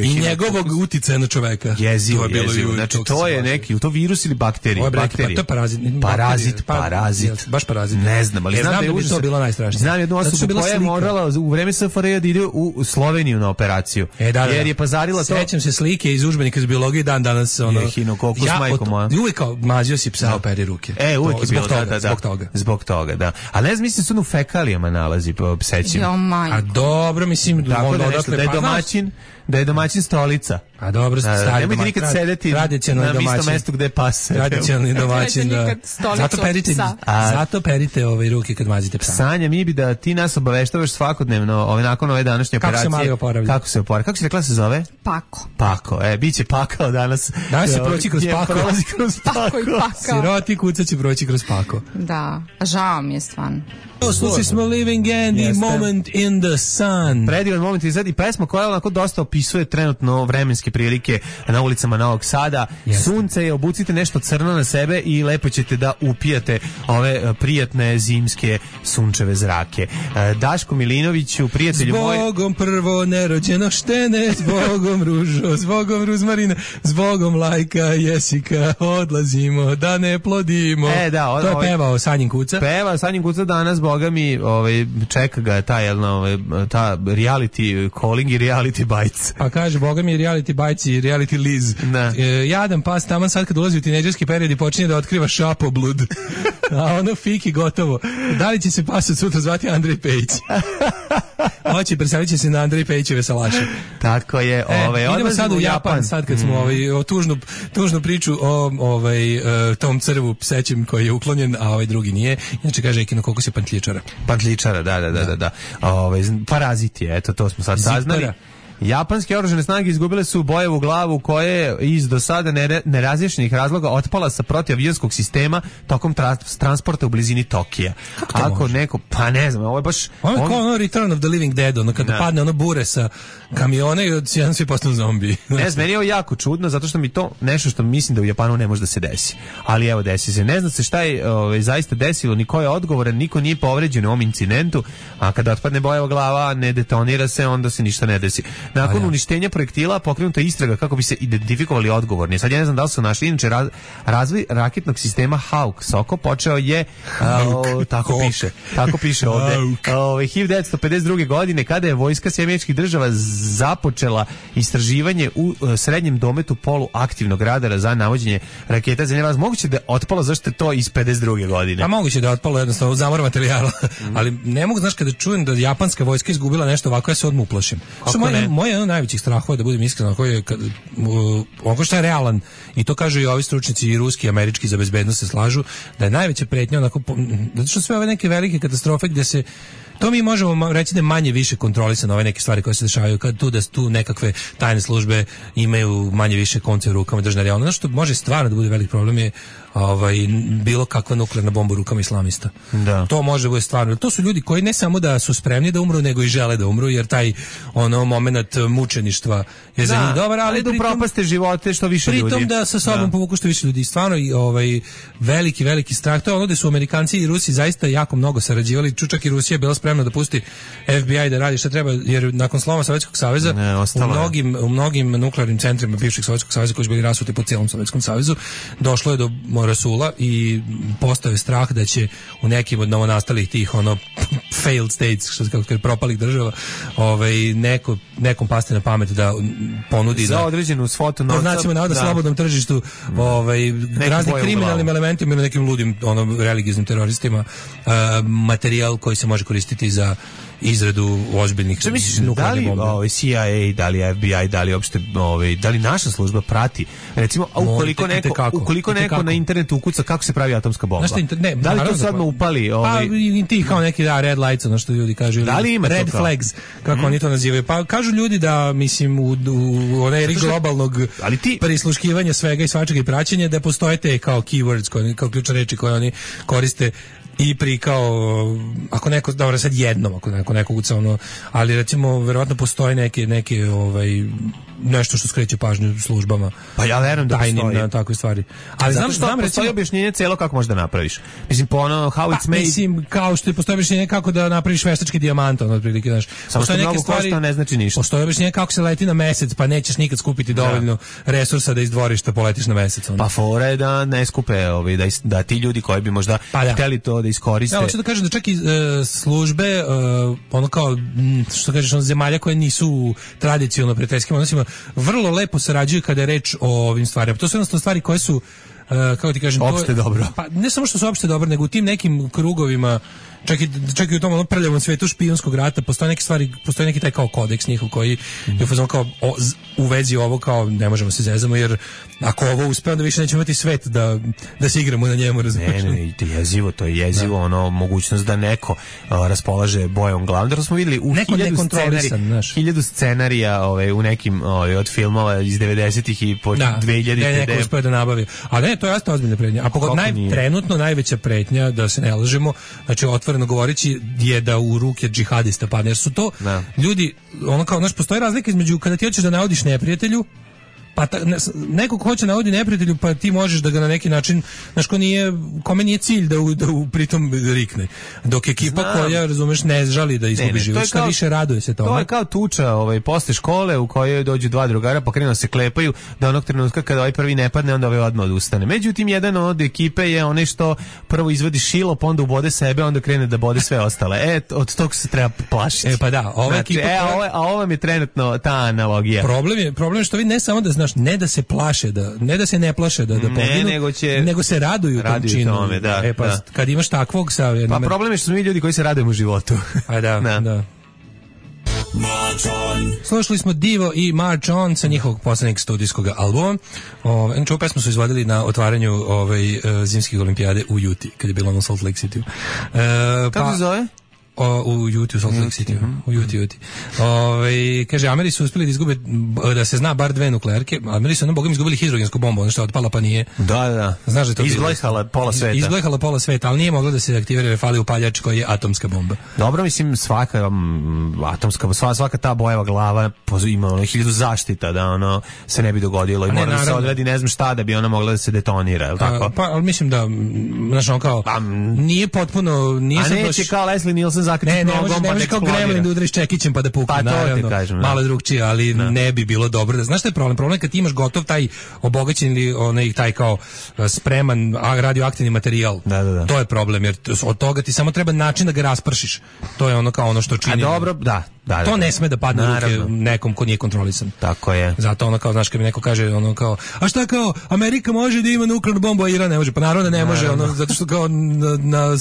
i njegovog uticaja na čoveka. Jezivo, jezivo. Znači to je neki, to virus ili bakterije? Bakterije. To je parazit. Parazit, parazit. Baš parazit. Ne znam, ali znam da je to bilo najstrašnije. Znam jednu osobu koja je morala u vreme S F R J da ide u Sloveniju na operaciju. Jer je pazarila to. Sećam se slike iz udžbenika za biologiju dan danas. Ehinokokus, majko moja. Uvijek kao mazio si psa operi ruke. E, uvijek je bilo toga, zbog toga. Zbog toga, da. Ali ne znam, mislim se ono u fekalijama nalazi po psećima. A dobro, mislim, tako da, nešto, da je domaćin, da je domaćin stolica. A dobro, stari nemojte nikad sedeti na istom mestu gde pas. Tradicionalni domaćin, da. Zato perite, zato perite ove ruke kad mazite psa. Sanja, mi bi da ti nas obaveštavaš svakodnevno, ovaj nakon ove današnje operacije. Kako se Mali oporavlja? Kako se oporavlja? Kako se rekla se zove? Pako. Pako, e, biće pakao danas. Danas se proći kroz pako. Prolazi kroz pako. I pakao. Siroti kuca će proći kroz pako. Da, žao mi je stvarno. Slušali smo Living Andy, Jeste. Moment in the Sun. Predivan moment i sad i pesma koja onako dosta opisuje trenutno vremenske prilike na ulicama Novog Sada. Jeste. Sunce je, obucite nešto crno na sebe i lepo ćete da upijate ove prijatne zimske sunčeve zrake. Daško Milinoviću, prijatelju moj... Zbogom prvo nerođeno štene, zbogom ružo, zbogom ruzmarina, zbogom lajka, jesika, odlazimo da ne plodimo. E, da, o, to je pevao Sanjin Kuca. Peva Sanjin Kuca danas, boga mi, ovaj, čeka ga ta, jelno, ovaj, ta reality calling i reality bites. Pa kaže, boga mi, reality bites i reality liz. E, jadan pas taman sad kad ulazi u tinejdžerski period i počinje da otkriva šapoblud. A ono fiki gotovo. Da li će se pas od sutra zvati Andrej Pejić? Hoće, predstavit će se na Andrej Pejićeve salaše. Tako je. E, ovaj, idemo sad u Japan, Japan, sad kad smo mm. ovaj, o tužnu, tužnu priču o ovaj, uh, tom crvu psećem koji je uklonjen, a ovaj drugi nije. Inače kaže Ekinokokus je pantličara. Pantličara, da, da, da, da. da. Ovaj, parazit je, eto, to smo sad saznali. Japanske oružane snage izgubile su Bojevu glavu koja je iz do sada nerazjašnjenih razloga otpala sa protiavionskog sistema tokom tra- transporta u blizini Tokija. Ako može? Neko, pa ne znam, ovo je baš... Ovo je on... kao ono Return of the Living Dead, ono kada da. padne ono bure sa kamiona i od jedan svi postanu zombi. Ne znam, meni je ovo jako čudno, zato što mi to nešto što mislim da u Japanu ne može da se desi. Ali evo, desi se. Ne zna se šta je ovaj, zaista desilo, niko je odgovoran, niko nije povređen u ovom incidentu, a kada otpadne Bojeva glava, ne detonira se, onda se ništa ne desi. Nakon ja. uništenja projektila pokrenuta istraga kako bi se identifikovali odgovorni. Sad ja ne znam da li su našli, inače raz, razvoj raketnog sistema Hawk Soko počeo je, a, o, tako Hawk. piše, tako piše ovde, o, hiljadu devetsto pedeset druge. godine kada je vojska Sjedinjenih Američkih Država započela istraživanje u uh, srednjem dometu poluaktivnog radara za navođenje raketa za neraz. Moguće da je otpalo, zašto je to iz pedeset druge. godine? A moguće da je otpalo jednostavno u zamor materijala. Mm. Ali ne mogu, znaš, kada čujem da japanska vojska izgubila nešto ovako, ja se odmah uplašim. Što moje, moje jedno od najvećih strahova, da budem iskren, koji je kad, uh, ono što je realan, i to kažu i ovi stručnici i ruski i američki za bezbednost se slažu, da je najveća pretnja onako, zato što sve ove neke velike katastrofe gde se to mi možemo reći da je manje više kontrolisano ove neke stvari koje se dešavaju, kad tu da tu nekakve tajne službe imaju manje više konce u rukama državne realno. Ono što može stvarno da bude velik problem je ovaj, bilo kakva nuklearna bomba u rukama islamista. Da. To može da bude stvarno. To su ljudi koji ne samo da su spremni da umru, nego i žele da umru, jer taj ono moment mučeništva je za njih dobar, ali da upropaste živote što više ljudi. Pritom da sa sobom da. povuku što više ljudi. Stvarno i ovaj veliki veliki strah. To je ono da su Amerikanci i Rusi zaista jako mnogo sarađivali. Čučak i Rusija je bila spremno da pusti F B I da radi šta treba, jer nakon sloma Sovjetskog saveza ne, u mnogim u mnogim nuklearnim centrima bivšeg Sovjetskog saveza koji su bili rasuti po cijelom Sovjetskom savezu došlo je do rasula i postao je strah da će u nekim od novonastalih tih ono failed states, što se kako kaže, propalih država, ovaj neko nekom pasti na pamet da ponudi za da određenu svotu novca, znači na da slobodnom tržištu, ovaj raznim kriminalnim elementima ili nekim ludim ono religijskim teroristima uh, materijal koji se može koristiti za izradu ozbiljnih što misliš, da li ovaj C I A, da li F B I, da li uopšte ovaj da li naša služba prati recimo ukoliko neko kako, ukoliko neko kako. na internetu ukuca kako se pravi atomska bomba, inter, ne, da li to sad upali ovaj pa i ti kao neki da red lights, ono što ljudi kažu, da li ima red flags kako mm. oni to nazivaju, pa kažu ljudi da mislim u, u onaj eri globalnog ali ti prisluškivanja svega i svačega i praćenja da postoje te kao keywords koje, kao ključne reči koje oni koriste i pri kao ako neko dobro sad jednom ako neko neko uca ono, ali recimo verovatno postoje neke neke ovaj nešto što skreće pažnju službama. Pa ja verujem da postoji na takve stvari. Ali zato znam što znam postoji objašnjenje celo kako možeš da napraviš. Mislim po ono how pa, it's made. Mislim kao što je postoji objašnjenje kako da napraviš veštački dijamant, ono otprilike, znaš. Postoje neke stvari ne znači ništa. Postoji objašnjenje kako se leti na mesec, pa nećeš nikad skupiti dovoljno da. resursa da izdvoriš da poletiš na mesec. Ono. Pa fora je da ne skupe ovi, da, da ti ljudi koji bi možda pa da. hteli to da iskoriste. Ja hoću da kažem da čak i uh, službe uh, ono kao što kažeš on zemalja koje nisu tradicionalno prijateljskim odnosima vrlo lepo sarađuju kada je reč o ovim stvarima. To su jednostavno stvari koje su, uh, kako ti kažem, opšte to, dobro. Pa ne samo što su opšte dobro, nego u tim nekim krugovima, čak i, čak i u tom ono prljavom svetu špijunskog rata, postoje neke stvari, postoji neki taj kao kodeks njihov koji mm. je fazon kao o, z, u vezi ovo kao ne možemo se zezamo, jer ako ovo uspe, onda više nećemo imati svet da, da se igramo na njemu, razumiješ? Ne, ne, to je jezivo, to je jezivo, da. ono, mogućnost da neko uh, raspolaže bojom glavom. Da smo vidjeli u neko hiljadu, scenarija, hiljadu scenarija ove, u nekim ove, od filmova iz devedesetih i po da, dve hiljadite. Ne, neko uspeo da nabavi. A ne, to je jasno ozbiljna pretnja. A pogod naj, trenutno najveća pretnja, da se ne lažemo, znači otvoreno govoreći, je da u ruke džihadista padne. Jer su to da. ljudi, ono kao, znaš, postoji razlika između kada ti hoćeš da navodiš neprijatelju, pa ta, ne, neko ko hoće navoditi neprijatelju, pa ti možeš da ga na neki način, znaš, ko nije, kome nije cilj da, u, da u, pritom rikne. Dok ekipa Znam. koja, razumeš, ne žali da izgubi život, šta više raduje se tome. To je kao tuča ovaj, posle škole u kojoj dođu dva drugara pa krenu se klepaju, da onog trenutka kada ovaj prvi ne padne, onda ovaj odmah odustane. Međutim, jedan od ekipe je onaj što prvo izvadi šilo, pa onda ubode sebe, onda krene da bode sve ostale. E, od tog se treba plašiti. E, pa da, ova znači, ekipa... E, a ovo, a ovo je trenutno ta analogija. Problem je, problem je što vi ne samo da znaš, ne da se plaše, da ne da se ne plaše da da poginu, nego, će, nego se raduju tom činu. Tome, da, e pa da. kad imaš takvog sa pa problem je što smo mi ljudi koji se radujemo životu. A da, da. da. Slušali smo Divo i March On sa njihovog poslednjeg studijskog albuma. Ovaj ovu pesmu su izvodili na otvaranju ovaj zimskih olimpijade u Utah, kad je bilo na Salt Lake City. E, Kako pa, se zove? O, u Utah, Salt Lake City, mm-hmm. u Utah, Utah. Ove, kaže, Ameri su uspjeli da izgube, da se zna bar dve nuklearke, Ameri su jednom bogom izgubili hidrogensku bombu, ono što je otpala pa nije. Da, da. Znaš da to izglehala pola sveta. Izglehala pola sveta, ali nije mogla da se aktivira jer fali upaljač koji je atomska bomba. Dobro, mislim, svaka um, atomska, svaka, svaka ta bojeva glava ima ono, hiljadu zaštita da ono se ne bi dogodilo i mora da se odredi ne znam šta da bi ona mogla da se detonira, je li tako? A, pa, ali mislim da, znaš, ono kao, pa, nije potpuno, nije a neće baš... kao Leslie Nielsen zakriti nogom, ne može kao Gremlin da udariš čekićem pa da pukne, pa naravno, kažem, malo drugčije, ali no. ne bi bilo dobro. Da, znaš šta je problem? Problem je kad ti imaš gotov taj obogaćen ili onaj taj kao spreman radioaktivni materijal. Da, da, da. To je problem, jer od toga ti samo treba način da ga raspršiš. To je ono kao ono što čini. A dobro, da. Da, da, to da. ne sme da padne u ruke nekom ko nije kontrolisan. Tako je. Zato ono kao, znaš, kad mi neko kaže ono kao, a šta kao, Amerika može da ima nuklearnu bombu, a Iran ne može. Pa naravno da ne može, ono, zato što kao na, na,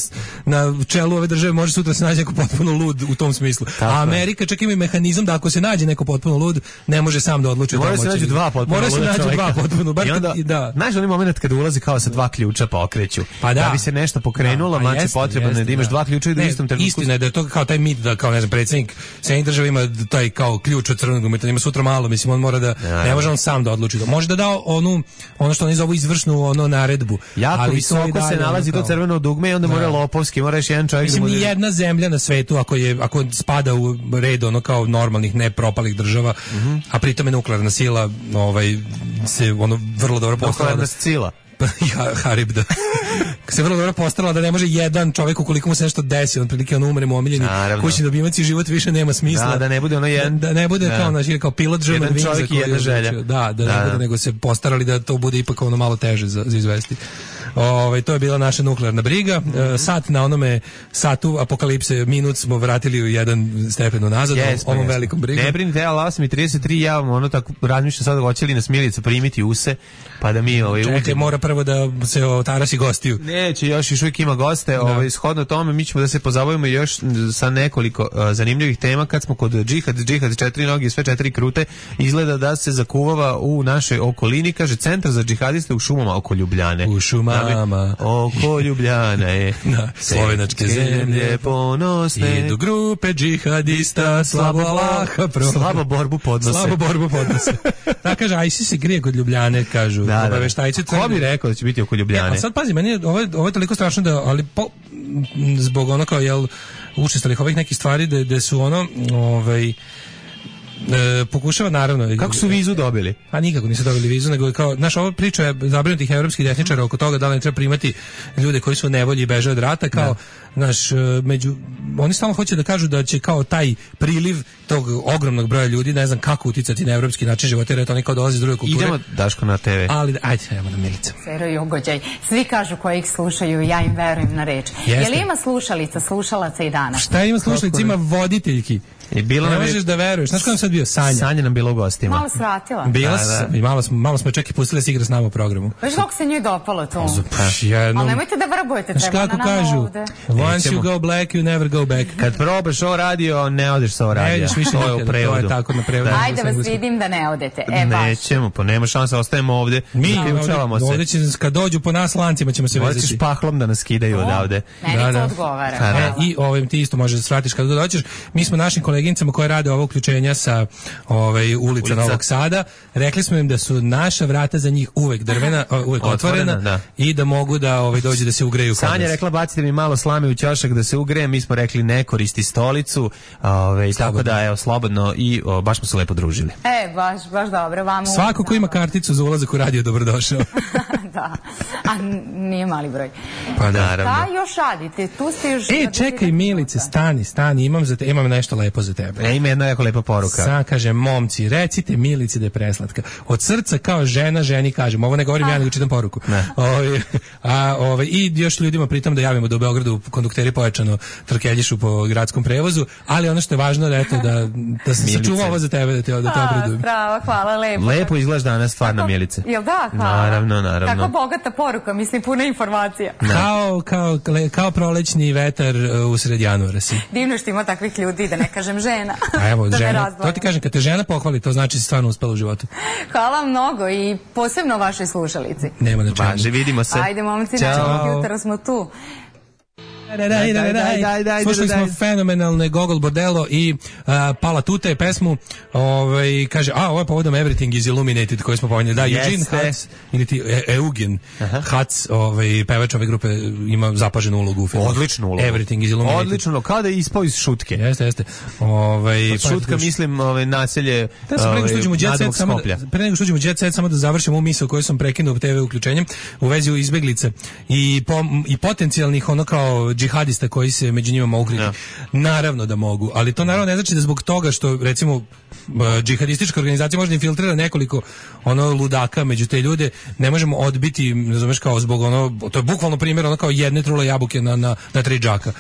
na čelu ove države može sutra se naći neko potpuno lud u tom smislu. Tako a Amerika je. Čak ima i mehanizam da ako se nađe neko potpuno lud, ne može sam da odluči. Mora se nađu dva potpuno luda čovjeka. Mora se nađu dva potpuno. Bar I onda, kad, da. Znaš onaj moment kada ulazi kao sa dva ključa pa okreću. Pa da. da bi se nešto pokrenulo, da, znači potrebno je da imaš dva ključa i da u istom trenutku. Istina je da je to kao taj mit da kao ne znam predsjednik Sjedinjenih država ima taj kao ključ od crvenog dugmeta, ima sutra malo, mislim on mora da ja, ne može on sam da odluči. Može da da onu ono što oni zovu izvršnu ono naredbu. Jako ali visoko se nalazi to crveno dugme i onda mora lopovski, mora još jedan čovjek. Mislim da ni jedna zemlja na svetu ako je ako spada u red ono kao normalnih ne propalih država, uh-huh. a pritom je nuklearna sila, ovaj se ono vrlo dobro postavlja. Nuklearna sila. Harib da se vrlo dobro postarala da ne može jedan čovjek ukoliko mu se nešto desi, on prilike on umre mu omiljeni kućni ljubimac i život više nema smisla. Da, da ne bude ono jedan, da, da ne bude da. kao naš kao pilot German Wings, čovjek i jedna želja. Da, da, da, da, ne bude, da. nego se postarali da to bude ipak ono malo teže za, za izvesti. Ove, to je bila naša nuklearna briga. E, sat na onome satu apokalipse minut smo vratili u jedan stepen unazad yes, ovom yes. velikom brigom. Ne brinite, ali osam i trideset tri ja vam ono tako razmišljam sad hoće li nas Milica primiti use, pa da mi ovaj Čekaj, uđemo. Mora prvo da se otarasi gostiju. Neće, još još uvijek ima goste, da. ovaj shodno tome mi ćemo da se pozabavimo još sa nekoliko uh, zanimljivih tema kad smo kod džihad, džihad četiri noge, sve četiri krute, izgleda da se zakuvava u našoj okolini, kaže centar za džihadiste u šumama oko Ljubljane. U šumama oko Ljubljana je na slovenačke zemlje ponosne idu grupe džihadista slabo Allaha pro slabo borbu podnose slabo borbu podnose da kaže ISIS se grije kod Ljubljane kažu da, obaveštajci da. Ko bi rekao da će biti oko Ljubljane? E, a sad pazi, meni je ovo, ovo je toliko strašno da, ali po, zbog ono kao jel učestalih ovih nekih stvari da, da su ono ovaj E, pokušava naravno. Kako su vizu dobili? A nikako nisu dobili vizu, nego kao naša ova priča je zabrinutih evropskih desničara oko toga da li ne treba primati ljude koji su u nevolji i beže od rata, kao da. Naš među oni samo hoće da kažu da će kao taj priliv tog ogromnog broja ljudi, ne znam kako uticati na evropski način života, jer to oni kao dolazi iz druge kulture. Idemo Daško na te ve. Ali ajde, idemo na Milica. Sero i ugođaj. Svi kažu koji ih slušaju, ja im verujem na reč. Je li ima slušalica, slušalaca i danas? Šta ima slušalica? Ima voditeljki. I bilo ne možeš da veruješ. Znaš kako sam sad bio? Sanja. Sanja nam bila u gostima. Malo svratila. Bila da, da. I malo smo, malo smo čak i pustili da se igra s nama u programu. Već kako se njoj dopalo to? Jednom... Ali nemojte da vrbujete, treba na nama kažu, ovde. Once you go black, you never go back. Kad probaš ovo radio, ne odeš sa ovo radio. Ne ideš više to je u prevodu. To je tako na prevodu. Da. Ajde vas vidim da ne odete. E, baš. Nećemo, pa nema šanse, ostajemo ovde. Mi učavamo se. Ovde će, kad dođu po nas lancima ćemo se vezati. Hoćeš pahlom da nas skidaju odavde. Meni to odgovara. I ovim ti isto možeš da svratiš kad dođeš. Mi smo našim koleginicama koje rade ovo uključenja sa ovaj ulica Ulica. Novog Sada, rekli smo im da su naša vrata za njih uvek drvena, uvek otvorena, otvorena da. I da mogu da ovaj dođe da se ugreju. Sanja rekla bacite mi malo slame u ćošak da se ugrejem, mi smo rekli ne koristi stolicu, ovaj tako da evo slobodno i o, baš smo se lepo družili. E, baš baš dobro, vamo. Svako ko ima karticu za ulazak u radio dobrodošao. Da. A nije mali broj. Pa naravno. Da, još radite, tu ste još. E, čekaj Milice, stani, stani, imam za te, imam nešto lepo za tebe. E, ima jedna jako lepa poruka. Sad kaže momci, recite Milici da je preslatka. Od srca kao žena ženi kažem. Ovo ne govorim ja, nego čitam poruku. Ove, a ove, i još ljudima pritom da javimo da u Beogradu kondukteri pojačano trkeljišu po gradskom prevozu, ali ono što je važno da eto da da se sačuva ovo za tebe da te da te obradujem. Bravo, hvala, lepo. Lepo izgledaš danas stvarno Milice. Jel da? Hvala. Naravno, naravno. Kako bogata poruka, mislim puna informacija. Kao kao kao prolećni vetar usred januara si. Divno što ima takvih ljudi, da ne kažem žena. A evo, žena. To ti kažem, kad te žena pohvali, to znači si stvarno uspela u životu. Hvala mnogo i posebno vašoj slušalici. Nema na čemu. Važe, vidimo se. Ajde, momci, način jutro smo tu. Daj, daj, daj, daj, daj, daj, slušali smo fenomenalne Gogol Bordello i uh, Pala Tute pesmu, ovaj, kaže, a ovo je povodom Everything is Illuminated koji smo pomenuli, da, yes, Eugene Hatz ili ti e, Eugen Hatz, ovaj, pevač ove grupe ima zapaženu ulogu u filmu. Odličnu ulogu. Everything is Illuminated. Odlično, kao da je ispao iz šutke. Jeste, jeste. Ovaj, Od šutka mislim ovaj, naselje ovaj, pre nego što uđemo u Jet Set, samo da završimo u misao koju sam prekinuo te ve uključenjem u vezi izbeglica i, po, i potencijalnih ono kao džihadista koji se među njima mogu ukriti. Ja. Naravno da mogu, ali to naravno ne znači da zbog toga što recimo džihadistička organizacija može da infiltrira nekoliko ono ludaka među te ljude, ne možemo odbiti, ne znaš kao zbog ono, to je bukvalno primjer ono kao jedne trule jabuke na, na, na tri džaka.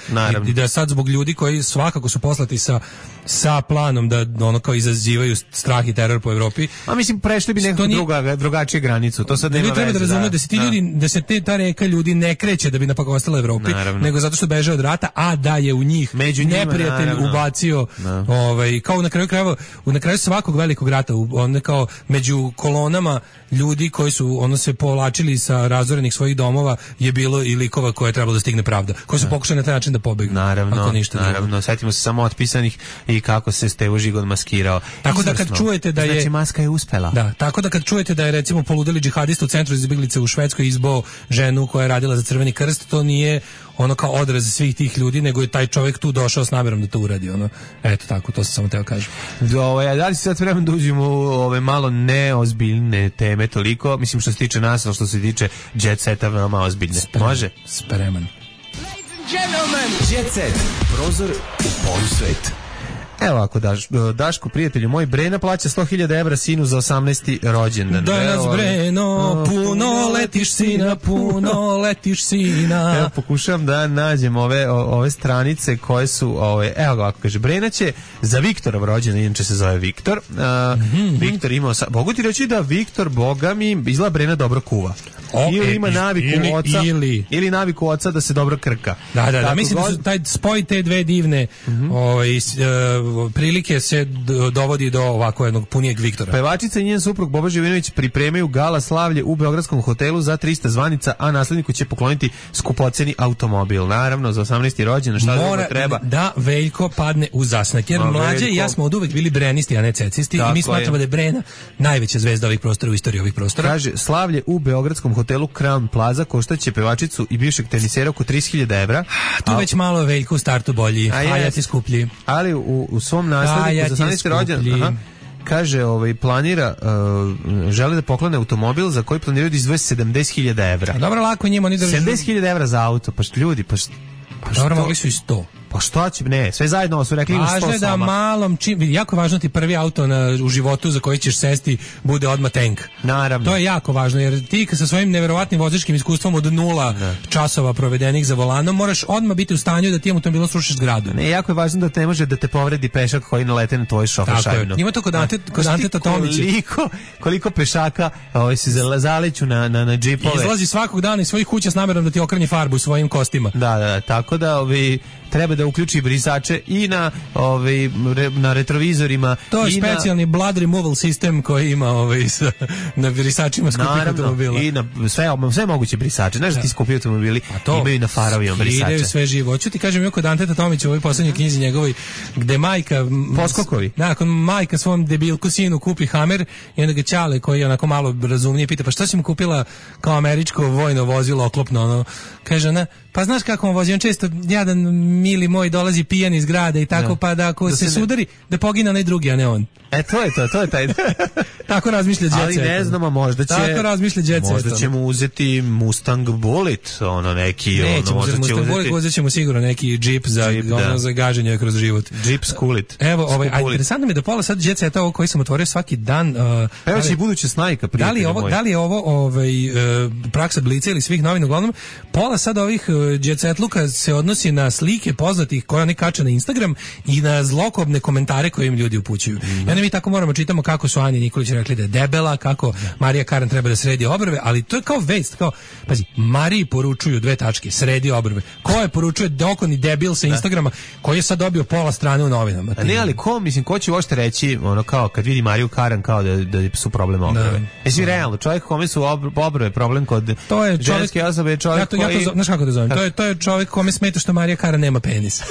I, I da sad zbog ljudi koji svakako su poslati sa sa planom da ono kao izazivaju strah i teror po Evropi. A mislim prešli bi nekako nije... druga drugačije granicu. To sad nema veze. Treba da razumeju da se ti ljudi, da se te ta reka ljudi ne kreće da bi napakostila Evropi, naravno, nego zato što beže od rata, a da je u njih među neprijatelj njima, ubacio no. ovaj kao na kraju krajeva, na kraju svakog velikog rata on kao među kolonama ljudi koji su ono se povlačili sa razorenih svojih domova je bilo i likova koje je trebalo da stigne pravda, koji su pokušali na taj način da pobegnu. Naravno, ako ništa naravno, drugo. Setimo se samo otpisanih i kako se Stevo Žigon maskirao. Tako da kad čujete da je znači maska je uspela. Da, tako da kad čujete da je recimo poludeli džihadista u centru za izbeglice u Švedskoj izbao ženu koja je radila za Crveni krst, to nije ono kao odraz svih tih ljudi, nego je taj čovjek tu došao s namjerom da to uradi, ono. Eto tako, to sam samo teo kažem. Ovaj, da li se sad vremen da uđemo u ove malo neozbiljne teme toliko, mislim što se tiče nas, ali što se tiče jet seta veoma ozbiljne. Spreman. Može? Spreman. Jet set, prozor u polusvet. Evo ako daš, Daško, prijatelju moj, Brena plaća sto hiljada evra sinu za osamnaesti rođendan. Danas Evo, Breno, puno letiš sina, puno letiš sina. Evo pokušavam da nađem ove, o, ove stranice koje su, ove, evo ga, ako kaže, Brena će za Viktorov rođendan, inače se zove Viktor. A, mm-hmm. Viktor imao, sa, mogu ti reći da Viktor, boga mi, izgleda Brena dobro kuva. O, ili e, ima naviku ili, oca ili. ili naviku oca da se dobro krka. Da, da, da, Tako mislim god... da su taj spoj te dve divne mm-hmm. ovaj, uh, prilike se dovodi do ovako jednog punijeg Viktora. Pevačica i njen suprug Boba Živinović pripremaju gala slavlje u beogradskom hotelu za trista zvanica, a nasledniku će pokloniti skupoceni automobil. Naravno, za osamnaesti rođendan, šta mora da treba? Da Veljko padne u zasnak, jer A, mlađe Veljko... i ja smo od uvek bili brenisti, a ne cecisti. Tako i mi smatramo je. Da je Brena najveća zvezda ovih prostora u istoriji ovih prostora. Kaže, slavlje u beogradskom hotelu Crown Plaza koštaće pevačicu i bivšeg tenisera oko trideset hiljada evra. Tu a, već malo Veljko u startu bolji, a, a ja ti skuplji. Ali u, u svom nasledniku za osamnaesti rođendan kaže, ovaj, planira, uh, žele da poklone automobil za koji planiraju da izdvoje sedamdeset hiljada evra. A dobro, lako njima oni držu. sedamdeset hiljada evra za auto, pa što ljudi, pa što? Pa dobro, mogli su i sto. Pa što će, ne, sve zajedno su rekli važno je da sama. malom, čim, jako važno ti prvi auto na, u životu za koji ćeš sesti bude odmah tank. Naravno. To je jako važno, jer ti sa svojim neverovatnim vozačkim iskustvom od nula ne. časova provedenih za volanom, moraš odmah biti u stanju da ti automobilom srušiš zgradu. Ne, jako je važno da te može da te povredi pešak koji nalete na tvoj šofer šajbnu. Ima to kod Ante, kod Anteta Tomića. Koliko, koliko pešaka ovaj, se zaleću na, na, na džipove. Izlazi svakog dana iz svojih kuća s namerom da ti okrnje farbu svojim kostima. Da, da, da, tako da ovi, treba da uključi brisače i na ovaj re, na retrovizorima. To je specijalni na... blood removal sistem koji ima ovaj sa, na brisačima skupih automobila. I na sve, sve moguće brisače. Znaš da ti skupi automobili imaju na farovima brisače. Idaju sve živo. Hoću ti kažem, kod Anteta Tomića u ovoj poslednjoj knjizi njegovoj, gde majka... Poskokovi. Nakon majka svom debilku sinu kupi Hammer i onda ga Ćale, koji je onako malo razumnije, pita, pa šta si mu kupila kao američko vojno vozilo oklopno? Ono? Kaže ona, pa znaš kako on vozi, on često, jadan mili moj, dolazi pijan iz grada i tako, da. Pa da ako da se, se sudari, da pogine onaj drugi, a ne on. E, to je to, to je taj... Tako razmišlja Jet Set. Ali ne znamo, možda će... Tako razmišlja Jet Set. Možda ćemo uzeti Mustang Bullet, ono neki... Nećemo ono, uzeti Mustang uzeti... Bullet, uzet ćemo sigurno neki Jeep za, Jeep, ono, da. za gaženje kroz život. Jeep Skulit. Evo, ovaj, a interesantno mi je da pola sad Jet Seta ovo koji sam otvorio svaki dan... Uh, Evo će i buduća snajka, prijatelj da li je ovo, moj. Da li je ovo ovaj, uh, praksa Blica ili svih novina, uglavnom, pola sad ovih uh, Jet Set luka se odnosi na slike poznatih koje oni kače na Instagram i na zlokobne komentare koje im ljudi upućuju. Mm. I onda mi tako moramo čitamo kako su Anja Nikolić rekli da je debela, kako Marija Karan treba da sredi obrve, ali to je kao vest, kao, pazi, Mariji poručuju dve tačke, sredi obrve. Ko je poručuje dokoni debil sa Instagrama, koji je sad dobio pola strane u novinama? A ne, ali ko, mislim, ko će uopšte reći, ono, kao, kad vidi Mariju Karan, kao da, da su problem obrve. Jesi realno, čovjek kome su obrve problem kod to je čovjek, ženske osobe, je čovjek ja to, koji... Ja to, znaš kako da zovem? To je, to je čovjek kome smeta što Marija Karan nema penis.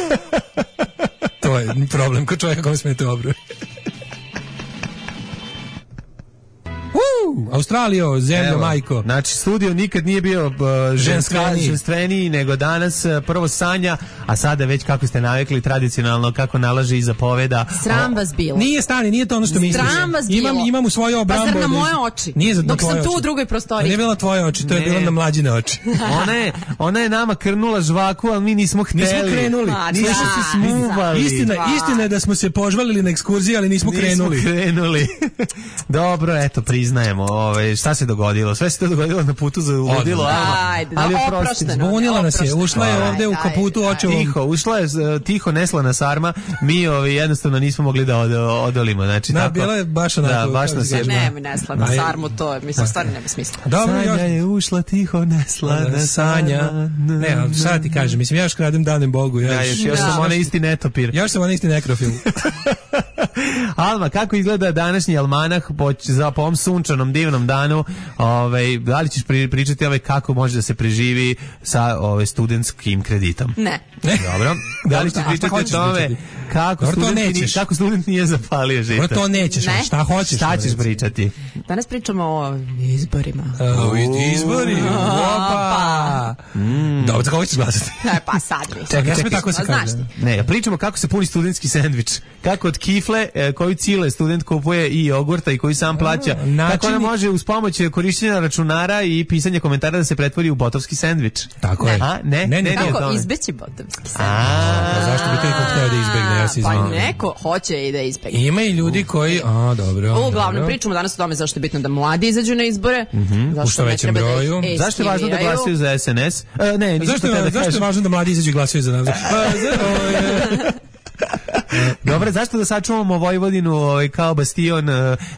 To je problem kod čovjeka kome smeta obrve. Uh, Australijo, zemljo, evo, majko. Znači, studio nikad nije bio uh, ženska, ženstveniji nego danas. Uh, prvo Sanja, a sada već kako ste navikli tradicionalno, kako nalaže i zapoveda. Sram vas bilo. Nije stani, nije to ono što misliš. Sram vas bilo. Imam, imam u svoje obrambo. Pa zar na moje oči? Nije za dok sam tu oči. U drugoj prostoriji. Nije bila tvoje oči, to ne. Je bilo na mlađine oči. ona, je, ona je nama krnula žvaku, ali mi nismo hteli. Nismo krenuli. A, nismo da, se smuvali. Istina, istina je da smo se požvalili na ekskurziji, ali nismo, nismo krenuli. krenuli. Dobro, eto, priznajemo. Ove, šta se dogodilo? Sve se to dogodilo na putu za ludilo. Ajde, ali oprošteno. Zbunila nas je, ušla je ovde u kaputu očevom. Tiho, ušla je tiho neslana sarma. Mi ovi jednostavno nismo mogli da od, odolimo. Znači, da, tako, bila je baš onako. Da, baš nas je. Ne, mi neslana sarmu, to je, mislim, stvarno nema smisla. Dobro, Sanja je ušla tiho neslana Sanja. Ne, ali šta ti kažem, mislim, ja još kradem danem Bogu. Ja, ja još, još sam onaj isti netopir. Ja još sam onaj isti nekrofil. Alma, kako izgleda današnji almanah po, za po ovom sunčanom divnom danu? Ovaj, da li ćeš pri, pričati ovaj kako može da se preživi sa ovaj studentskim kreditom? Ne. Dobro. Da li ćete pričati o tome kako student, nije, kako student nije zapalio žita? Dobro, to nećeš, ne? Šta hoćeš? Šta ćeš pričati? Danas pričamo o izborima. O izbori? Opa! Mm. Dobro, kako ćeš glasati? Ne, pa sad mi. Čekaj, čekaj, tako se kaže. Ne, pričamo kako se puni studentski sendvič. Kako od kifle e, koju cile student kupuje i jogurta i koji sam plaća. Načini... Kako ona može uz pomoć korišćenja računara i pisanja komentara da se pretvori u botovski sendvič. Tako je. A, ne, ne, ne, kako ne, izbeći botovski sendvič? A, zašto bi to iko hteo da izbegne? Ja se pa neko hoće i da izbegne. Ima i ljudi koji, a dobro. Uglavnom pričamo danas o tome zašto je bitno da mladi izađu na izbore. Mm-hmm. U što većem broju. Da zašto je važno da glasaju za S N S? Uh, ne, zašto, je, zašto je važno da mladi izađu i glasaju za nas? Dobro, zašto da sačuvamo Vojvodinu ovaj, kao bastion?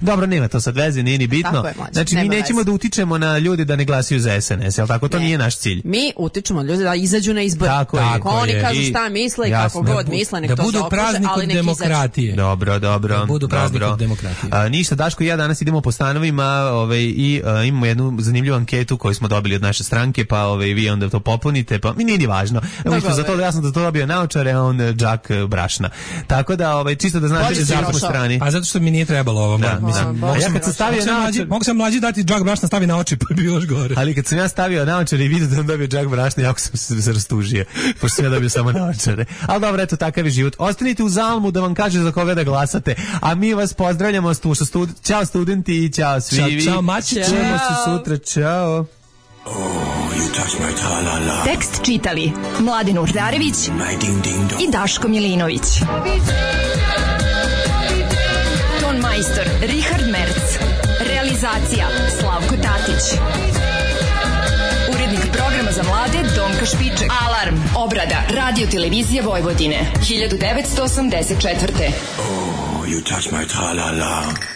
Dobro, nema to sad veze, nije ni bitno. Je, znači, nema mi nećemo veze. Da utičemo na ljude da ne glasaju za S N S, jel tako? To ne. Nije naš cilj. Mi utičemo na ljude da izađu na izbore. Tako, tako je. oni je. kažu šta misle i kako da god bu, misle, nek da to budu praznik od demokratije. Izađu. Dobro, dobro. Da budu praznik dobro. od demokratije. A, ništa, Daško i ja danas idemo po stanovima ovaj, i a, imamo jednu zanimljivu anketu koju smo dobili od naše stranke, pa ovaj, vi onda to popunite, pa mi nije ni važno. Mi smo za to, ja sam da to dobio naočare, a on džak brašna. Tako da, ovaj, čisto da znate da smo strani. A zato što mi nije trebalo ovo. Da, mislim, da. Ja kad sam stavio naočare, mogu sam mlađi dati džak brašna stavi na oči, pa bi još gore. Ali kad sam ja stavio naočare i vidio da on dobio džak brašna, jako sam se, se rastužio, pošto sam ja dobio samo naočare. Ali dobro, eto, takav je život. Ostanite u Zalmu da vam kaže za koga da glasate, a mi vas pozdravljamo. Stud... Ćao studenti i ćao svi. Ćao, čao mači, čujemo se sutra, čao. Oh, you touch my tra-la-la. Tekst čitali Mladin Urdarević i Daško Milinović. Ton majstor Richard Merc. Realizacija Slavko Tatić. Urednik programa za mlade Donka Špiček. Alarm, obrada, radio televizija Vojvodine, hiljadu devetsto osamdeset četvrte. Oh, you touch my tra-la-la.